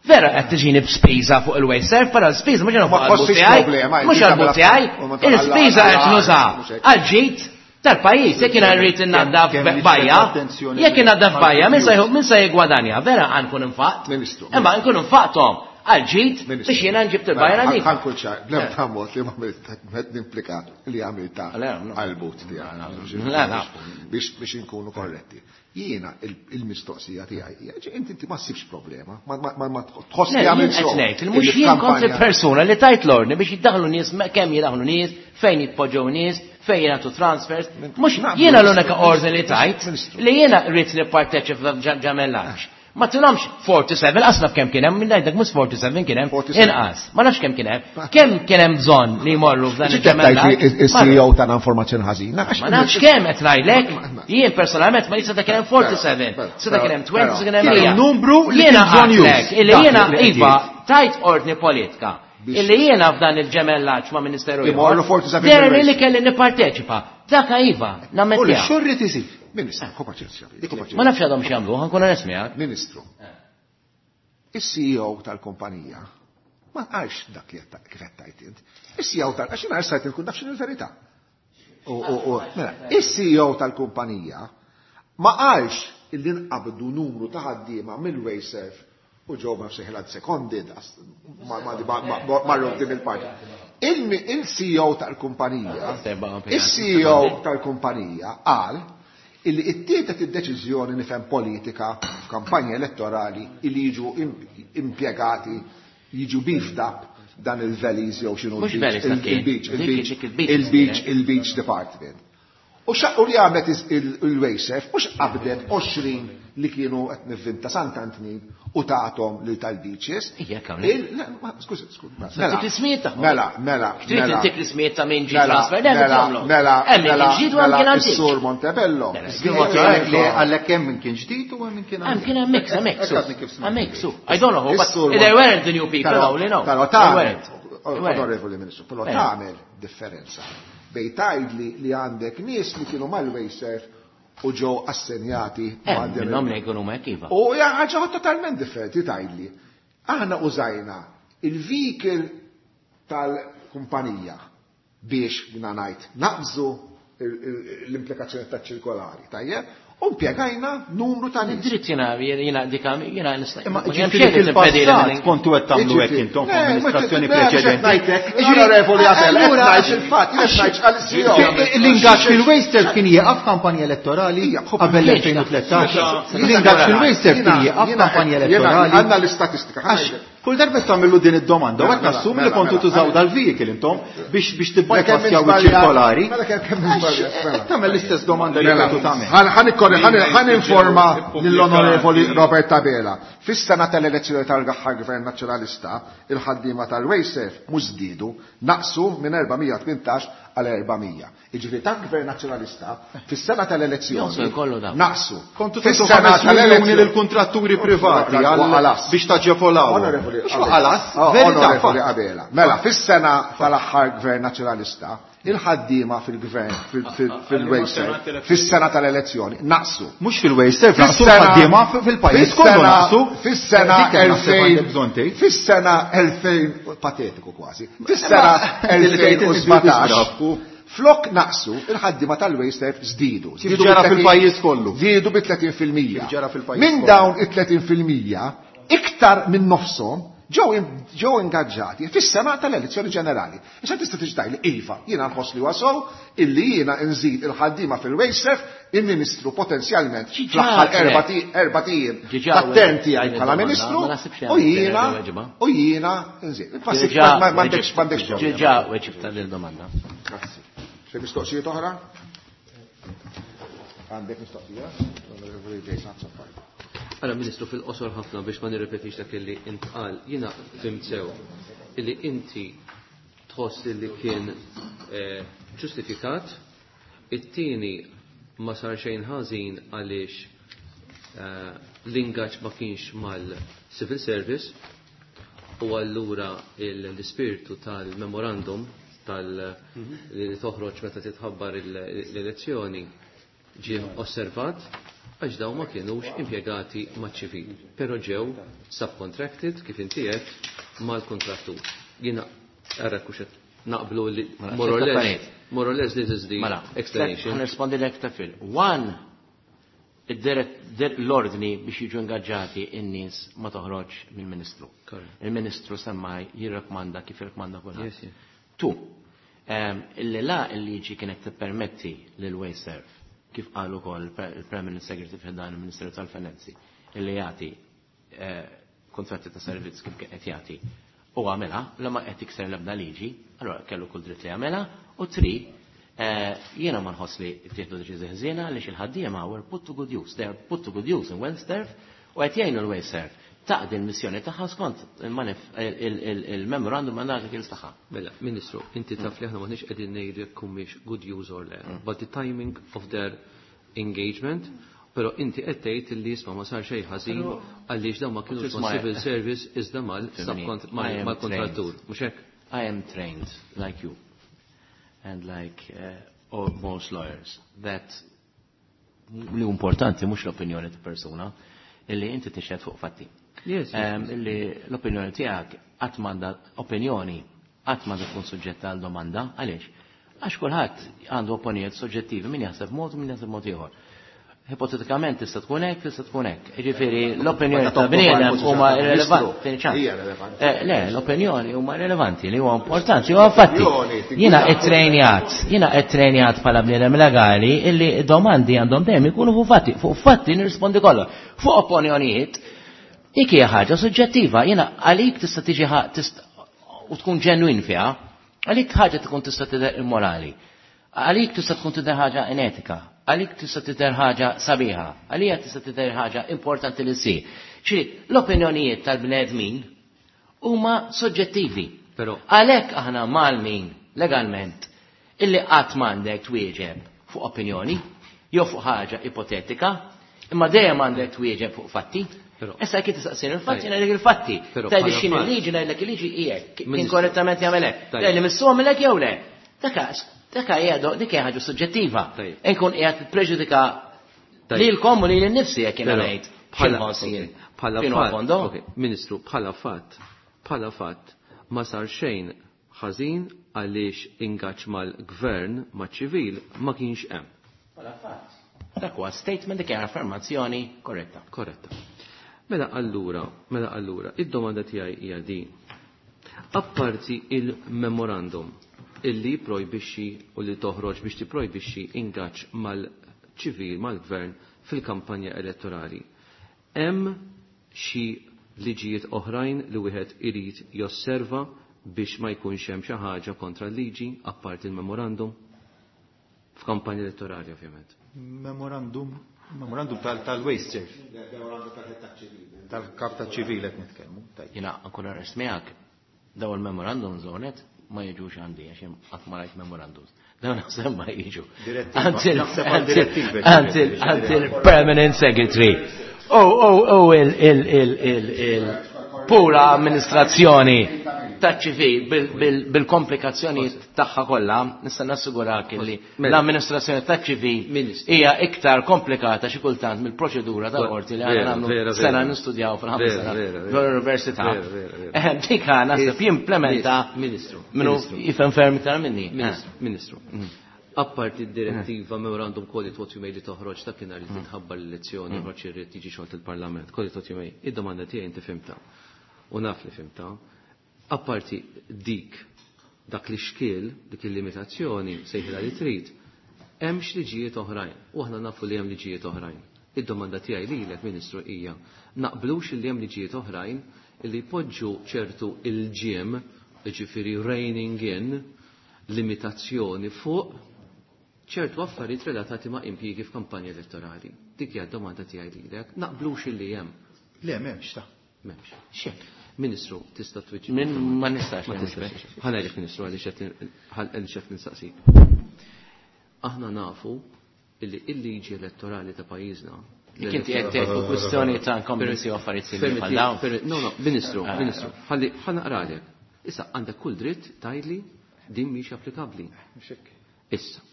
vera qed tiġini b'spiża fuq il-WasteServ, però l-spiża mhux Ma fuq il-but tħossix tiegħi, problema, mhux inti għall-but tagħmel tiegħi, u ma tagħmel il-spiża qed għal- nuża mhux hekk. għal ġid tal-pajjiż, jekk jiena rrid innaddaf Kemm kemm bajja, attenzjoni jekk innaddaf li- bajja, min se jħu-, min se jiggwadanja, vera għankun infaqt. Ministru. Imma nkun infaqthom għal ġid Ministru. biex jiena nġib il-bajja Mela, nadifa. ħa nkun ċar, bl-ebda mod li ma għamilt, ma nimplika li għamilta Le, no. għal-but tiegħek. Le, le. Biex, biex inkunu korretti. Jiena il-, il-mistoqsija tiegħi hija, ġi, inti, inti ma ssibx problema, ma, ma, ma, ma tħoss Le, li għamilt jien qed sew. ngħid, il mhux Illi jien kont f'kampanja- il-persuna li tajt l-ordni biex jiddaħlu nies, me-, kemm jiddaħlu nies, fejn jitpoġġew nies, fejn jingħatu transfers. Min- Mhux naqblu, jiena l-unika Ministru, ordni li tajt Ministru. li jiena rrid nipparteċipa f'ġemellaġġ. Ma tilhomx forty-seven, qas naf kemm kien hemm, minn ngħidlek mhux forty-seven kien hemm, forty-seven. inqas. Ma nafx kemm kien hemm. Kemm kien hemm bżonn li jmorru f'dan Ġi qed tgħid li il-ġemellaġġ? il-C E O tagħna informazzjoni ħażina, għax Ma nafx kemm qed ngħidlek. Ma- ma- Jien personalment ma jista' kien hemm forty-seven, Però, seta' kien hemm twenty, seta' kien hemm Kien mija. numru li Jiena kien bżonn għedtlek już. illi Dak jiena li qed iva jgħid. tajt ordni politika. Biex- Illi jiena f'dan il-ġemellaġġ ma' Ministeru ieħor, Imorru forty-seven derni bil-race. li kelli nipparteċipa. Dak iva, U li nammettija. xorri tisir. Ministru, ħu paċenzja, ħu paċenzja. Ma nafx għadhom x'jagħmlu, ħa nkun onest miegħek. Ministru, il-C E O tal-kumpanija ma qalx dak li qed kif qed tgħid int. Il-C E O tal-, għax jiena sajt inkun naf x'inhu l-verità. U, u, u, mela, il-C E O tal-kumpanija ma qalx illi nqabdu numru ta' ħaddiema mill-WasteServ u ġew ma fseħilha seconded, ma, ma, ma, ma, ma, marru f'din il-parti. Il-C E O tal-kumpanija, il-C E O tal-kumpanija qal illi ittieħdet id-deċiżjoni nifhem politika f'kampanja elettorali illi jiġu impjegati jiġu beefed up dan il-valleys jew x'inhu Mhux valleys ta' kien. il-beach, Dik- il-beach, dik il-beach il-beach, kienet. il-beach department. U xaqqu li għamlet is- il- il-WasteServ, mhux qabdet għoxrin li kienu qed nivvinta Sant'Antnin u tagħthom lil tal-beaches. Ija, kemm Il- le, ma- Skużi, skużi. Mela, Tik l-ismijiet tagħhom. Mela, mela. Trid mela. intik l-ismijiet ta' min ġie Mela, transfer, le, mela, tagħmlu. mela, Hemm min mela, kien ġdid u hemm mela, kien antik. Is-sur Montebello. Mela, Għalhekk li għalhekk hemm min kien ġdid u hemm min kien Hemm kien hemm mix, hemm mix. Hekk għadni kif smajt. Hemm mix. I don't know who, but Is-sur they weren't the new people, Però- only no. Però They tagħmel, weren't. They weren't. onorevoli Ministru, però Eh. tagħmel differenza bejn tgħidli li għandek nies li kienu mal-WasteServ u ġew assenjati Hemm għandhom- minnhom li jkunu hekk iva. U hija ħaġa totalment differenti tgħidli. Aħna użajna il-vehicle tal-kumpanija biex jiena ngħid naqbżu il- il- l-implikazzjoni taċ-ċirkolari, tajjeb? U impjegajna numru ta' nies. Dritt jiena jiena dika jiena nista' Imma ma hemm ġifieri xejn li timpedili fil-passat minn- kontu qed tagħmlu hekk Jiġifieri, intom le, f'amministrazzjoni ma- le, mhux qed preċedenti. ngħidlek, Jiġifieri, onorevoli Abela, qed allura, ngħid il-fatt, jien qed ngħid għal-C E O. L-ingaġġ fil-WasteServ kien jieqaf kampanja elettorali Ija, qabel Kienx l-elfejn u tlettax. Meta- L-ingaġġ fil-WasteServ kien Jiena- jieqaf jiena- kampanja jiena- elettorali. Għandna l-istatistika. Għax kull darba tagħmlu din id-domanda, u Mela, qed nassumi li mela, kontu mela, tużaw mela. dal-vehicle intom biex biex Mela kemm tibbypassjaw żbaljat- iċ-ċirkolari. Mela kemm kemm Għax żbaljat, mela. qed tagħmel l-istess domanda li Mela, kontu tagħmel. ħan- ħan ikkorri- ħan- ħan informa Ippubblikati. lill-Onorevoli Robert Abela. Fis-sena tal-elezzjoni tal-aħħar Gvern Nazzjonalista, il-ħaddiema tal-WasteServ mhux żdiedu, naqsu minn erba' mija u tmintax għal erba' mija. Jiġifieri tal-Gvern Nazzjonalista fis-sena Jonqsu tal-elezzjoni jkollu dawn. naqsu. Kontu tagħtu Fis-sena ħames miljuni tal-elezzjoni lill-kuntratturi privati għal Waqalas. biex taġevolaw. Onorevoli Mhux Abela. waqalas, Oh, verità. Onorevoli fatt. Abela. Mela, fis-sena tal-aħħar Gvern Nazzjonalista, il-ħaddiema fil-gvern fil-WasteServ, fis-sena tal-elezzjoni, naqsu. Mhux fil-WasteServ, naqsu Fis-sena- l-ħaddiema fil-pajjiż kollu fis-sena- naqsu. Fis-sena Dik hemm naħseb għandek bżonn elfejn tgħid. Fis-sena elfejn, patetiku kważi. Fis-sena Li tgħid inti elfejn u sbatax disgrafku. Flok naqsu, il-ħaddiema tal-WasteServ żdiedu. Kif Żdiedu ġara bi tletin fil-pajjiż kollu. Żdiedu bi tletin fil-mija. Kif ġara fil-pajjiż Minn kollu. dawn it-tletin fil-mija, iktar minn nofshom ġew in- ġew ingaġġati fis-sena tal-elezzjoni ġenerali. Issa tista' tiġi tgħidli iva, jiena nħoss li wasow illi jiena nżid il-ħaddiema fil-WasteServ, il-Ministru potenzjalment Ġiġa fl-aħħar għedtlek. erba' ti- erba' ijiem Ġiġa tat-term għedtlek tiegħi din bħala id-domanda, Ministru ma naħsibx li u għandek jiena weġiba. u jiena nżid. Ġiġa Ma m'għandekx m'għandekx problema. Ġiġa weġibta lil domanda. Grazzi. Xi mistoqsijiet oħra? Għandek mistoqsija? Onorevoli Jason Azzopardi. Għara, Ministru, fil-qosor ħafna biex ma nirrepetix dak li intqal, jiena fhimt sew illi inti tħoss li kien eh, ġustifikat, it-tieni ma sar xejn ħażin għaliex eh, l-ingaġġ ma kienx mal-civil service u allura il- l-ispirtu tal-memorandum tal li toħroġ meta titħabbar il- l-elezzjoni ġie osservat għax dawn ma kienux impjegati maċ-ċivil, però ġew subcontracted kif inti qed mal-kontrattur. Jiena ara kuxet naqblu li Mela, more or tliet less, affarijiet. more or less this is the Mela, explanation. Ħa nirrispondi lek ta' fil. One, id-dirett- dir- l-ordni biex jiġu ingaġġati in-nies ma toħroġ mill-Ministru. Correct. Il-Ministru semmaj jirrakmanda kif jirrakmanda kulħadd. Yes, yes. Two, um, illi la il-liġi kienet tippermetti lil WasteServ, kif qal ukoll il-Permanent Secretary f'dan il-Ministeru tal-Finanzi, illi jagħti eh, kontratti ta' servizz kif kien qed jagħti u għamilha, la ma qed tikser l-ebda liġi, allora kellu kull dritt li jagħmilha, u tri, eh, jiena ma nħoss li ttieħdu deċiżjoni ħżiena għaliex il-ħaddiema were put to good use. They are put to good use in WasteServ u qed jgħinu l-WasteServ taqdi l-missjoni tagħha skont il-manif- il- il- il-memorandum and articles tagħha. Mela, Ministru, inti taf li aħna maħniex qegħdin ngħidu jekk humiex good use or le, but the timing of their engagement, però inti qed tgħid li isma' ma sar xejn ħażin għaliex dawn ma kienux ma' civil service iżda mal Fimni, I am mal-kontrattur. trained. Mhux hekk? I am trained, like you, and like uh, all, most lawyers, that li importanti mhux l-opinjoni ta' persuna, illi inti tixhed fuq fatti. Yes, yes, Um, illi l-opinjoni tiegħek qatt m'għandha opinjoni qatt m'għandha tkun suġġetta għal domanda, għaliex? Għax kulħadd għandu opinjonijiet soġġettivi, min jaħseb mod u min jaħseb mod ieħor. Ipotetikament tista' tkun hekk, tista' tkun hekk. Jiġifieri l-opinjoni ta' bniedem huma irrelevanti. Hija relevanti. Eh, Le, l-opinjoni huma rilevanti li huwa importanti, huwa fatti. Opinjoni, tigwida. Jiena ittrenjat, jiena ittrenjat bħala bniedem legali illi domandi għandhom dejjem ikunu fuq fatti, fuq fatti nirrispondi kollha. Fuq opinjonijiet, Dik hija ħaġa suġġettiva, jiena għalik tista' tiġi u tkun ġenwin fiha, għalik ħaġa tkun tista' tidher immorali, għalik tista' tkun tidher ħaġa inetika, għalik tista' tidher ħaġa sabiħa, għalija tista' tidher ħaġa importanti li ssir. Ċiri, l-opinjonijiet tal-bnedmin huma soġġettivi. Però għalhekk aħna malmin legalment illi qatt m'għandek twieġeb fuq opinjoni jew fuq ħaġa ipotetika, imma dejjem għandek twieġeb fuq fatti. Issa jekk tistaqsini il-fatti, ngħidlek il-fatti. Tgħidli x'inhi l-liġi, ngħidlek il-liġi hija kien korrettament jagħmel hekk. Tgħidli missu għamilek jew le. Dak dak hija dik hija ħaġa suġġettiva. Inkun qiegħed preġudika lilkom u lili nnifsi jekk jiena ngħid. Bħala fatt, Ministru, bħala fatt, bħala fatt ma sar xejn ħażin għaliex ingaġġ mal-gvern maċ-ċivil ma kienx hemm. Bħala fatt. Dak huwa statement dik hija affermazzjoni korretta. Korretta. Mela allura, mela allura, id-domanda tiegħi hija din. Apparti il-memorandum illi projbixxi u li toħroġ biex tipprojbixxi ingaġġ mal-ċivil, mal-gvern fil-kampanja elettorali. Hemm xi liġijiet oħrajn li wieħed irid josserva biex ma jkunx hemm xi ħaġa kontra l-liġi apparti il-memorandum f'kampanja elettorali ovvjament. Memorandum Memorandum tal-waste serve. Tal-kap tal-ċivil qed nitkellmu. Jiena ankun arrest miegħek, daw il-memorandum zonet ma jiġux għandi għax qatt ma rajt memorandums. Dawn naħseb ma jiġu. Għand il-permanent secretary. Oh, oh, oh, il, il, il, il, il pura amministrazzjoni taċ-ċivil bil-komplikazzjoni tagħha kollha, nista' nassigurak li l-amministrazzjoni taċ-ċivil hija iktar komplikata xi kultant mill-proċedura tal-qorti li aħna nagħmlu sena nistudjaw fil-ħames sena l-università. Dik naħseb jimplementa Ministru minnu jifhem ferm iktar minni. Ministru. Apparti d-direttiva memorandum call it what you may li toħroġ ta' kien li titħabbar l-elezzjoni, joħroġ irrid jiġi xogħol il-Parlament, call it what you may. Id-domanda tiegħi inti fimta. U naf li fimta. Apparti dik, dak li xkiel, dik il-limitazzjoni, sejħilha li trid, hemm liġijiet oħrajn, u aħna nafu li hemm liġijiet oħrajn. Id-domanda tiegħi lilek, Ministru, hija naqblux li hemm liġijiet oħrajn li jpoġġu ċertu il-ġiem, jiġifieri reining in, limitazzjoni fuq ċertu affarijiet relatati ma' impjiegi f'kampanja elettorali. Dik hija d-domanda tiegħi lilek, naqblux li hemm. Le, m'hemmx ta' M'hemmx. Ministru, tista' twieġeb. Min ma nistax. Ma tistax. Ħa ngħidlek Ministru għaliex qed nistaqsik. Aħna nafu illi il-liġi elettorali ta' pajjiżna. Dik inti qed tgħid fuq kwistjoni ta' incumbency u affarijiet simili bħal dawn. No, no, Ministru, Ministru, ħalli ħa naqralek. Issa għandek kull dritt tgħidli din mhix applikabbli. Issa.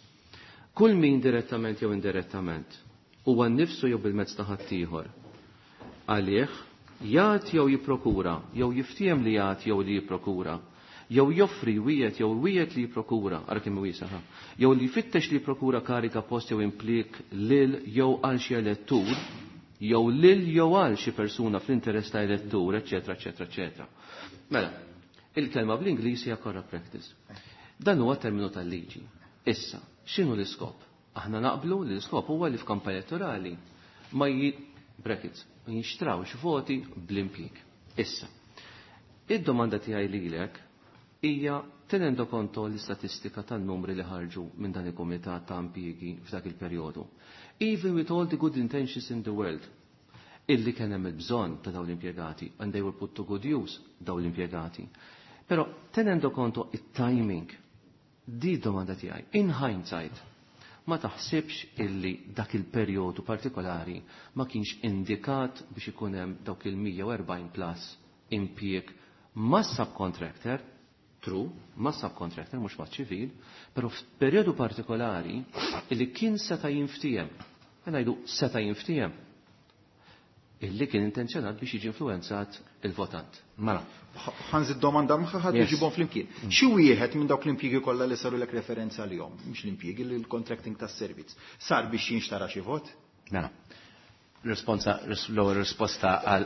Kull min direttament jew indirettament huwa nnifsu jew bil-mezz ta' ħaddieħor għalih jagħti jew jipprokura, jew jiftiem li jagħti jew li jipprokura, jew joffri wieħed jew wieħed li jipprokura, ara kemm wiesa' ha, jew li jfittex li jipprokura karika post jew implik lil jew għal xi elettur, jew lil jew għal xi persuna fl-interess ta' elettur, eċetera, eċetera, eċetera. Mela, il-kelma bl-Ingliż hija corrupt practice. Dan huwa terminu tal-liġi. Issa, x'inhu l-iskop? Aħna naqblu li l-iskop huwa li f'kampanja elettorali ma ji brackets, ma jinxtrawx voti bl-impjieg. Issa, id-domanda tiegħi lilek hija tenendo konto l-istatistika tan-numri li ħarġu minn dan il-kumitat ta' impjiegi f'dak il-perjodu. Even with all the good intentions in the world, illi kien hemm il-bżonn ta' dawn l-impjegati, and they were put to good use dawn l-impjegati. Però tenendo konto it-timing, di domanda tiegħi, in hindsight, ma taħsibx illi dak il-perjodu partikolari ma kienx indikat biex ikun hemm dawk il-mija u erbgħin plus impjieg ma' subcontractor, true, ma' subcontractor, mhux ma' ċivil, però f'perjodu partikolari illi kien seta' jinftiehem, ngħidu seta' jinftiehem, illi kien intenzjonat biex jiġi influenzat il-votant. Mela. Ħanżid domanda magħha ħadd iġibhom flimkien. Xi wieħed minn dawk l-impjiegi kollha li saru lek referenza lihom, mhux l-impjiegi li l-contracting tas-servizz, sar biex jinxtara xi vot? Mela. Risponsa, l-ewwel risposta għal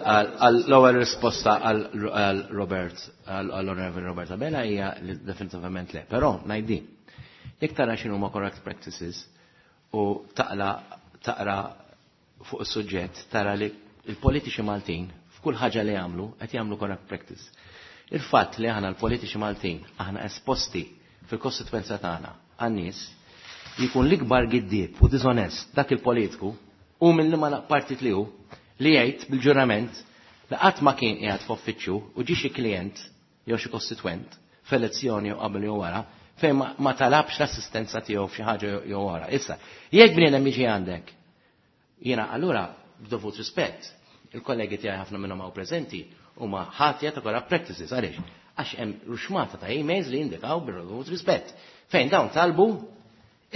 l-ewwel risposta għal Robert, għal Onorevoli Robert Abela hija li definitivament le. Però ngħid din. Jekk tara x'inhuma correct practices u taqla taqra fuq is-suġġett tara li il-politiċi Maltin f'kull ħaġa li jagħmlu qed jagħmlu corrupt practice. Il-fatt li aħna l-politiċi Maltin aħna esposti fil-kostituenza tagħna għan-nies jkun l-ikbar giddieb u diżonest dak il-politiku u minn liema partit li hu li jgħid bil-ġurament li qatt ma kien qiegħed f'uffiċċju u ġie xi klient jew xi kostitwent f'elezzjoni jew qabel jew wara fejn ma, ma talabx l-assistenza tiegħu f'xi ħaġa jew wara. Issa, jekk bniedem jiġi għandek, jiena allura b'dovut rispett, il-kollegi tiegħi ħafna minnhom hawn preżenti huma ħatja ta' corrupt practices għaliex? Għax hemm ruxmata ta' emails li jindikaw bil-dovut rispett. Fejn dawn talbu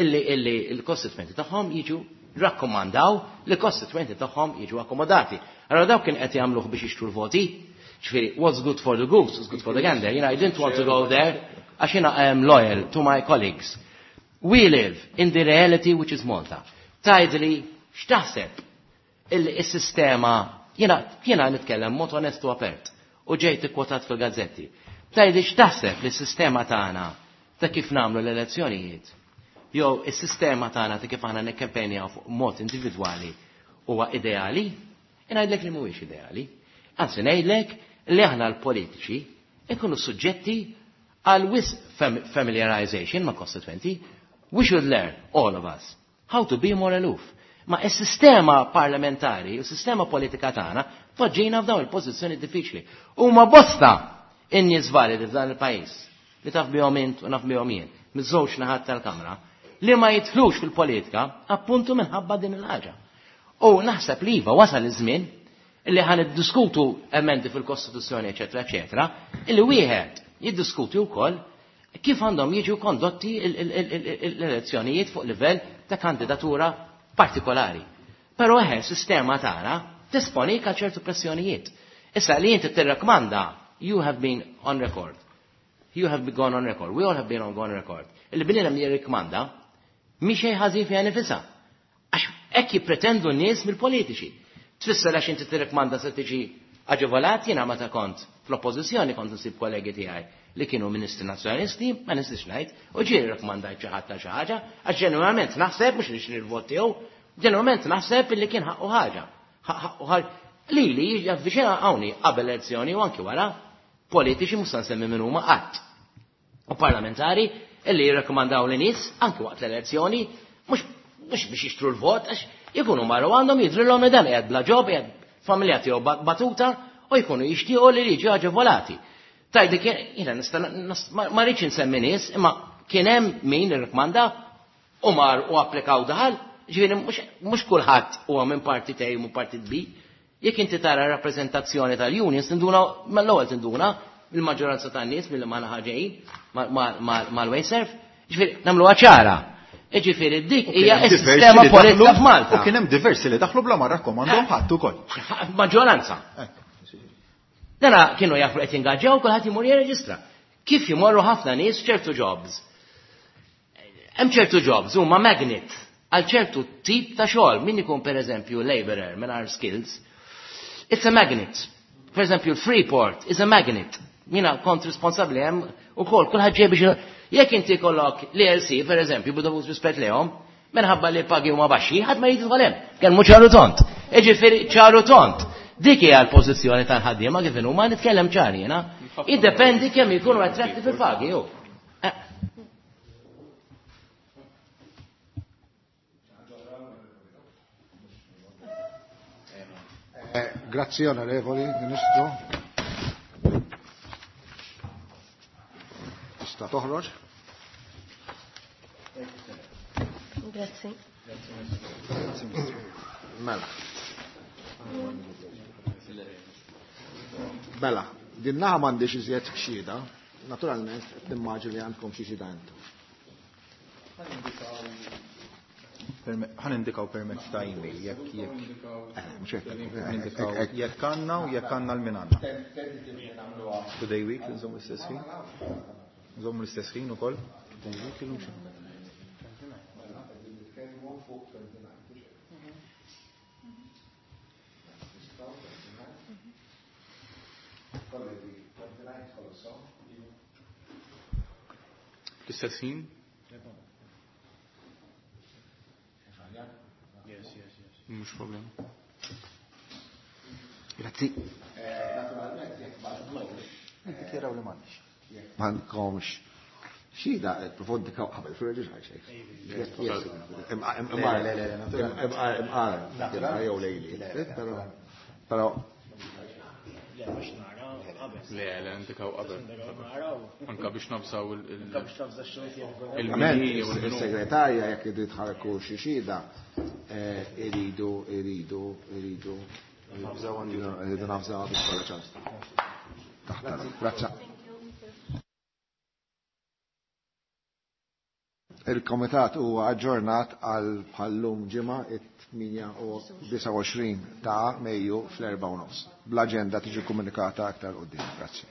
illi illi il-kostitwenti tagħhom jiġu rakkomandaw li kostitwenti tagħhom jiġu akkomodati. Allora dawk kien qed jagħmluh biex jixtru l-voti. Ġifieri, what's good for the goose is good for the gander. You know, I didn't want to go there għax jiena I am loyal to my colleagues. We live in the reality which is Malta. Tgħidli x'taħseb illi s-sistema jiena jiena nitkellem mod onestu apert u ġejt ikkwotat fil-gazzetti. Tgħidli x'taħseb li s-sistema tagħna ta' kif nagħmlu l-elezzjonijiet jew is-sistema tagħna ta' kif aħna nikkampenjaw fuq mod individwali huwa ideali, ngħidlek li mhuwiex ideali. Anzi ngħidlek li aħna l-politiċi ikunu suġġetti għal wisq familiarization ma' constituenti. We should learn, all of us, how to be more aloof. Ma is-sistema parlamentari u s-sistema politika tagħna poġġina f'dawn il-pożizzjoni diffiċli. Huma bosta in-nies validi f'dan il-pajjiż li taf bihom int u naf bihom jien, miż-żewġ naħat tal-Kamra, li ma jidħlux fil-politika appuntu minħabba din il-ħaġa. U naħseb li iva wasal iż-żmien illi ħan iddiskutu emendi fil-Kostituzzjoni, eċetera, eċetera, illi wieħed jiddiskuti wkoll kif għandhom jiġu kondotti l-elezzjonijiet fuq livell ta' kandidatura partikolari. Però eħe, sistema tagħna tisponik għal ċertu pressjonijiet. Issa li inti tirrakmanda, you have been on record. You have gone on record. We all have been on gone record. Illi bniedem jirrikmanda, mhi xejn ħażin fiha nifisha. Għax hekk jippretendu n-nies mill-politiċi. Tfisser għax inti tirrikmanda se tiġi aġevolat, jiena meta kont fl-oppożizzjoni kont nsib kollegi tiegħi li kienu ministri nazzjonalisti, ma nistax ngħid, u ġieli rrakkomandajt xi ħadd ta' xi ħaġa, għax ġenwinament naħseb mhux nixtri l-vot tiegħu, ġenwinament naħseb illi kien ħaqqu ħaġa. Ħaqqu ħaġa. Lili javviċina hawnni qabel elezzjoni u anki wara politiċi mhux se nsemmi min huma qatt. U parlamentari illi jirrakkomandaw li nies anki waqt l-elezzjoni mhux mhux biex jixtru l-vot għax jkunu marru għandhom jidrilhom li dan qiegħed bla ġob, qiegħed familja tiegħu batuta u jkunu jixtiequ li jiġu aġevolati. Tajdi kien, jiena nista' ma rridx insemmi nies, imma kien hemm min irrakmanda u mar u applikaw daħal, ġifieri mhux kulħadd huwa minn partit A u partit B. Jekk inti tara rappreżentazzjoni tal-unions tinduna mal-ewwel tinduna il-maġġoranza tan-nies milli ma ħaġejn mal-Wasteserv, ġifieri nagħmluha ċara. Ġifieri dik hija s-sistema politika f'Malta. U kien hemm diversi li daħlu bla ma rakkomandhom ħadd ukoll. Maġġoranza. Dana kienu jafu qed jingaġġaw kulħadd imur jirreġistra. Kif jimorru ħafna nies ċertu jobs. Hemm ċertu jobs huma magnet għal ċertu tip ta' xogħol. Min ikun pereżempju laborer mingħajr skills, it's a magnet. Per eżempju, Freeport is a magnet. Jiena kont responsabbli hemm ukoll kulħadd ġej biex jekk inti kollok l-E L C, per eżempju, b'dovut rispett lehom, minħabba li pagi huma baxxi, ħadd ma jidħol hemm. Kellmu ċaru tont. Iġifieri ċaru tont. Dik hija l-pożizzjoni tal-ħaddiema kif huma nitkellem ċar jiena. Iddependi kemm jkunu attractive il-pagi ju. Eh. Eh, grazzi onorevoli Ministru. Tista' toħroġ. Grazzi. Mela. Mela, din naħa m'għandix iżjed xhieda, naturalment qed nimmaġini li għandkom xi xhieda intom. Ħa nindikaw permezz ta' email jekk jekk. Eh, mhux hekk. Nindikaw jekk għandna u jekk għandna l-min għandna. Today week, nżommu l-istess ħin. Nżommu l-istess ħin ukoll. Today week illum xi. L-istess ħin? Mhux problema. Grazzi. Grazzi. Niddikjaraw li m'għandix. M'għandkomx xhieda profondika qabel fil-reġiġ xejn. Imqar, imqar, jew lejli. Però Le, le, indikaw qabel. Anka biex nabżaw il- Il-segretarja jekk irid tħarku xi xhieda, iridu, iridu, iridu. Iridu nafżaw biex kollha ċans. Taħtar. Grazzi. Il-komitat huwa aġġornat għal bħallum ġimgħa it-tmienja u disgħa u għoxrin ta' Mejju fl-erbgħa u nofs. Bl-aġenda tiġi komunikata aktar quddiem. Grazzi.